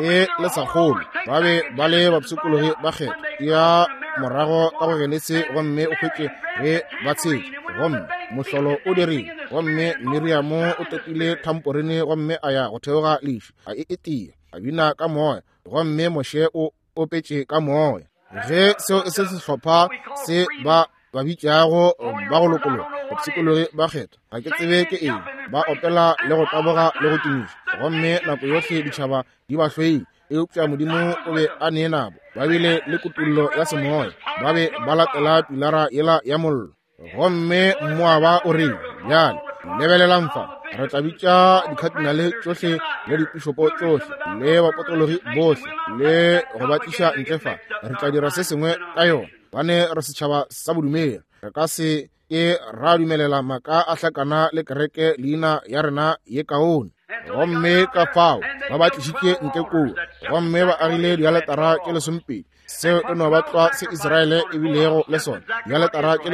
ge le sa kgolwe, ba be ba le bapshikologi ba kgethwa. Ya morago ka go Genesi gomme o hwetše ge ba tshetše, gomme mohlolo o dirile, gomme Miriamo o topile thamporine gomme a ya go theoga leši, a e etia, a bina ka moya, gomme Moshe o opetše ka moya. Ge seo e se sehlopha se ba ba bitšago ba go lokologa, bapshikologi ba kgethwa, ga ke tsebe ke eng, ba opela le go taboga le go tumiša, gomme nako yohle ditšhaba di ba hloile, eupša Modimo o be a ne nabo. Ba bile le kutollo ya semoya, ba be ba latela pilara yela ya mollo. Gomme Moaba o rile, Bjale, lebelelang fa, re tla bitša dikhatinale tšohle le dipišopo tšohle le bapotologi bohle le go ba tliša ntle fa. Re tla dira se sengwe ka yona, bane re setšhaba sa bodumedi. Re ka se ke ra dumelela maaka a hlakana le kereke leina ya rena ye kaone. Gomme ka fao ba ba tlišitše ntle kua, gomme ba agile dialetara tše lesomepedi. Seo e no ba tlwa se Israele e bilego le sona, dialetara tše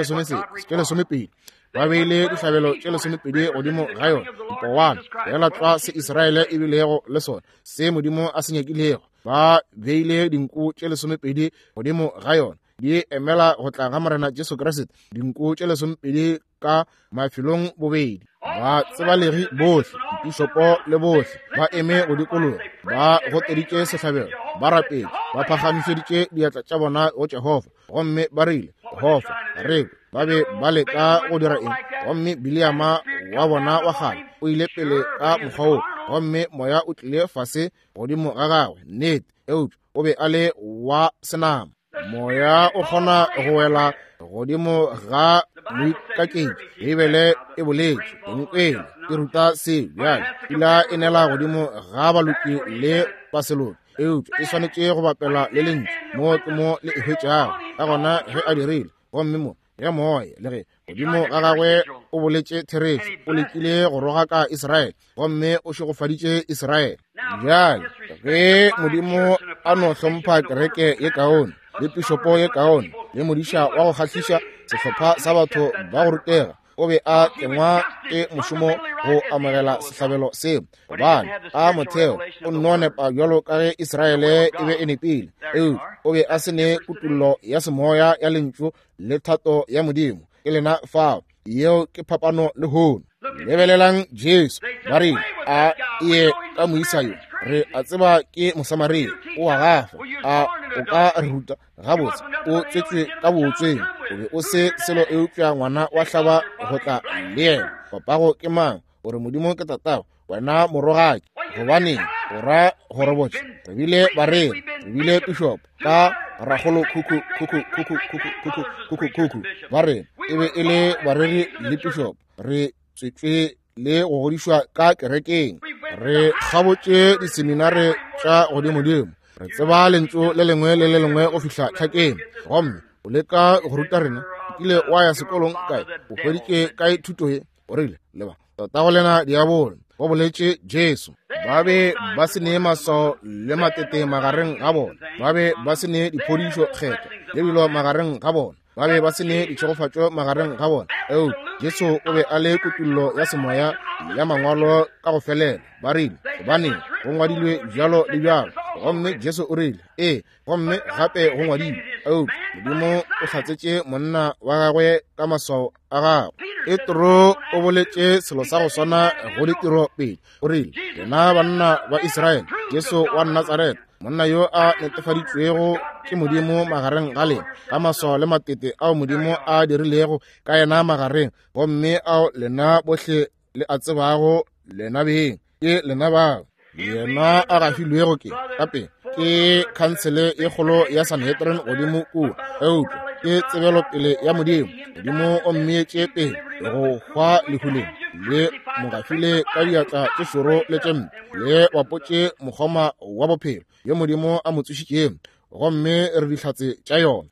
lesomepedi. Ba beile dihlabelo tše lesomepedi godimo ga yona, dipowana, feela tlwa se Israele e bilego le sona, se Modimo a se nyakilego. Ba beile dinku tše lesomepedi godimo ga yona, di emela go tla ga Morena Jesu Kriste, dinku tše lesomepedi ka mafelong bobedi. Ba tsebalegi bohle, dipišopo le bohle, ba eme go dikologa, ba goteditše sehlabelo, ba rapetše, ba phagamišeditše diatla tša bona go Jehofa, gomme ba rile, Jehofa, re kwe. Ba be ba leka go dira eng? Gomme Bileama wa bona wa kgale o ile pele ka mokgwa wo, gomme moya o tlile fase godimo ga gagwe, nnete, eupša o be a le wa senama. Moya o kgona go wela godimo ga moikaketši. Beibele e boletše, nkwele e ruta se bjale. Pula e nela godimo ga baloki le baseloki, eupša e swanetše go bapela le lentšu. Mo ke mo le e hwetšago. Ka gona ge a dirile, gomme mo ge moya le ge godimo ga gagwe o boletše therešo, o lekile go rogaka Israele, gomme o šegofaditše Israele. Bjale ge Modimo a no hlompha kereke ye kaone le pišopo ye kaone le modiša wa go kgahliša, sehlopha sa batho ba go rutega, o be a tlengwa ke mošomo go amogela sehlabelo seo, gobane a motheo o nno nepa bjalo ka ge Israele e be e nepile, eupša o be a se ne kutollo ya semoya ya lentšu le thato ya Modimo. Ke lena fao. Yeo ke phapano lehono. Lebelelang Jesu. Ba re, a ye ka moisa yo, re a tseba ke Mosamaria, o a gafa, a o ka re ruta? Gabotse, o tswetšwe ka bootsweng, o be o se selo eupša ngwana wa hlaba go tla le yena. Papago ke mang? O re Modimo ke tatago, wena morogaki. Gobaneng o ra go re botša? Re bile bareri, re bile pišopo, ka rakgolo khukhu khukhu khukhu khukhu khukhu khukhu khukhu ba rena e be e le bareri le pišopo. Re tswetšwe le go godišwa ka kerekeng, re kgabotše diseminare tša godimodimo, re tseba lentšu le lengwe le le lengwe go fihla tlhakeng, gomme o leka go ruta rena. O kile wa ya sekolong kae? O hweditše kae thuto ye? O rile, leba tatago lena diabolo, go boletše Jesu. Ba be ba se ne maswao le matete magareng ga bona, ba be ba se ne diphodišo kgethwa le dilo magareng ga bona, ba be ba se ne ditšhegofatšo magareng ga bona, eupša Jesu o be a le kutollo ya semoya ya mangwalo ka go felela. Ba rile, gobaneng, go ngwadilwe bjalo le bjalo. Gomme Jesu o rile, ee, gomme gape go ngwadilwe, eupša Modimo o hlatsetše monna wa gagwe ka maswao a gagwe. Petro o boletše selo sa go swana go ditiro pele. O rile, lena banna ba Israele, Jesu wa Natsaretha, monna yo a netefaditšwego ke Modimo magareng ga lena, ka maswao le matete ao Modimo a dirilego ka yena magareng, gomme ao lena bohle le a tsebago lena beng, ke lena bao yena a gafilwego ke gape ke khansele ye kgolo ya Sanhedrin godimo kua, eupša ke tsebelopele ya Modimo. Modimo o mmeetše pele go hwa lehuleng, le mo gafile ka diatla tše šoro le tše mpe, le bapotše mokgoma wa bophelo yo Modimo a mo tsošitšego, gomme re dihlatse tša yona.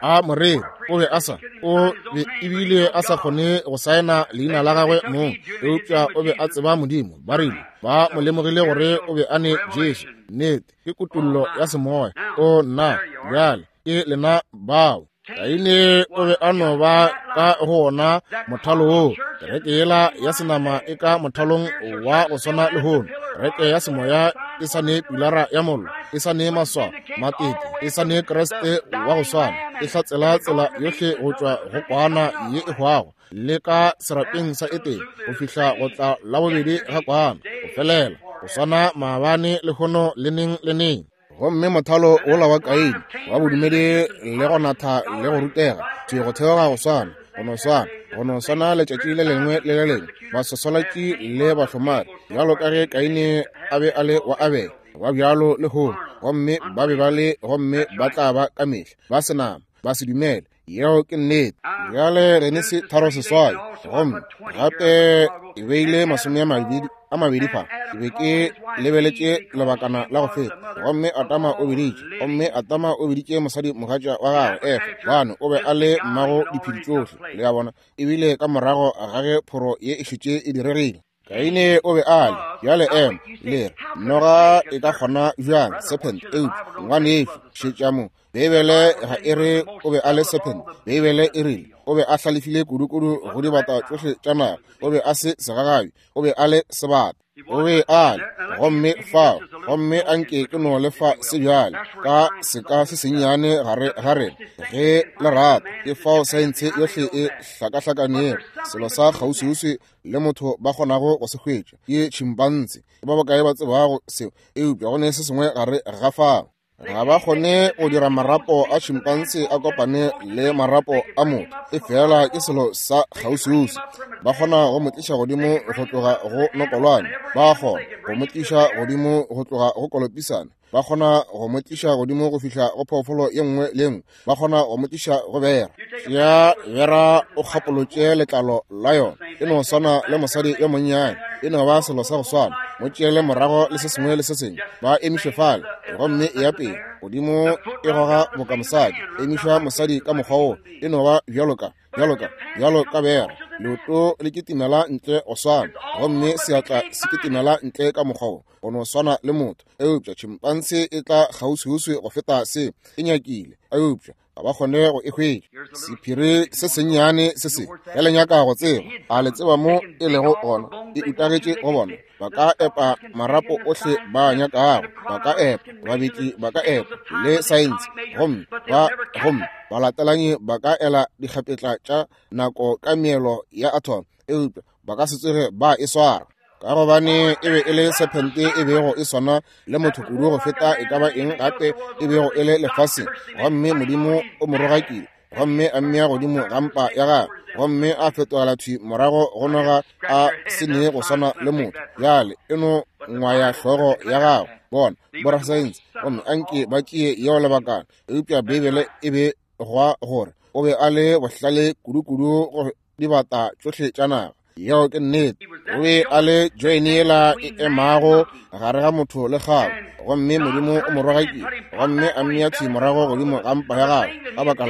A moreri o be a sa, o be ebile a sa kgone go saena leina la gagwe mong, eupša o be a tseba Modimo. Ba rile ba mo lemogile gore o be a ne Jesu. Nnete, ke kutollo ya semoya. O nna, bjale ke lena bao. Kaine o be a no ba ka go ona mothalo woo. Kereke yela ya senama e ka mothalong wa go swana lehono. Kereke ya semoya e sa ne pilara ya mollo, e sa ne maswao, matete, e sa ne Kriste wa go swana, e hlatsela tsela yohle go tšwa go kwana ye e hwago le ka serapeng sa Etene go fihla go tla la bobedi ga kwana, go felela go swana maabane lehono le neng le neng. Gomme mothalo wola wa Kaine wa bodumedi le go natha le go rutega, thwi go theoga go swana, go no swana, go no swana letšatši le lengwe le le lengwe, baswaswalatši le bahlomari, bjalo ka ge Kaine a be a le wa Abele, ba bjalo lehono, gomme ba be ba le, gomme ba tla ba ka mehla, ba senama, ba se dumele. Yeo ke nnete. Bjale Genesi 3:8, gomme gape e beile 20 fa. Ke be ke lebeletše lebakana la go feta, gomme Adama o biditše, gomme Adama o biditše mosadi mogatša wa gagwe Efa, gobane o be a le mmago diphedi tšohle. Le a bona, ebile ka morago ga ge phoro ye e šetše e diregile. Kaine o be a le, bjale ema, le re, noga e ka kgona bjang, serpent, eupša, ngwanešu, šetša mo, Beibele ga e re o be a le serpent, Beibele e rile o be a hlalefile kudukudu go dibata tšohle tša naga, o be a se segagabi, o be a le sebata. O be a le, gomme fao, gomme a nke ke no le fa se bjale, ka seka se sennyane gare ga rena, ge le rata, ke fao saentshe yohle e hlakahlakanego, selo sa kgauswiuswi le motho ba kgonago go se hwetša ke tšhimpanse. Ke ba bakae ba tsebago seo? Eupša go ne se sengwe gare ga fao. Ga ba kgone go dira marapo a tšhimpanse a kopane le marapo a motho, efela ke selo sa kgauswiuswi. Ba kgona go mo tliša godimo go tloga go nokolwane, ba kgona go mo tliša godimo go tloga go kolopisane, ba kgona go mo tliša godimo go fihla go phoofolo ye nngwe le nngwe, ba kgona go mo tliša go bera. Ya bera o kgapolotše letlalo la yona, e no swana le mosadi yo monnyane, e no ba selo sa go swana. Mo tšeele morago le se sengwe le se sengwe, ba emiše fale, gomme e ya pele godimo e goga boka mosadi, emiša mosadi ka mokgwa wo, e no ba bjalo ka, bjalo ka, bjalo ka bera. Leoto le kitimela ntle go swana, gomme seatla se kitimela ntle ka mokgwa wo, go no swana le motho. Eupša tšhimpanse e tla kgauswiuswi go feta se e nyakile, eupša ga ba kgone go e hwetša. Sephiri se sennyane se se, ge le nyaka go tseba, a le tseba mo e lego gona? E utagetše go bona. Ba ka epa marapo ohle ba nyakago, ba ka epa, babetli ba ka epa, le saense, gomme ba, gomme balatelanyi ba ka ela dikgapetla tša nako ka meelo ya atom, eupša ba ka se tsoge ba e swara. Ka gobane e be e le sephente e bego e swana le motho kudu go feta e ka ba eng gape e bego e le lefaseng, gomme Modimo o mo rogakile gomme a mmea godimo ga mpa ya gagwe, gomme a fetogela thwi morago go noga a se ne go swana le motho. Bjale e no ngwaya hlogo ya gago, bona borasaense, gomme a nke ba tšee yeo lebakana, eupša Beibele e be gwa gore o be a le bohlale kudu-kudu go dibata tšohle tša naga. Yeo ke nnete. O be a le join yela e emago gare ga motho le kgabo, gomme Modimo o mo rogakile gomme a mmea thwi morago godimo ga mpa ya gagwe ka baka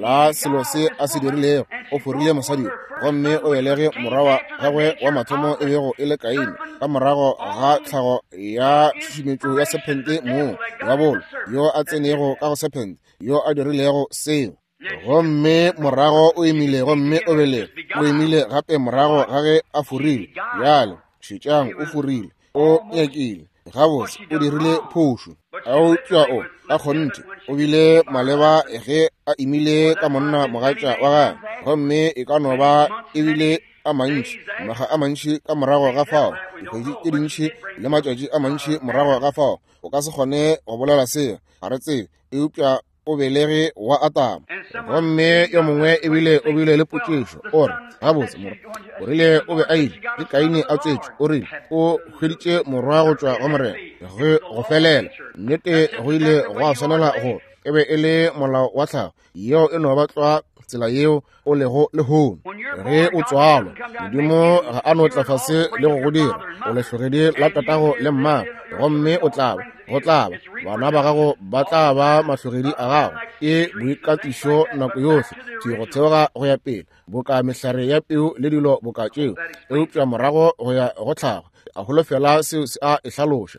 la selo se a se dirilego. O forile mosadi yo, gomme o belege morwa wa gagwe wa mathomo e bego e le Kaine, ka morago ga tlhago ya tšhušumetšo ya sephente moo diabolo yo a tsenego ka go sephente yo a dirilego seo. Gomme morago o imile, gomme o belege, o imile gape morago ga ge a forile. Bjale šetšang, o forile, o nyakile, gabotse o dirile phošo, eupša o ka kgonthe o bile maleba ge a imile ka monna mogatša wa gagwe. Gomme e ka no ba e bile a mantši, makga a mantši ka morago ga fao, dikgwedi tše dintši le matšatši a mantši morago ga fao, o ka se kgone go bolela seo, ga re tsebe, eupša o belege wa Adama. Gomme yo mongwe ebile o bile le potšišo, o re, gabotse, morwa, o rile o be a ile, ke Kaine a tswetšwe, o rile o hweditše morwa go tšwa go Morena, ge go felela. Nnete, go ile gwa swanela go e be e le molao wa tlhago, yeo e no ba tlwa. tsela yeo o lego lehono. Ge o tswalwa, Modimo ga a no tla fase le go go dira o lehlogedi la tatago le mmago, gomme o tla ba, go tla ba, bana ba gago ba tla ba mahlogedi a gago. Ke boikatišo nako yohle, thwi go theoga go ya pele, boka mehlare ya peu le dilo boka tšeo, eupša morago go ya go tlhago. A holofela seo se a e hlaloša.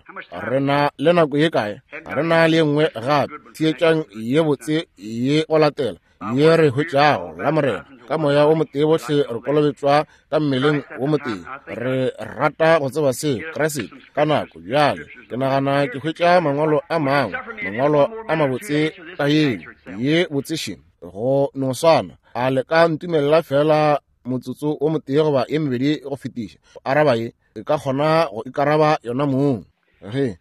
Re na le nako ye kae? Re na le nngwe gape. Theetšang ye botse ye go latela ye re hwetšago la Morena. Ka moya o motee bohle re kolobetšwa ka mmeleng wo motee. Re rata go tseba seo, Kriste, ka nako bjale. Ke nagana ke hwetša mangwalo a mangwe, mangwalo a mabotse ka yeo ye botseše go no swana. A le ka ntumelela fela motsotso o motee goba ye mebedi go fetiša go araba ye? E ka kgona go ikaraba yona mong. Ge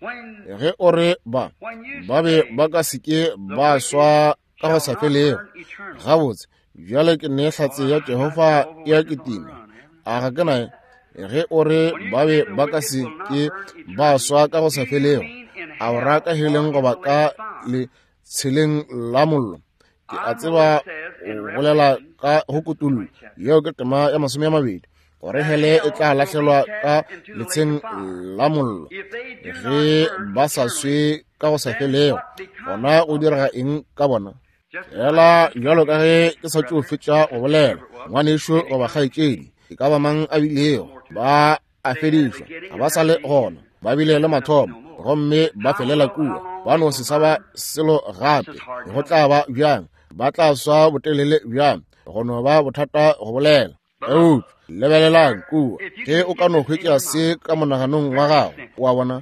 ge o re ba ba be ba ka se ke ba swa ka go sa felego, gabotse bjale ke ne hlatse ya Jehofa ya kitima, a ga ke nae? Ge o re ba be ba ka se ke ba swa ka go sa felego, a o ra ka heleng goba ka le tsheleng la mollo? Ke a tseba o bolela ka go kutullo, yeo ke tema ya 20, gore hele e tla lahlelwa ka letsheng la mollo ge ba sa swe ka go sa felego. Gona go direga eng ka bona? Fela bjalo ka ge ke sa tšo fetša go bolela, ngwanešo goba kgaetšedi, e ka ba mang a bilego, ba a fedišwa, ga ba sa le gona, ba bile le mathomo gomme ba felela kua, ba no se sa ba selo gape. Go tla ba bjang? Ba tla swa botelele bjang? Go no ba bothata go bolela. Eupša lebelelang kua, ge o ka no hwetša se ka monaganong wa gago, wa bona,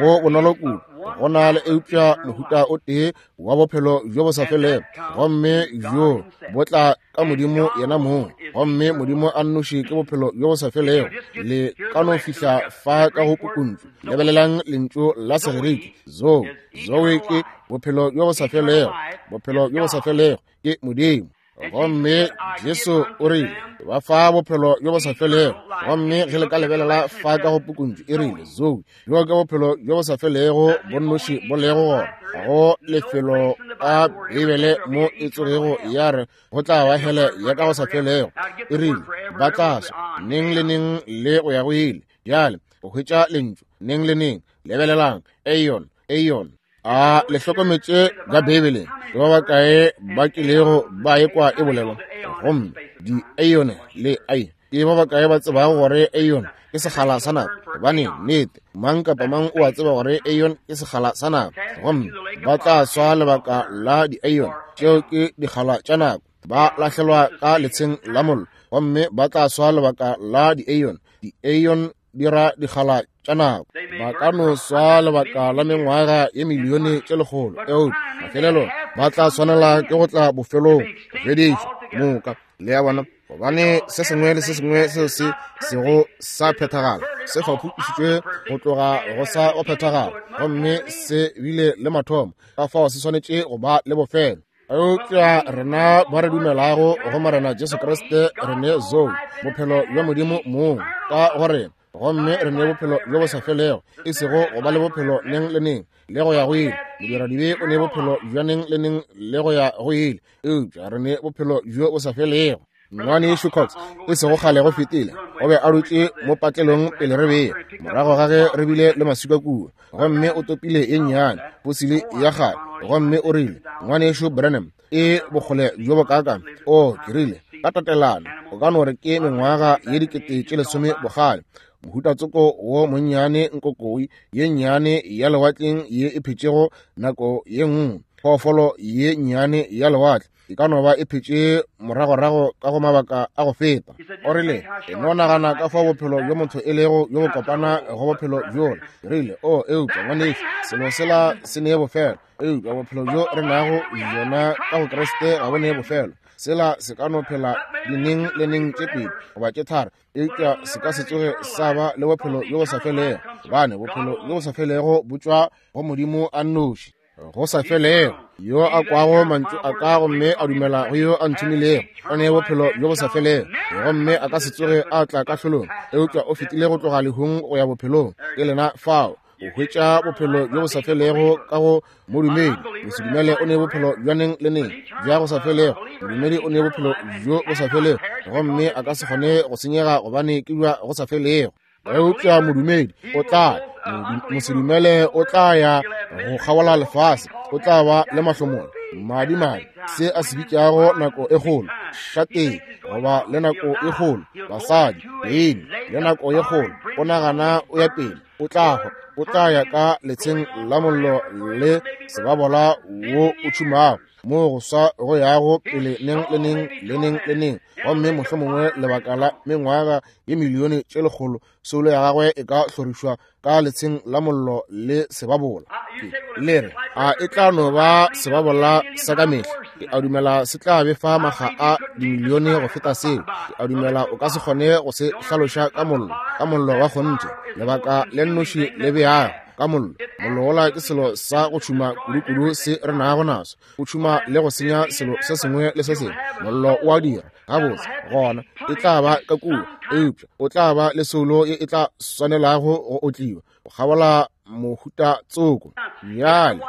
go bonolo kudu. Go na le eupša mohuta o tee wa bophelo bjo bo sa felego, gomme bjo bo tla ka Modimo yena mong, gomme Modimo a nnoši ke bophelo bjo bo sa felego. Le ka no fihla fa ka go pukuntšu. Lebelelang lentšu la Segerike zoe. Zoe ke bophelo bjo bo sa felego. Bophelo bjo bo sa felego ke Modimo. Gomme Jesu o rile, ba fa bophelo bjo bo sa felego. Gomme ge le ka lebelela fa ka go pukuntšu, e rile zoe, bjo ke bophelo bjo bo sa felego bo nnoši bo lego gona. Go lefelo ka Beibele mo e tsogego ya re go tla ba hele ya ka go sa felego. E rile ba tla swa neng le neng le go ya go ile. Bjale o hwetša lentšu neng le neng. Lebelelang aeon, aeon. A le hlokometše ka Beibeleng ke ba bakae ba kilego ba ekwa e bolelwa? Gomme di-aeon le ai, ke ba bakae ba tsebago gore aeon ke sekgala sa nako? Gobane nnete, mang kapa mang o a tseba gore aeon ke sekgala sa nako. Gomme ba tla swa lebaka la di-aeon, tšeo ke dikgala tša nako. Ba lahlelwa ka letsheng la mollo, gomme ba tla swa lebaka la di-aeon. Di-aeon di ra dikgala tša nako. Ba ka no swa lebaka la mengwaga ye milione tše lekgolo, eupša mafelelo ba tla swanela ke go tla bofelong, go fedišwa moka. Le a bona? Gobane se sengwe le se sengwe seo se sego sa phethagala se fapošitšwe go tloga go sa go phethagala, gomme se bile le mathomo, ka fao se swanetše go ba le bofelo. Eupša rena ba re dumelago go Morena Jesu Kriste re ne zoe, bophelo bja Modimo mong ka go rena, gomme re ne bophelo bjo bo sa felego, e sego go ba le bophelo neng le neng le go ya go ile. Modiradibe o ne bophelo bja neng le neng le go ya go ile, eupša re ne bophelo bjo bo sa felego. Ngwanešu Cox, e sego kgale go fetile, o be a dutše mo patlelong pele re bea, morago ga ge re bile le maswika kua, gomme o topile ye nnyane fosili ya kgale, gomme o rile, Ngwanešu Branham, e bokgole bjo bokaakang? O, ke rile, ka tatelano, o ka no re ke mengwaga ye 10,000 bokgale. Mohuta tsoko wo monnyane, nkokoi ye nnyane ya lewatleng ye e phetšego nako ye nngwe, phoofolo ye nnyane ya lewatle, e ka no ba e phetše moragorago ka go mabaka a go feta. O rile, e no nagana ka fao bophelo bjo motho e lego bjo bo kopana go bophelo bjola. Ke rile, o, eupša ngwanešu, selo sela se ne bofelo, eupša bophelo bjo re nago bjona ka go Kriste ga bo ne bofelo. Sela se ka no phela dineng le neng tše pedi goba tše tharo, eupša se ka se tsoge sa ba le bophelo bjo bo sa felego, gobane bophelo bjo bo sa felego bo tšwa go Modimo a nnoši. Go sa felego. Yo a kwago mantšu a ka gomme a dumela go yo a nthomilego o ne bophelo bjo bo sa felego, gomme a ka se tsoge a tla kahlolong, eupša o fetile go tloga lehung go ya bophelong. Ke lena fao. O hwetša bophelo bjo bo sa felego ka go modumedi. Mosedumele o ne bophelo bja neng le neng bja go sa felego. Modumedi o ne bophelo bjo bo sa felego, gomme a ka se kgone go senyega gobane ke bja go sa felego. Eupša modumedi o tla, mosedumele o tla ya go kgabola lefase, o tla ba le mahlomola, madimadi, se a se bitšago nako e kgolo, šateng, goba le nako e kgolo, basadi, beine, le nako e kgolo, o nagana o ya pele, o tla hwa, o tla ya ka letsheng la mollo le sebabola wo o tšhumago, moo go swa go yago pele neng le neng le neng le neng, gomme mohlomongwe lebaka la mengwaga ye milione tše lekgolo, soulo ya gagwe e ka hlorišwa ka letsheng la mollo le sebabola. Le re, a e tla no ba sebabola sa ka mehla? Ke a dumela se tla befa makga a dimilione go feta seo. Ke a dumela o ka se kgone go se hlaloša ka mollo, ka mollo wa kgonthe, lebaka le nnoši le beago ka mollo. Mollo wola ke selo sa go tšhuma kudu-kudu se re nago naso. O tšhuma le go senya selo se sengwe le se sengwe. Mollo o a dira gabotse, gona e tla ba ka kua, eupša o tla ba le soulo ye e tla swanelago go otliwa go kgabola mohuta tsoko. Bjale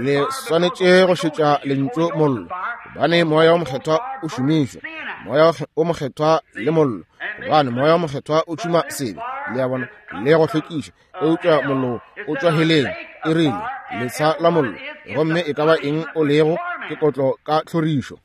le swanetše go šetša lentšu mollo, gobane Moya wo Mokgethwa o šomišwa. Moya wo Mokgethwa le mollo, gobane Moya wo Mokgethwa o tšhuma sebe, le a bona, le go hlwekiša. Eupša mollo o tšwa heleng, e rile, letsha la mollo, gomme e ka ba eng o lego, ke kotlo ka tlhorišo.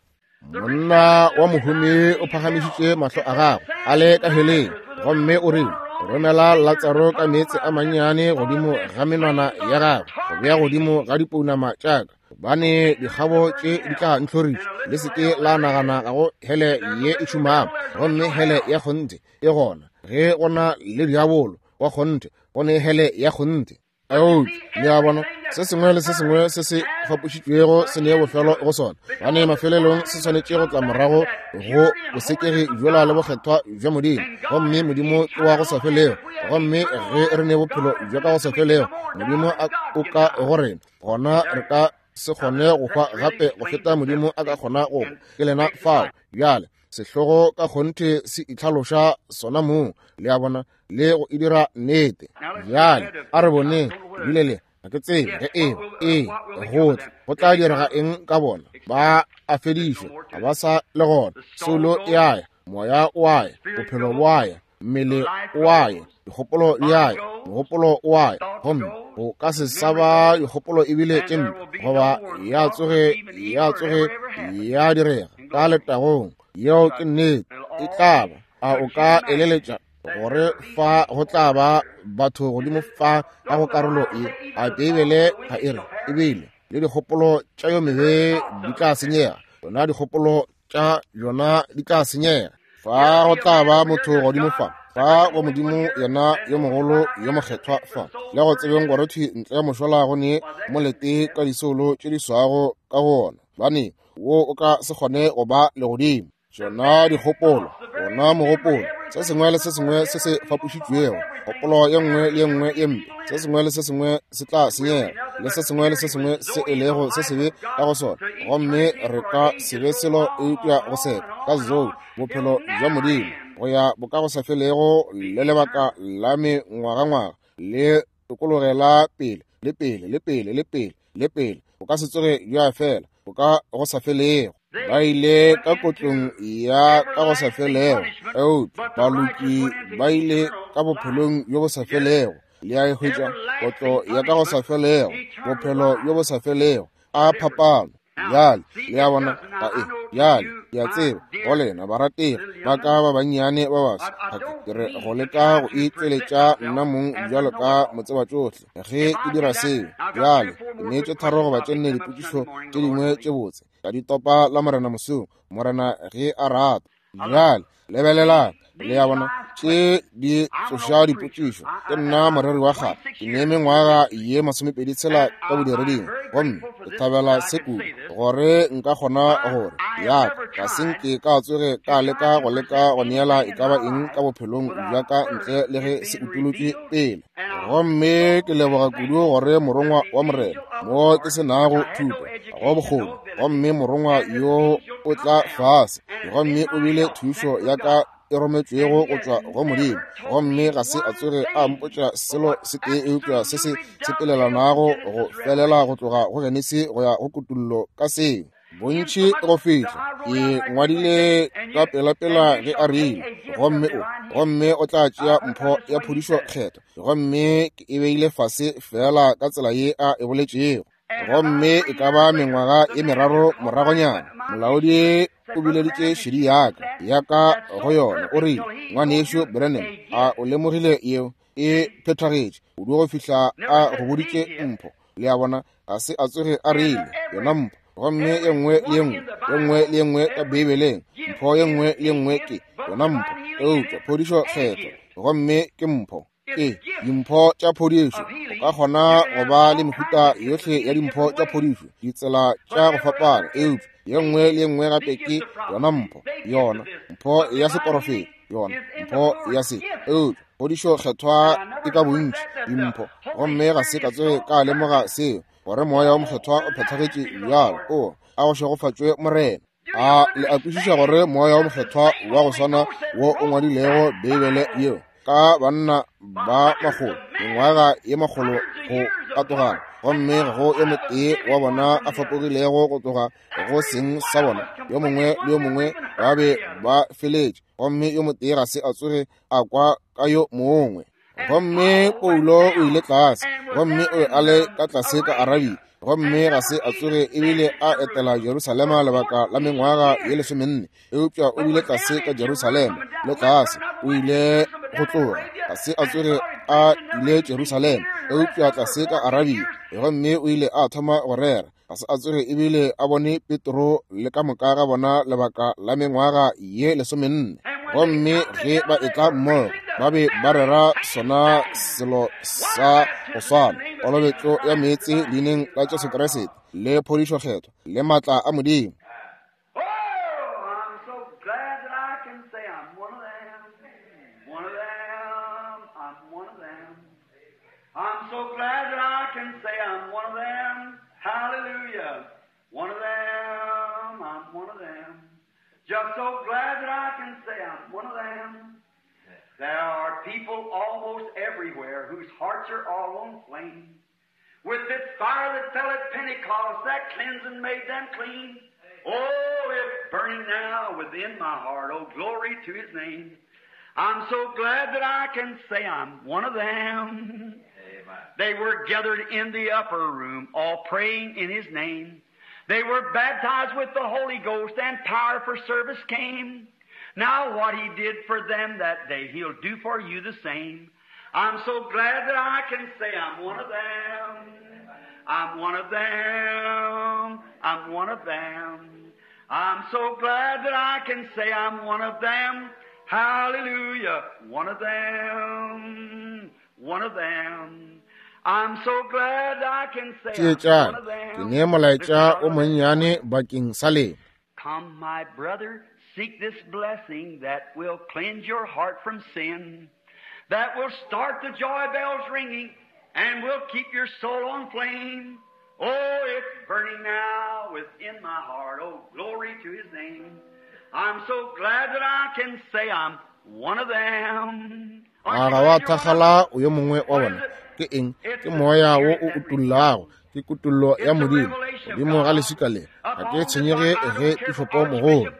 Monna wa mohumi o phagamišitše mahlo a gagwe a le ka heleng, gomme o rile, romela Latsaro ka meetse a mannyane godimo ga menwana ya gagwe, go bea godimo ga dipounama tša ka, gobane dikgabo tše di tla ntlhoriša. Le se ke la nagana ga go hele ye e šumago, gomme hele ya kgonthe e gona. Ge go na le diabolo wa kgonthe, go ne hele ya kgonthe. Eupša, le a bona, se sengwe le se sengwe se se fapošitšwego se ne bofelo go sona, gobane mafelelong se swanetše go tla morago go bosekegi bjola le bokgethwa bja Modimo. Gomme Modimo ke wa go sa felego, gomme ge re ne bophelo bja ka go sa felego, Modimo o ka go rena, gona re ka se kgone go hwa gape go feta Modimo a ka kgona go hwa. Ke lena fao. Bjale, sehlogo ka kgonthe se itlhaloša sona mong, le a bona, le go e dira nnete. Bjale a re boneng, ebile le ga ke tsebe ge eba ee go tla go tla direga eng ka bona. Ba a fedišwa, ga ba sa le gona. Soulo e a ya, moya o a ya, bophelo bo a ya, mmele o a ya, dikgopolo di a ya, mogopolo o a ya, gomme go ka se sa ba dikgopolo ebile tše mpe, goba ya tsoge ya tsoge ya direga ka letagong. Yeo ke nnete, e tla ba. A o ka eleletša gore fa go tla ba batho godimo fa ka go karolo e? A Beibele ga e re ebile le dikgopolo tša yo mebe di tla senyega? Yona dikgopolo tša yona di tla senyega. Fa go tla ba motho godimo fa, fa go Modimo yena yo mogolo yo mokgethwa fa, le go tsebeng gore thwi ntle mošola go ne molete ka disoulo tše di swago ka go ona, gobane wo o ka se kgone go ba legodimo. Tšona dikgopolo, wona mogopolo, se sengwe le se sengwe se se fapošitšwego, kgopolo ye nngwe le ye nngwe ye mpe, se sengwe le se sengwe se tla senyega, le se sengwe le se sengwe se e lego se sebe ka go sona, gomme re ka se be selo eupša go seka ka Zoe, bophelo bja Modimo, go ya bokagosafelego le lebaka la mengwagangwaga, le tokologela pele le pele le pele le pele le pele, bo ka se tsoge bja fela, bo ka go sa felego. Ba ile ka kotlong ya ka go sa felego, eupša baloki ba ile ka bophelong bjo bo sa felego. Le a e hwetša, kotlo ya ka go sa felego, bophelo bjo bo sa felego. A phapano! Bjale, le a bona, ga e. Bjale, ke a tseba, go lena barategi ba ka ba bannyane ba baswa, ga ke re go leka go itšweletša nna mong bjalo ka motsebatšohle ge ke dira seo. Bjale, ke neetše tharo goba tše nne dipotšišo tše dingwe tše botse, ka di topa la Morena mosong, Morena ge a rata. Bjale, lebelelang, le a bona, tše di tsoša dipotšišo. Ke nna moreri wa kgale, ke ne mengwaga ye 26 ka bodireding, gomme ke thabela se kudu gore nka kgona gore ya ka ga se nke ka tsoge ka leka go leka go neela e ka ba eng ka bophelong bja ka ntle le ge se utolotšwe pele. Gomme ke leboga kudu gore morongwa wa Morena, mo ke se nago thuto go bokgoni, gomme morongwa yo o tla fase gomme o bile thušo ya ka e rometšwego go tšwa go Modimo, gomme ga se a tsoge a mpotša selo se tee eupša se se sepelelanago go felela go tloga go Genesi go ya go Kutullo ka seo. Bontši go fihla ke ngwadile ka pelapela ge a rile, gomme o, gomme o tla tšea mpho ya phodišo kgethwa, gomme ke e beile fase feela ka tsela ye a e boletšego. Gomme e ka ba mengwaga ye meraro moragonyana, molaodi o bileditše šedi yaka, yaka go yona, o rile, Ngwanešu Branham, a o lemogile yeo e phethagetše kudu go fihla a go boditše mpho? Le a bona, ga se a tsoge a rile yona mpho. Gomme ye nngwe le ye nngwe, ye nngwe le ye nngwe ka Beibeleng, mpho ye nngwe le ye nngwe ke yona mpho, eupša phodišo kgethwa, gomme ke mpho. Ke dimpho tša phodišo. O ka kgona go ba le mehuta yohle ya dimpho tša phodišo, ditsela tša go fapana, eupša ye nngwe le ye nngwe gape ke yona mpho, yona mpho ya seporofeto, yona mpho ya se, eupša phodišo kgethwa e ka bontši dimpho. Gomme ga se ka tsoge ka lemoga seo, gore Moya wo Mokgethwa o phethagetše bjalo. O a go šegofatšwe Morena. A le a kwešiša gore Moya wo Mokgethwa wa go swana wo o ngwadilego Beibele yeo ka banna ba makgolo, mengwaga ye makgolo go katogana, gomme ga go yo motee wa bona a fapogilego go tloga go seng sa bona, yo mongwe le yo mongwe ba be ba feletše, gomme yo motee ga se a tsoge a kwa ka yo mongwe. Gomme Paulo o ile tlase, gomme o be a le ka tlase ka Arabia, gomme ga se a tsoge ebile a etela Jerusalema lebaka la mengwaga ye lesomenne, eupša o bile tlase ka Jerusalema le tlase, o ile go tloga, ga se a tsoge a ile Jerusalema, eupša tlase ka Arabia, gomme o ile a thoma go rera, ga se a tsoge ebile a bone Petro le ka moka ga bona lebaka la mengwaga ye lesomenne. Gomme ge ba etla mmogo, ba be ba rera sona selo sa go swana, kolobetšo ya meetse leineng la Jesu Kriste, le phodišo kgethwa, le maatla a Modimo. Oh, I'm so glad that I can say I'm one of them. One of them. I'm one of them. I'm so glad that I can say I'm one of them. Hallelujah. One of them. I'm one of them. Just so glad that I can say I'm one of them. There are people almost everywhere whose hearts are all on flame. With this fire that fell at Pentecost, that cleansing made them clean. Oh, it's burning now within my heart. Oh, glory to His name. I'm so glad that I can say I'm one of them. Amen. They were gathered in the upper room, all praying in His name. They were baptized with the Holy Ghost, and power for service came. Now what He did for them that day, He'll do for you the same. I'm so glad that I can say I'm one of them. I'm one of them. I'm one of them. I'm so glad that I can say I'm one of them. Hallelujah. One of them. One of them. I'm so glad I can say I'm one of them. Ke ne molaetša o monnyane bakeng sa lena. Come, my brother, seek this blessing that will cleanse your heart from sin, that will start the joy bells ringing and will keep your soul on flame. Oh, it's burning now within my heart. Oh, glory to His name. I'm so glad that I can say I'm one of them. A ga wa thakgala o yo mongwe wa bona? Ke eng? Ke moya wo o utullago, ke kutullo ya Modimo godimo ga leswika le. Ga ke tshwenyege ge pišopo mogolo,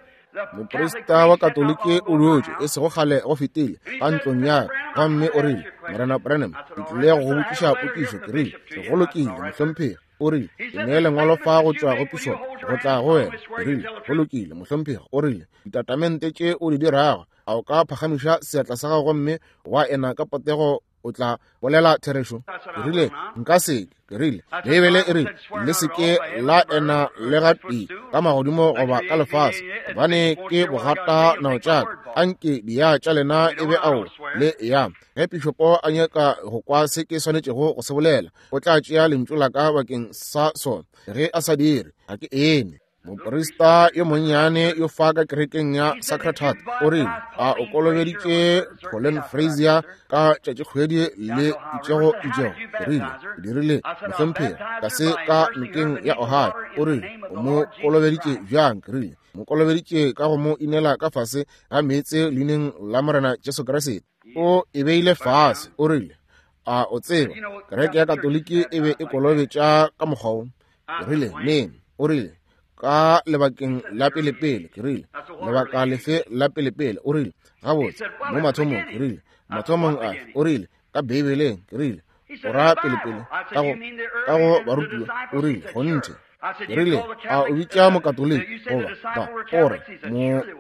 moprista wa Katoliki o dutše e sego kgale go fetile ka ntlong ya ka, gomme o rile, Morena Branham, ke tlile go go botšiša potšišo. Ke rile, Go lokile, mohlomphegi. O rile, Ke nee lengwalo fa go tšwa go pišopo go tla go wena. Ke rile, Go lokile, mohlomphegi. O rile, Ditatamente tše o di dirago, a o ka phagamiša seatla sa gago gomme wa ena ka potego o tla bolela therešo? Ke rile, Nka se ke. Ke rile, Beibele e rile, Le se ke la ena le gatee ka magodimo goba ka lefase, gobane ke bogata nao tša ka. Anke diya tša lena e be ao le ya. Ge pišopo a nyaka go kwa se ke swanetšego go se bolela, o tla tšea lentšu la ka bakeng sa sona. Ge a sa dire, ga ke ene. Moprista yo monnyane yo fa ka kerekeng ya Sacred Heart o rile, a o kolobeditše Pauline Frazier ka tšatšikgwedi le itšego itšego? Ke rile, ke dirile, mohlomphegi, tlase ka nokeng ya Ohio. O rile, o mo kolobeditše bjang? Ke rile, mo kolobeditše ka go mo inela ka fase ga meetse leineng la Morena Jesu Kriste. O e beile fase. O rile, a o tseba kereke ya Katoliki e be e kolobetša ka mokgwa wo? Ke rile, neng? O rile, ka lebakeng la pelepele. Ke rile, lebaka lefe la pelepele? O rile, gabotse, mo mathomong. Ke rile, mathomong afe? O rile, ka Beibeleng. Ke rile, o ra pelepele ka go, ka go barutiwa? O rile, kgonthe. Ke rile, a o bitša Mokatoliki goba ba? O re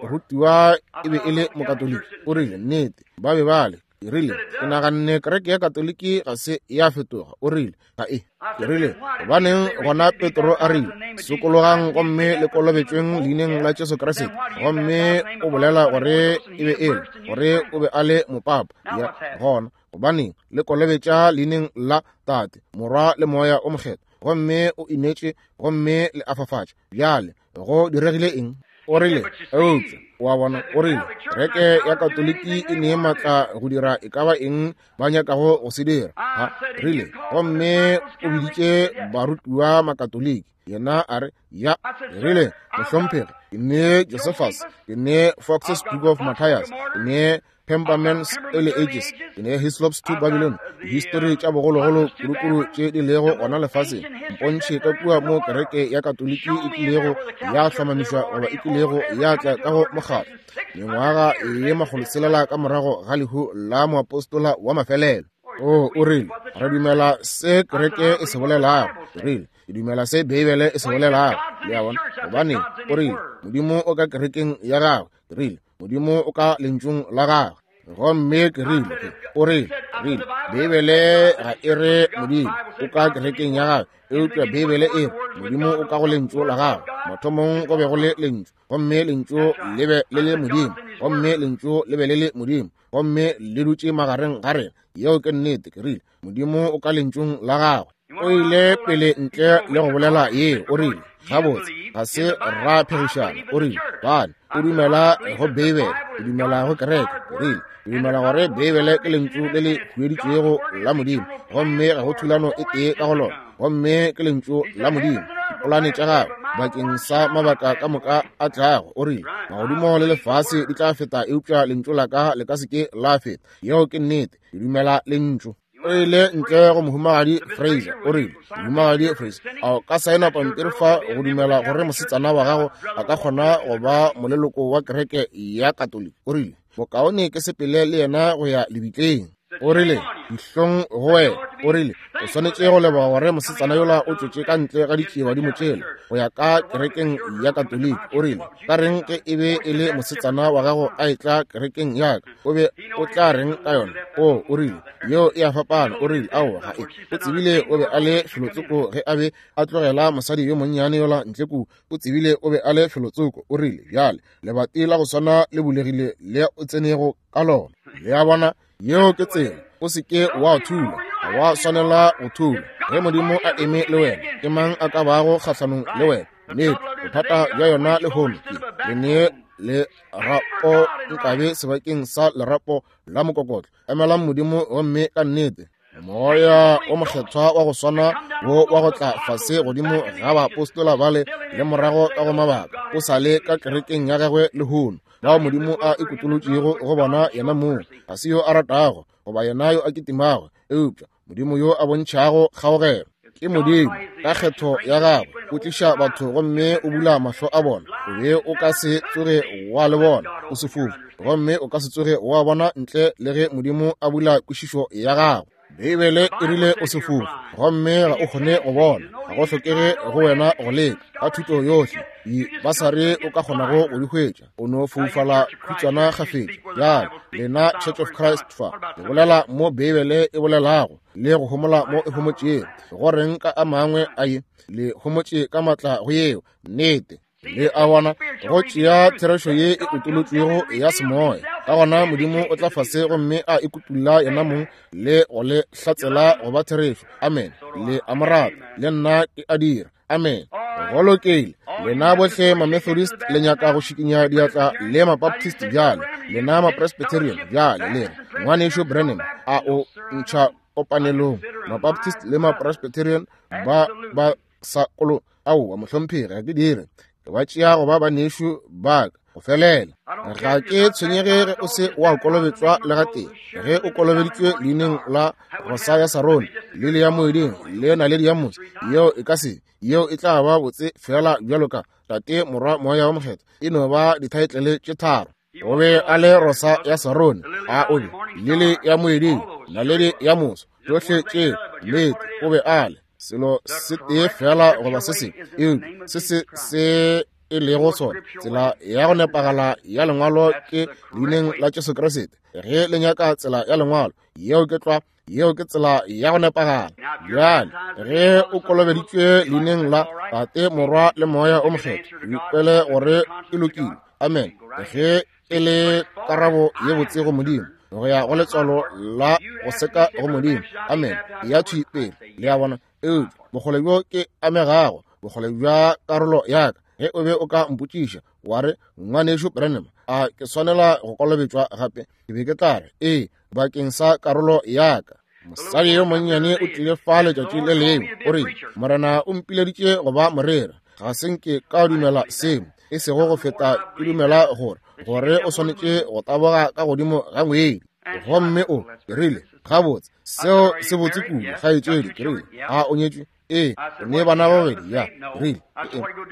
morutiwa e be e le Mokatoliki? O rile, nnete, ba be ba le. Ke rile, ke naganne kereke ya Katoliki ga se ya fetoga. O rile, ga e. Ke rile, gobaneng gona Petro a rile, sokologang gomme le kolobetšweng leineng la Jesu Kriste, gomme o bolela gore e be e le, gore o be a le mopapa. Ya, gona, gobaneng le kolobetša leineng la Tate, Morwa le Moya o Mokgethwa, gomme o inetše gomme le afafatša? Bjale go diregile eng? O rile, eupša wa bona, o rile, kereke ya Katoliki e ne maatla go dira e ka ba eng ba nyakago go se dira. Ha, rile, gomme o biditše barutiwa Makatoliki. Yena a re, ya. Rile, mohlomphegi, ke ne Josephus, ke ne Fox's Book of Matthias, ke ne Pemberman's Early Ages, ke ne Hislop's Two Babylon, dihistori tša bogologolo kudukudu tše di lego gona lefaseng. Mpontšhe ka kua mo kereke ya Katoliki e kilego ya hlomamišwa goba e kilego ya tla ka go mokgatlo mengwaga ye makgolotshelela ka morago ga lehu la moapostola wa mafelelo. O, o rile, re dumela se kereke e se bolelago. Ke rile, ke dumela se Beibele e se bolelago. Le a bona? Gobane, o rile, Modimo o ka kerekeng ya gagwe. Ke rile, Modimo o ka lentšung la gagwe. Gomme ke rile, o rile, rile, Beibele ga e re Modimo o ka kerekeng ya gagwe, eupša Beibele e re Modimo o ka go lentšu la gagwe. Mathomong go be go le lentšu, gomme lentšu le be le le Modimo, gomme lentšu le be le le Modimo, gomme le dutše magareng ga rena. Yeo ke nnete. Ke rile, Modimo o ka lentšung la gagwe. O ile pele ntle le go bolela ye, o rile, gabotse, ga se ra phegišana. O rile, bane, o dumela go Beibele, o dumela go kereke. O rile, ke dumela gore Beibele ke lentšu le le hueditšwego la Modimo, gomme ga go thulano e tee ka go lona, gomme ke lentšu la Modimo. Dipolane tša gagwe bakeng sa mabaka ka moka a tlago. O rile, magodimo le lefase di tla feta, eupša lentšu la ka le ka se ke la feta. Yeo ke nnete. Ke dumela lentšu. O ile ntle go mohumagadi Fraser. O rile, Mohumagadi Fraser, a o ka saena pampiri fa go dumela gore mosetsana wa gago a ka kgona go ba moleloko wa kereke ya Katoliki? O rile, Bokaone ke sepele le yena go ya lebitleng. O rile, Dihlong go wena. O rile, O swanetše go leboga gore mosetsana yola o tšwetše ka ntle ga ditšiebadimo tšela go ya ka kerekeng ya Katoliki. O rile, Ka reng ge e be e le mosetsana wa gago a etla kerekeng ya ka, o be o tla reng ka yona? O, o rile, yeo e a fapana. O rile, Aowa, ga e. O tsebile o be a le felotsoko ge a be a tlogela mosadi yo monnyane yola ntle kua. O tsebile o be a le felotsoko. O rile, Bjale, lebati la go swana le bulegile le o tsenego ka lona. Le a bona? Yeo ke tsela. O se ke wa thula. Ga wa swanela go thula. Ge Modimo a eme le wena, ke mang a ka bago kgahlanong le wena? Nnete, bothata bja yona lehono ke le ne lerapo nkabe sebakeng sa lerapo la mokokotlo. Emelang Modimo gomme ka nnete Moya o Mokgethwa wa go swana wo wa go tla fase godimo ga baapostola bale le morago ka go mabaka o sa le ka kerekeng ya gagwe lehono, bao Modimo a ikutolotšego go bona yena mong. Ga se yo a ratago goba yena yo a kitimago, eupša Modimo yo a bontšhago kgaogelo. Ke Modimo ka kgetho ya gagwe o tliša batho gomme o bula mahlo a bona. O be o ka se tsoge wa le bona o sefofu, gomme o ka se tsoge wa bona ntle le ge Modimo a bula kwešišo ya gago. Beibele e rile o sefofu gomme ga o kgone go bona. Ga go hlokege go wena go leka ka thuto yohle dibasari o ka kgonago go di hwetša. O no foufala khutswana kgafetša. Bjale lena Church of Christ fa le bolela mo Beibele e bolelago le go homola mo e homotšego. Go reng ka a mangwe a ye le homotše ka matla go yeo? Nnete. Le a bona, go tšea therešo ye e utolotšwego ya semoya. Ka gona Modimo o tla fase gomme a ikutulla yena mong le go le hlatsela go ba therešo. Amen. Le a mo rata, le nna ke a dira. Amen. Go lokile. Lena bohle Mamethodist le nyaka go šikinya diatla le Mabaptist bjale, lena Mapresbyterian bjale le re, Ngwanešu Branham, a o ntšha kopanelong? Mabaptist le Mapresbyterian ba ba sa kolo. Aowa, mohlomphegi, ga ke dire. Ke ba tšea go ba banešu ba ka go felela. Ga ke tshwenyege ge o se wa kolobetšwa le gatee. Ge o kolobeditšwe leineng la Rosa ya Sarone, lili ya moeding le naledi ya mose, yeo e ka se, yeo e tla ba botse fela bjalo ka Tate, Morwa, Moya wa Mokgethwa. E no ba dithaetlele tše tharo. O be a le Rosa ya Sarone, a o be lili ya moeding, naledi ya moso, tšohle tše nnete o be a le selo se tee fela goba se sengwe, eupša se se se e lego sona, tsela ya go nepagala ya lengwalo ke leineng la Jesu Kriste. Ge le nyaka tsela ya lengwalo, yeo ke tlwa, yeo ke tsela ya go nepagala. Bjale ge o kolobeditšwe leineng la Tate, Morwa le Moya o Mokgethwa, o ikwele gore e lokile. Amen. Ge e le karabo ye botse go Modimo, go ya go letswalo la go seka go Modimo. Amen. Ya thwi pele. Le a bona? Eupša bokgole bjo ke amegago, bokgole bja karolo ya ka, ge o be o ka mpotšiša wa re, Ngwanešu Branham, a ke swanela go kolobetšwa gape? Ke be ke tla re, ee, bakeng sa karolo ya ka. Mosadi yo monnyane o tlile fa letšatši le lengwe, o rile, Morena o mpileditše go ba moreri. Ga se nke ka dumela seo, e sego go feta ke dumela gore, gore o swanetše go taboga ka godimo ga ngwedi. Gomme o rile, gabotse, seo se botse kudu, kgaetšedi. Ke rile, a o nyetšwe? Ee. O ne bana ba babedi? Ya. Ke rile,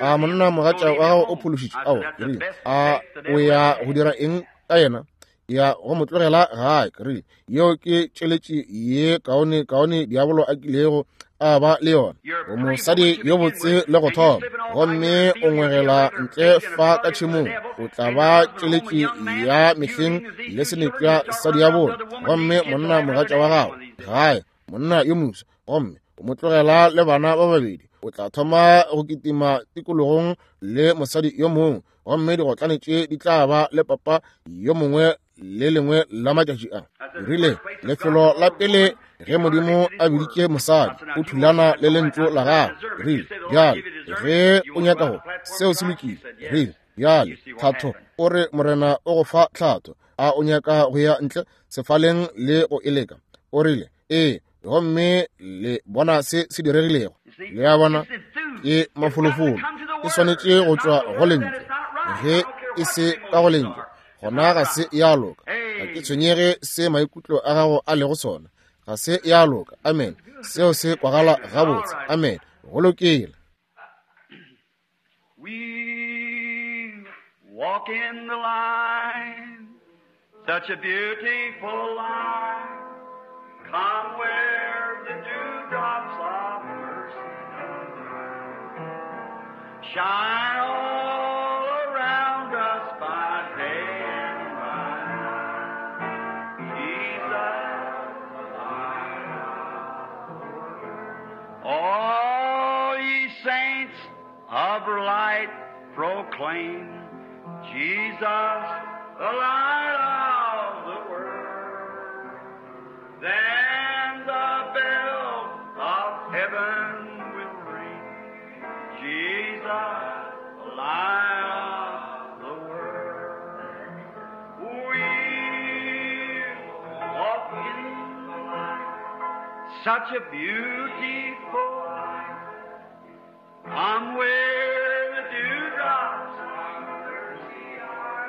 a monna mogatša wa gago o phološitšwe? Ao. Ke rile, a o ya go dira eng ka yena? Ya go mo tlogela gae. Ke rile, yeo ke tšeletši ye kaone kaone diabolo a kilego a ba le yona. O mosadi yo botse le go thoma, gomme o ngwegela ntle fa ka tšhemong, o tla ba tšeletši ya mehleng le senepša sa diabolo. Gomme monna mogatša wa gago gae, monna yo mofsa, gomme o mo tlogela le bana ba babedi, o tla thoma go kitima tikologong le mosadi yo mongwe, gomme digotlane tše di tla ba le papa yo mongwe le lengwe la matšatši a. Rile, lefelo la pele ge Modimo a biditše mosadi, o thulana le lentšu la gagwe. Rile, bjale ge o nyaka go, seo se lokile. Rile, bjale tlhatho, o re Morena o go fa tlhatho, a o nyaka go ya ntle sefaleng le go e leka? O rile, ee. Gomme le bona se se diregilego. Le a bona, ke mafolofolo, e swanetše go tšwa go lentšu. Ge e se ka go lentšu, gona ga se ya loka. Ga ke tshwenyege se maikutlo a gago a lego sona, ga se ya loka. Amen. Seo se kwagala gabotse. Amen. Go lokile. We walk in the light, such a beautiful light. Come where the dewdrops of mercy shine all around us by day and by night. Jesus, the light of the world. All ye saints of light proclaim Jesus, the light of the world. Then the bell of heaven will ring. Jesus, the light of the world. We walk in the light, such a beautiful light. Come where the dewdrops of mercy are,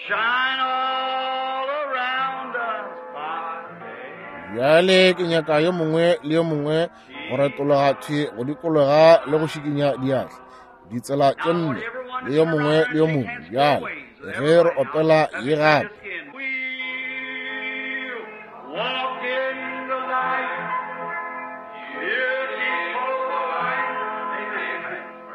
shine all around us by day. Bjale ke nyaka yo mongwe le yo mongwe go retologa thwi go dikologa le go šikinya diatla ditsela tše nne le yo mongwe le yo mongwe. Bjale ge re opela ye gape. We'll walk in the light, beautiful light.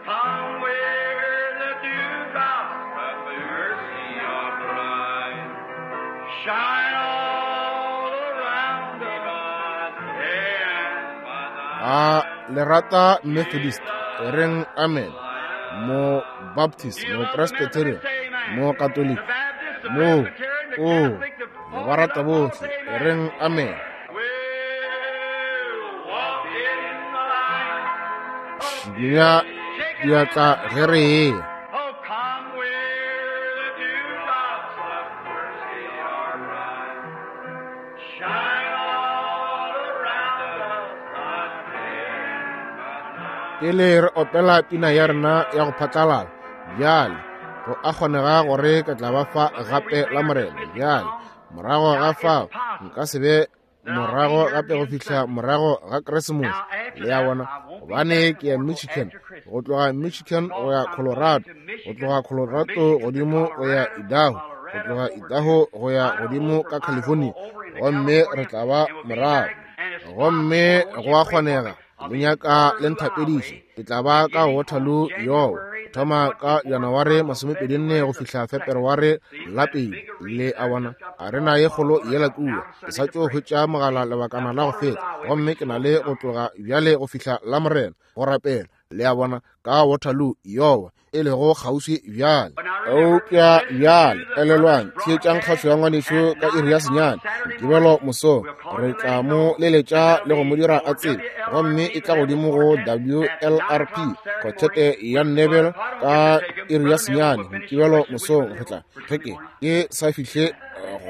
Come where the dewdrops of mercy are bright, shine all around us day and by night. A le rata Methodist, e reng amen. Mo Baptist, mo Presbyterian, mo Catholic, mo o le ba rata bohle, e reng amen. We'll walk in the light. Šikinya diatla ge re eya. Oh, come where the dewdrops of mercy are bright. Shine all around us again. Pele re opela pina ya rena ya go phatlalala bjale, go a kgonega gore ke tla ba fa gape la Morena. Bjale morago ga fao nka se be morago gape go fihla morago ga Keresemose, le a bona, gobane ke ya Michigan, go tloga Michigan go ya Colorado, go tloga Colorado godimo go ya Idaho, go tloga Idaho go ya godimo ka California, gomme re tla ba morago. Gomme go a kgonega le nyaka le nthapediše, ke tla ba ka Waterloo Iowa, thoma ka Janaware 24 go fihla Feperware la pele. Le a bona, a re na ye kgolo yela kua. Ke sa tšo hwetša mogala lebakana la go feta, gomme ke na le go tloga bjale go fihla la Morena go rapela, le a bona, ka Waterloo Iowa, e lego kgauswi bjale. Eupša bjale elelwang, theetšang kgašo ya ngwanešu ka iri ya 9 Mokibelo mosong. Re tla mo leletša le go mo dira a tsebe, gomme e tla godimo go WLRP kotšhete ya Nebel ka iri ya 9 Mokibelo mosong. Re tla ge ke sa fihle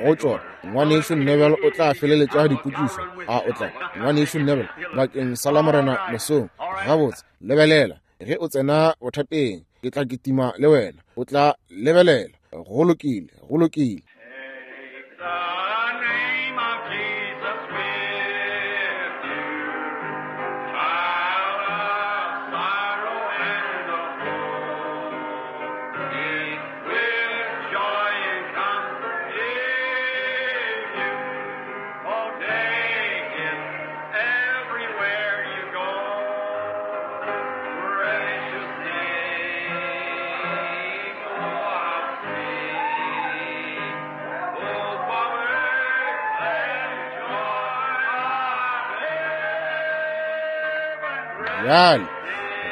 go tšona, ngwanešu Nebel o tla feleletša dipotšišo. A o tla, ngwanešu Nebel, bakeng sa la Morena mosong? Gabotse, lebelela, ge o tsena bothateng, ke tla kitima le wena. O tla lebelela. Go lokile, go lokile. Take the name of Jesus with you, child of sorrow and of woe. It will joy and comfort give you. Oh, take it everywhere you go. Precious name, oh, how sweet. Oh, power and joy of heaven. Bjale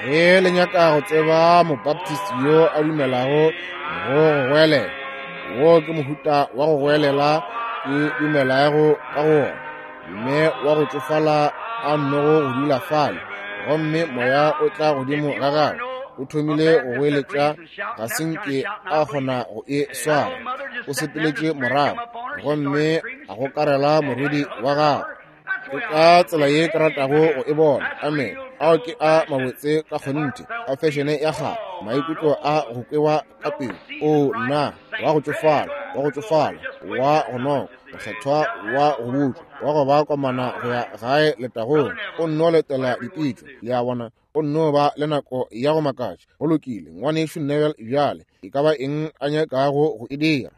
ge le nyaka go tseba mobaptist yo a dumelago go go goelela, wo ke mohuta wa go goelela ke dumelago ka go wona. Mme wa go tšofala a nnogo go dula fale, gomme moya o tla godimo ga gagwe, o thomile go goeletša, ga se nke a kgona go e swara. O sepeletše morago gomme a gokarela morwedi wa gagwe. Ke ka tsela ye ke ratago go e bona. Amen. Ao ke a mabotse ka kgonthe, a fešene ya kgale, maikutlo a go kwewa ka pelo. O nna, wa go tšofala, wa go tšofala, wa go noka, mokgethwa wa go butšwa, wa go ba komana go ya gae letagong. O nno letela dipitšo, le a bona, o nno ba le nako ya go makatša. Go lokile, ngwanešu Neville, bjale e ka ba eng a nyakago go e dira?